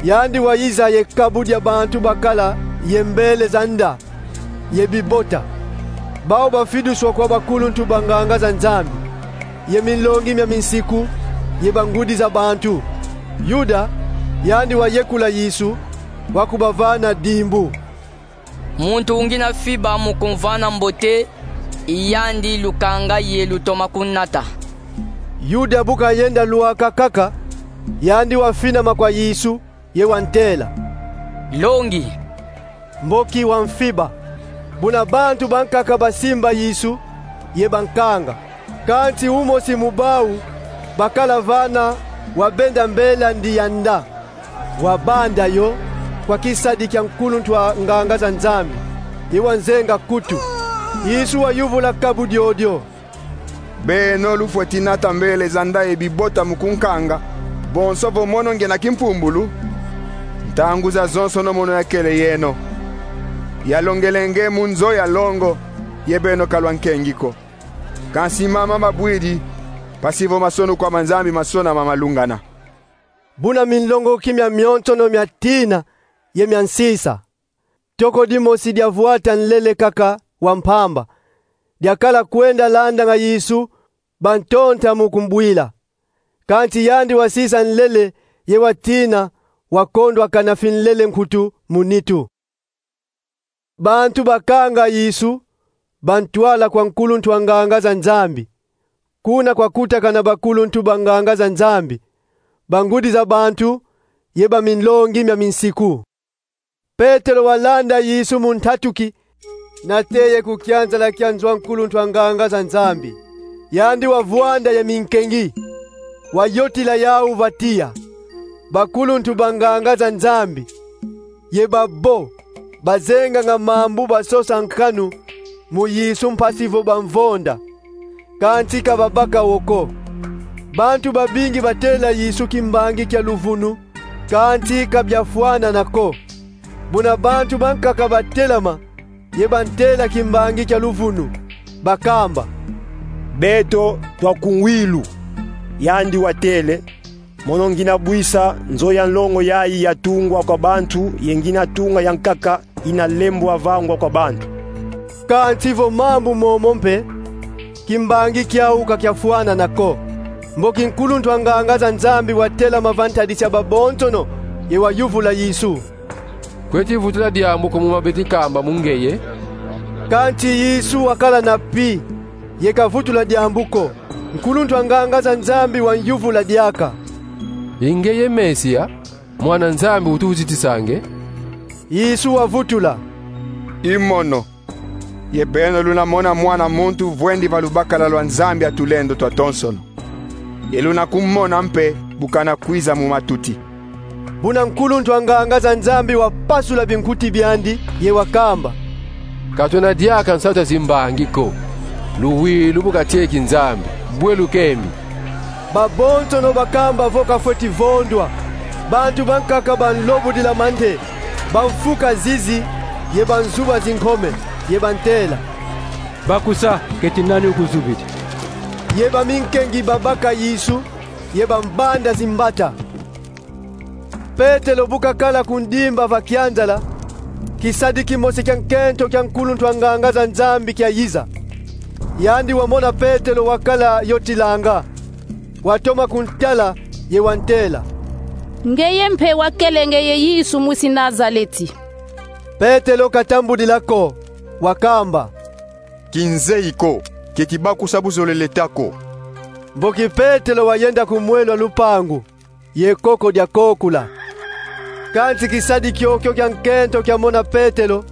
Yandi wayiza ye kabu dia bantu bakala ye mbele za nda, ye bibota, bau bafidiswa kwa bakuluntu ba nganga za Nzambi, ye minlongi mia minsiku, ye bangudi za bantu. Yuda, yandi wayekula Yesu, wakubavana dimbu. Muntu ungina fiba mu kumvana mbote, i yandi lukanga ye lutoma kunata. Yuda bu kayenda lwaka kaka, yandi wafinama kwa Yesu, ye wantela: Nlongi. Mboki wamfiba. Buna bantu bankaka basimba Yesu, ye bankanga. Kansi umosi mu bau bakala vana wabenda mbele andi ya nda, wabanda yo kwa kisadi kia nkuluntu wa nganga za Nzambi, ye wanzenga kutu. Yesu wayuvula kabu diodio: Beno lufweti nata mbele za nda ye bibota mu kunkanga, bonso vo mono ngena kimpumbulu? Ntangu zazonsono mono yakele yeno. Yalongele nge mu nzo ya longo, ye beno ka lwankengi ko. Kansi mama mabwidi, mpasi vo masonu kwa manzambi masonama malungana. Buna minlongoki mia mionsono mia tina ye mia nsisa. Toko dimosi dia vwata nlele kaka wa mpamba, diakala kwenda landanga Yesu, bantonta mu kumbwila. Kansi yandi wasisa nlele ye watina, wakondwakana finlele nkutu mu nitu. Bantu bakanga Yesu, bantwala kwa nkuluntu a nganga za Nzambi. Kuna kwakutakana bakuluntu ba nganga za Nzambi, bangudi za bantu, ye baminlongi mia minsiku. Petelo walanda Yesu mu ntatuki, nateye ku kianzala kia nzo a nkuluntu a nganga za Nzambi. Yandi wavwanda ye minkengi, wayotila yau va tiya: Bakuluntu ba nganga za Nzambi, ye babo bazenganga mambu basosa nkanu mu Yesu mpasi vo bamvonda, kansi ka babaka wo ko. Bantu babingi batela Yesu kimbangi kia luvunu, kansi ka biafwanana ko. Buna bantu bankaka batelama, ye bantela kimbangi kia luvunu, bakamba: Beto twakunwilu. Yandi watele: Mono ngina bwisa nzo ya nlongo yayi yatungwa kwa bantu, ye ngina tunga yankaka ina lembwa vangwa kwa bantu. Kansi vo mambu momo mpe, kimbangi kiau ka kiafwanana ko. Mboki nkuluntu a nganga za Nzambi watelama va ntadisi ya babonsono, ye wayuvula Yesu: Kweti vutula diambu ko mu ma beti kamba mu ngeye? Kansi Yesu wakala na pi, ye kavutula diambu ko. Nkuluntu a nganga za Nzambi wanyuvula diaka: I ngeye Mesia, Mwana Nzambi utuzitisanga? Yesu wavutula: I mono. Ye beno luna mona Mwana muntu vwendi va lubakala lwa Nzambi a tulendo twatonsono. Ye luna kumona mpe bu kana kwiza mu matuti. Buna nkuluntu a nganga za Nzambi wapasula binkuti biandi, ye wakamba: Ka twena diaka nsatu a zimbangi ko. Luwilu bu katieki Nzambi, bwe lukembi. Babonsono bakamba vo kafweti vondwa. Bantu bankaka banlobudila mante, bamfuka zizi, ye banzuba zinkome, ye bantela: Bakusa, keti nani ukuzubidi? Ye baminkengi babaka Yesu, ye bambanda zimbata. Petelo bu kakala ku ndimba va kianzala, kisadi kimosi kia nkento kia nkuluntu a nganga za Nzambi kiayiza. Yandi wamona Petelo wakala yotilanga, watoma kuntala, ye wantela: Ngeye mpe wakele ngeye Yesu mwisi Nazaleti. Petelo katambudila ko, wakamba: Kinzeyi ko, keti bakusa buzolele ta ko. Mboki Petelo wayenda ku mwelo a lupangu, ye koko diakokula. Kansi kisadi kiokio kia nkento kiamona Petelo,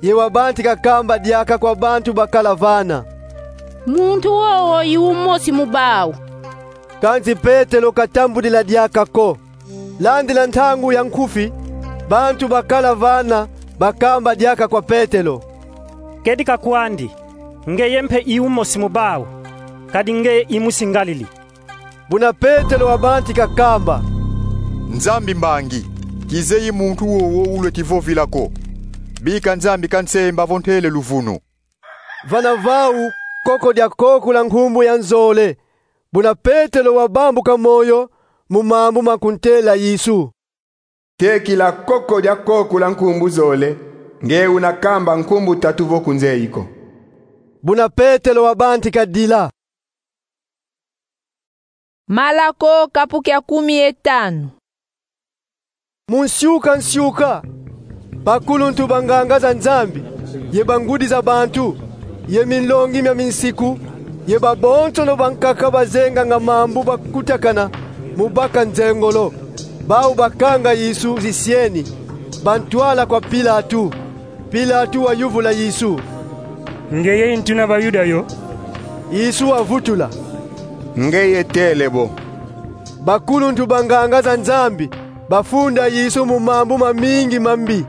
ye wabantika kamba diaka kwa bantu bakala vana: Muntu wowo i umosi mu bau. Kansi Petelo katambudila diaka ko. Landila ntangu ya nkufi, bantu bakala vana bakamba diaka kwa Petelo: Kedika kwandi, ngeye mpe i umosi mu bau, kadi ngeye i mwisi Ngalili. Buna Petelo wabantika kamba: Nzambi mbangi, kizeyi muntu wowo ulweti vovila ko. Bika Nzambi kansemba vo ntele luvunu. Vana vau, koko diakokula nkumbu ya nzole. Buna Petelo wabambuka moyo mu mambu ma kuntela Yesu: Tekila koko diakokula nkumbu zole, nge una kamba nkumbu tatu vo kunzeyi ko. Buna Petelo wabantika dila. Malako, kapu kia kumi ye tanu. Mu nsiuka nsiuka, bakuluntu ba nganga za Nzambi, ye bangudi za bantu, ye minlongi mia minsiku, ye babonsono bankaka bazenganga mambu bakutakana mu baka nzengolo, bau bakanga Yesu zisieni, bantwala kwa Pilatu. Pilatu wayuvula Yesu: Ngeye i ntwina Bayuda yo? Yesu wavutula: Ngeye tele bo. Bakuluntu ba nganga za Nzambi bafunda Yesu mu mambu mamingi mambi.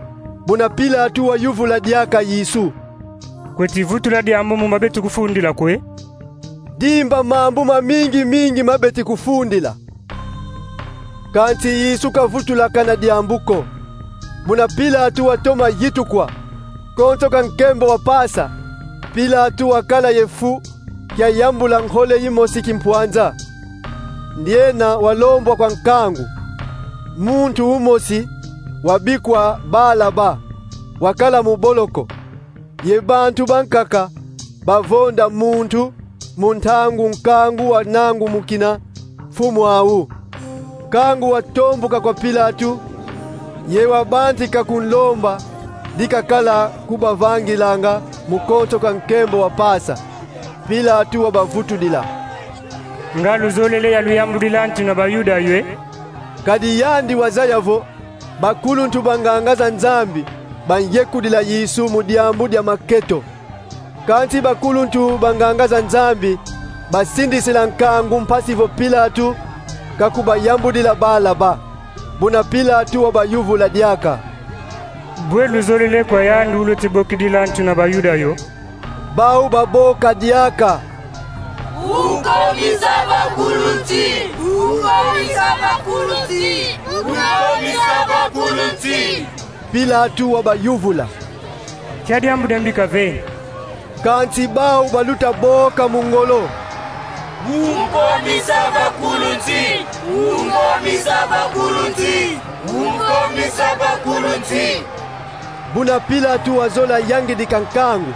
Buna Pilatu wayuvula diaka Yesu: Kweti vutula diambu mu ma beti kufundila kwe? Dimba mambu mamingi mingi ma beti kufundila. Kansi Yesu kavutulakana diambu ko. Muna Pilatu watoma yitukwa, konso ka nkembo wa Pasa, Pilatu wakala ye fu kia yambula nkole yimosi kimpwanza. Ndiena walombwa kwa nkangu muntu umosi wabikwa Balaba, wakala mu boloko. Ye bantu bankaka bavonda muntu mu ntangu nkangu wanangumukina mfumu awu. Nkangu watombuka kwa Pilatu, ye wabantika kunlomba dikakala kubavangilanga mu konso ka nkembo wa Pasa. Pilatu wabavutudila: Nga luzolele ya luyambudila ntu na Bayuda yo e? Kadi yandi wazaya vo bakuluntu banganga za Nzambi banyekudila Yesu mu diambu dia maketo. Kansi bakuluntu banganga za Nzambi basindisila nkangu mpasi vo Pilatu kakubayambudila Balaba. Buna Pilatu wabayuvula diaka: Bwe luzolele kwa yandi uluti bokidila ntu na Bayuda yo? Bau baboka diaka: Unkomisa bakuluntu! Unkomisa bakuluntu! Unkomisa bakuluntu! Pilatu wabayuvula: Kia diambu diambi kaveni. Kansi bau baluta boka mu ngolo: Unkomisa bakuluntu! Unkomisa bakuluntu! Unkomisa bakuluntu! Buna Pilatu wazola yangidika nkangu,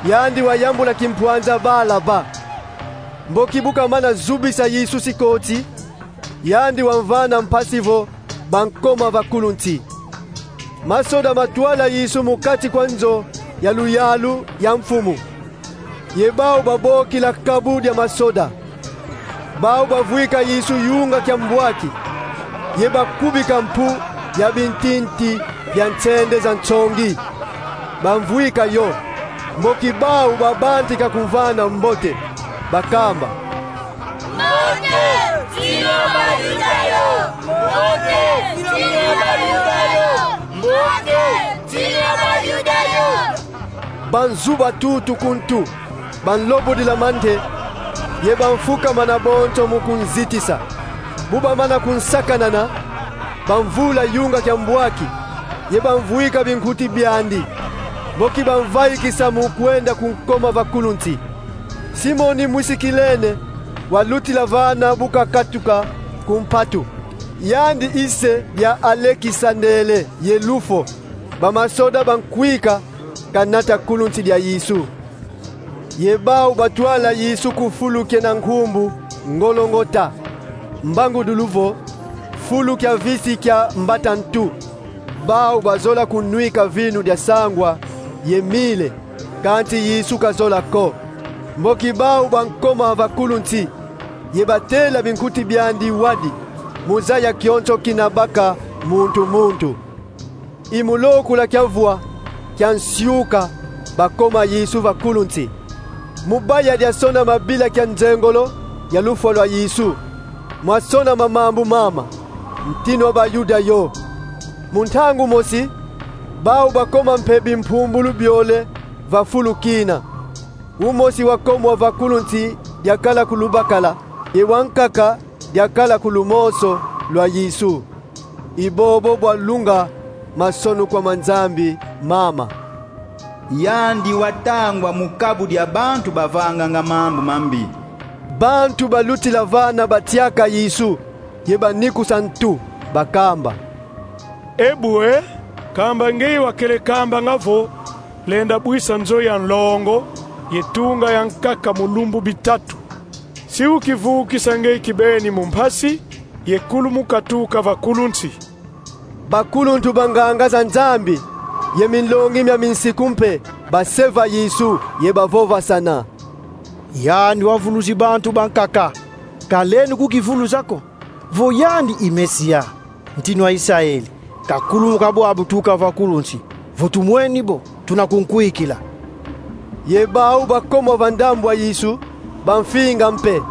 yandi wayambula kimpwanza Balaba. Mboki bu kamana zubisa Yesu sikoti, yandi wamvana mpasi vo bankoma vakuluntu. Masoda matwala Yesu mu kati kwa nzo ya luyalu ya mfumu, ye bau babokila kabu dia masoda. Bau bavwika Yesu yunga kia mbwaki, ye bakubika mpu ya bintinti bia nsende za nsongi, bamvwika yo. Mboki bau babantika kumvana mbote, bakamba: Mbote, ntinu ya Bayuda yo! Mbote, ntinu ya Bayuda yo! Mbote, ntinu ya Bayuda yo! Banzuba tutu ku ntu, banlobudila mante, ye bamfukamana bonso mu kunzitisa. Bu bamana kunsakanana, bamvula yunga kia mbwaki, ye bamvwika binkuti biandi, mboki bamvaikisa mu kwenda ku nkoma vakuluntu. Simoni mwisi Kilene walutila vana bu kakatuka ku mpatu. Yandi ise dia Alekisandele ye Lufo. Bamasoda bankwika kanata kuluntu dia Yesu. Ye bau batwala Yesu ku fulu kiena nkumbu Ngolongota, mbangudulu vo fulu kia visi kia mbata ntu. Bau bazola kunwika vinu dia sangwa ye mile, kansi Yesu kazola ko. Mboki bau bankoma vakuluntu, ye batela binkuti biandi wadi, mu zaya kionso kina baka muntu muntu. I mu lokula kia vwa kia nsiuka bakoma Yesu vakuluntu. Mu baya diasonama bila kia nzengolo ya lufwa lwa Yesu, mwasonama mambu mama: Ntinu wa Bayuda yo. Mu ntangu mosi, bau bakoma mpe bimpumbulu biole va fulu kina. Umosi wakomwa vakuluntu diakala ku lubakala, ye wankaka diakala ku lumoso lwa Yesu. I bobo bwalunga masonukwa ma Nzambi mama. Yandi watangwa mu kabu dia bantu bavanganga mambu mambi. Bantu balutila vana batiaka Yesu, ye banikusa ntu, bakamba: E bwe, kamba ngeye wakele kambanga vo: Lenda bwisa nzo ya nlongo ye tunga yankaka mu lumbu bitatu, si ukivukisa ngeye kibeni mu mpasi, ye kulu mu katuka vakuluntu. Bakuluntu banganga za Nzambi ye minlongi mia minsiku mpe baseva Yesu ye bavovasana: Yandi wavuluzi bantu bankaka, ka lenda kukivuluza ko vo yandi i Mesia, Ntinu wa Israele, kakulumuka bwabu tuka vakuluntu, vo tumweni bo, tuna kunkwikila. Ye bau bakomwa va ndambu a Yesu bamfinga mpe.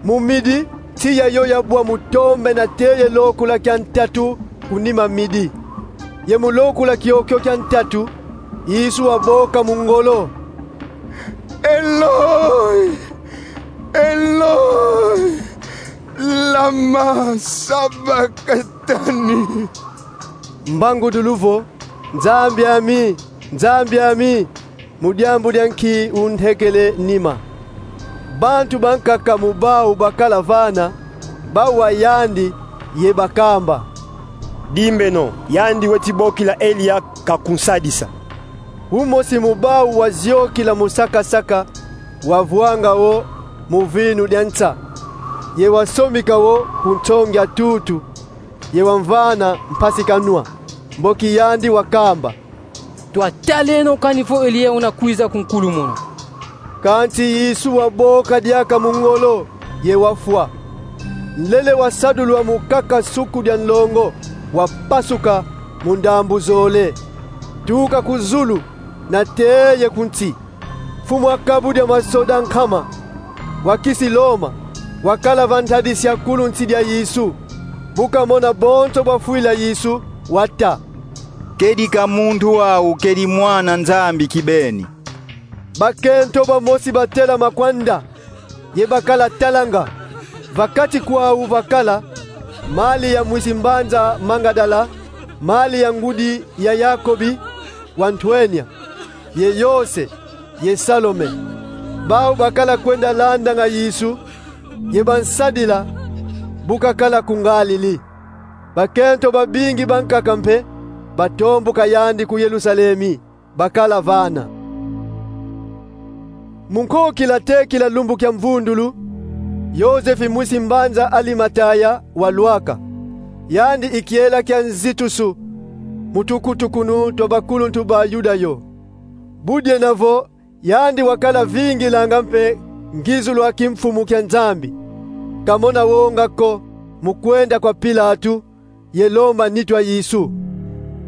Mu midi, tiya yo yabwa mu tombe nate ye lokula kia ntatu ku nima midi. Ye mu lokula kiokio kia ntatu, Yesu waboka mu ngolo: Eloi, Eloi, lama sabakatani? mbangudulu vo: Nzambi ami, Nzambi ami, mu diambu dia nki untekele nima? Bantu bankaka mu bau bakala vana bawa yandi ye bakamba: Dimbeno, yandi weti bokila Eliya kakunsadisa. Umosi mu bau waziokila mu saka-saka, wavwanga wo mu vinu dia nsa, ye wasomika wo ku nsongi a tutu, ye wamvana mpasi kanwa, mboki yandi wakamba: Twataleno kani vo Eliya una kwiza kunkulumuna. Kansi Yesu waboka diaka mu ngolo ye wafwa. Nlele wasadulwa mu kaka suku dia nlongo, wapasuka mu ndambu zole, tuka ku zulu, nate ye ku nsi. Mfumu a kabu dia masoda nkama, wa kisi Loma, wakala va ntadisi a kulunsi dia Yesu. Bu kamona bonso bwafwila Yesu, wata: Kedika muntu wau kedi Mwana Nzambi kibeni. Bakento bamosi batelama kwanda, ye bakala talanga. Va kati kwau vakala Malia mwisi mbanza Mangadala, Malia ngudi ya Yakobi wa ntwenia, ye Yose, ye Salome. Bau bakala kwenda landanga Yesu, ye bansadila bu kakala ku ngalili. Bakento babingi bankaka mpe batombuka yandi ku Yerusalemi, bakala vana. Mu nkokila tekila lumbu kia mvundulu, Yozefi mwisi mbanza Alimataya walwaka. Yandi i kiela kia nzitusu mu tukutukunu twa bakuluntu ba Yuda yo. Bu diena vo yandi wakala vingilanga mpe ngizulu a kimfumu kia Nzambi, kamona wonga ko mu kwenda kwa Pilatu ye lomba nitu a Yesu.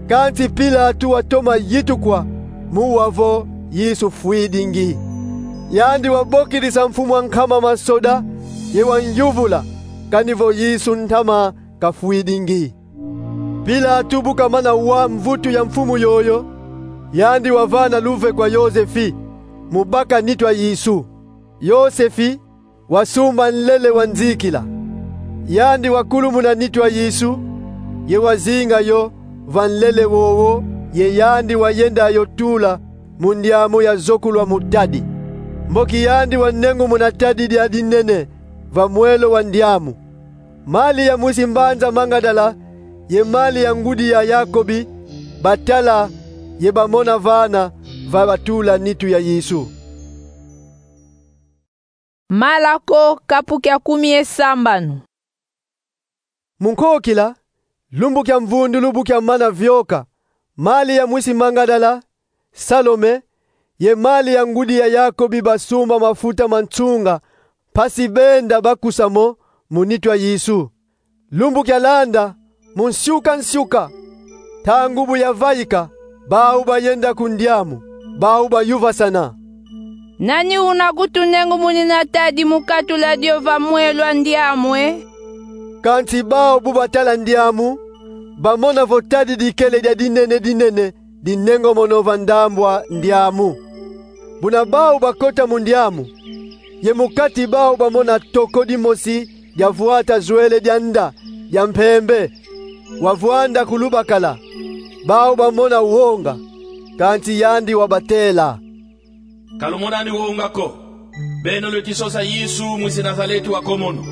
Kansi Pilatu watoma yitukwa mu wa vo Yesu fwidingi. Yandi wabokidisa mfumu a nkama masoda ye wanyuvula kani vo Yesu ntama kafwidingi. Pilatu bu kamana wa mvutu ya mfumu yoyo, yandi wavana luve kwa Yozefi mu baka nitu a Yesu. Yozefi wasumba nlele wa nzikila. Yandi wakulumuna nitu a Yesu, ye wazinga yo va nlele wowo, ye yandi wayenda yo tula mu ndiamu yazokulwa mu tadi. Mboki yandi wanengumuna tadi dia dinene va mwelo wa ndiamu. Malia mwisi mbanza Mangadala ye Malia ngudi ya Yakobi batala ye bamona vana va batula nitu ya Yesu. Malako, kapu kia kumi ye sambanu. Mu nkokila, lumbu kia mvundulu bu kiamana vioka, Malia mwisi Mangadala, Salome, ye Malia ngudi ya Yakobi basumba mafuta ma nsunga, mpasi benda bakusa mo mu nitu a Yesu. Lumbu kialanda, mu nsiuka-nsiuka, ntangu bu yavaika, bau bayenda ku ndiamu, bau bayuvasana: Nani una kutunengumunina tadi mu katula dio va mwelo a ndiamu, e? Kansi bau bu batala ndiamu, bamona vo tadi dikele dia dinene-dinene dinengomono va ndambu a ndiamu. Buna bau bakota mu ndiamu, ye mu kati bau bamona toko dimosi dia vwata zwele dia nda, dia mpembe, wavwanda ku lubakala. Bau bamona wonga, kansi yandi wabatela: Ka lumonani wonga ko. Beno lweti sosa Yesu mwisi Nazaleti wa ko mono.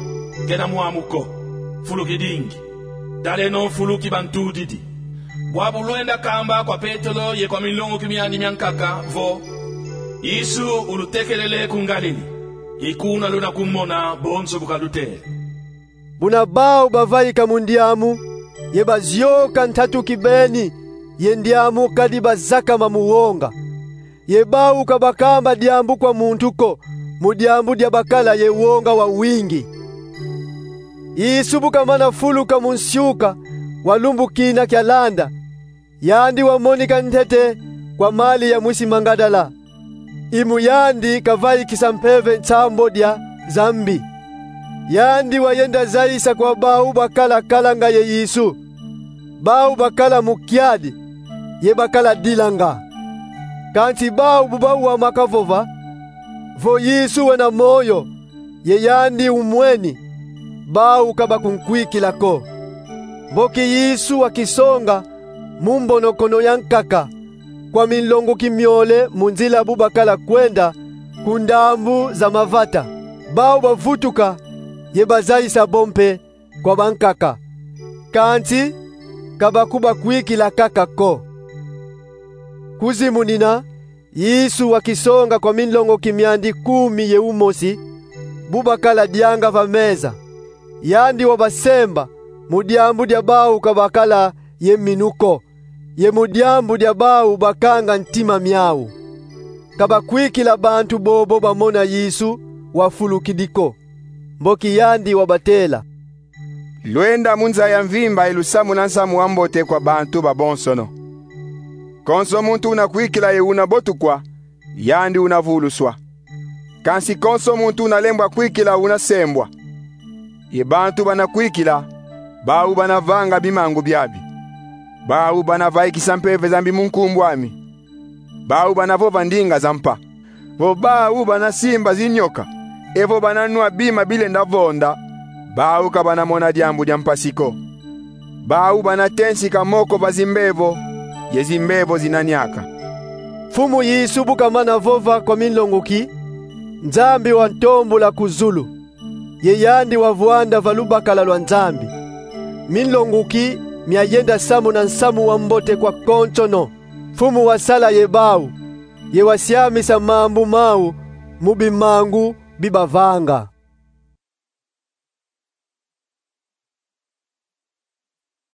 Kena mwamu ko. Fulu kidingi. Taleno fulu ki bantudidi. Bwabu lwenda kamba kwa Petelo ye kwa minlongoki miandi miankaka vo: Yesu ulutekelele ku Ngalili. I kuna luna kumona bonso bu kalutela. Buna bau bavaika mu ndiamu, ye bazioka ntatu kibeni, ye ndiamu kadi bazakama mu wonga. Ye bau ka bakamba diambu kwa muntu ko, mu diambu dia bakala ye wonga wawingi. Yesu bu kamana fuluka mu nsiuka wa lumbu kina kialanda, yandi wamonika ntete kwa Malia mwisi Mangadala. I mu yandi kavaikisa mpeve nsambodia za mbi. Yandi wayenda zayisa kwa bau bakala kalanga ye Yesu. Bau bakala mu kiadi, ye bakala dilanga. Kansi bau bu bawama kavova vo Yesu wena moyo, ye yandi umweni, bau ka bakunkwikila ko. Mboki Yesu wakisonga mu mbonokono ya nkaka, kwa minlonguki miole mu nzila bu bakala kwenda ku ndambu za mavata. Bau bavutuka ye bazayisa bo mpe kwa bankaka, kansi ka bakubakwikila kaka ko. Kuzimunina, Yesu wakisonga kwa minlonguki miandi kumi ye umosi, bu bakala dianga va meza. Yandi wabasemba mu diambu dia bau ka bakala ye minu ko, ye mu diambu dia bau bakanga ntima miau. Ka bakwikila bantu bobo bamona Yesu wafulukidi ko. Mboki yandi wabatela: Lwenda mu nza ya mvimba ye lusamuna nsamu wa mbote kwa bantu babonsono. Konso muntu una kwikila ye una botukwa, yandi una vuluswa. Kansi konso muntu una lembwa kwikila una sembwa. Ye bantu bana kwikila, bau bana vanga bimangu biabi. Bau bana vaikisa mpeve za mbi mu nkumbu ami. Bau bana vova ndinga za mpa. Vo bau bana simba zinyoka, evo bana nwa bima bilenda vonda, bau ka bana mona diambu dia mpasi ko. Bau bana tensika moko va zimbevo, ye zimbevo zina niaka. Mfumu Yesu bu kamana vova kwa minlonguki, Nzambi wantombula ku zulu, ye yandi wavwanda va lubakala lwa Nzambi. Minlonguki mia yenda samuna nsamu wa mbote kwa konsono. Mfumu wasala ye bau, ye wasiamisa mambu mau mu bimangu bi bavanga.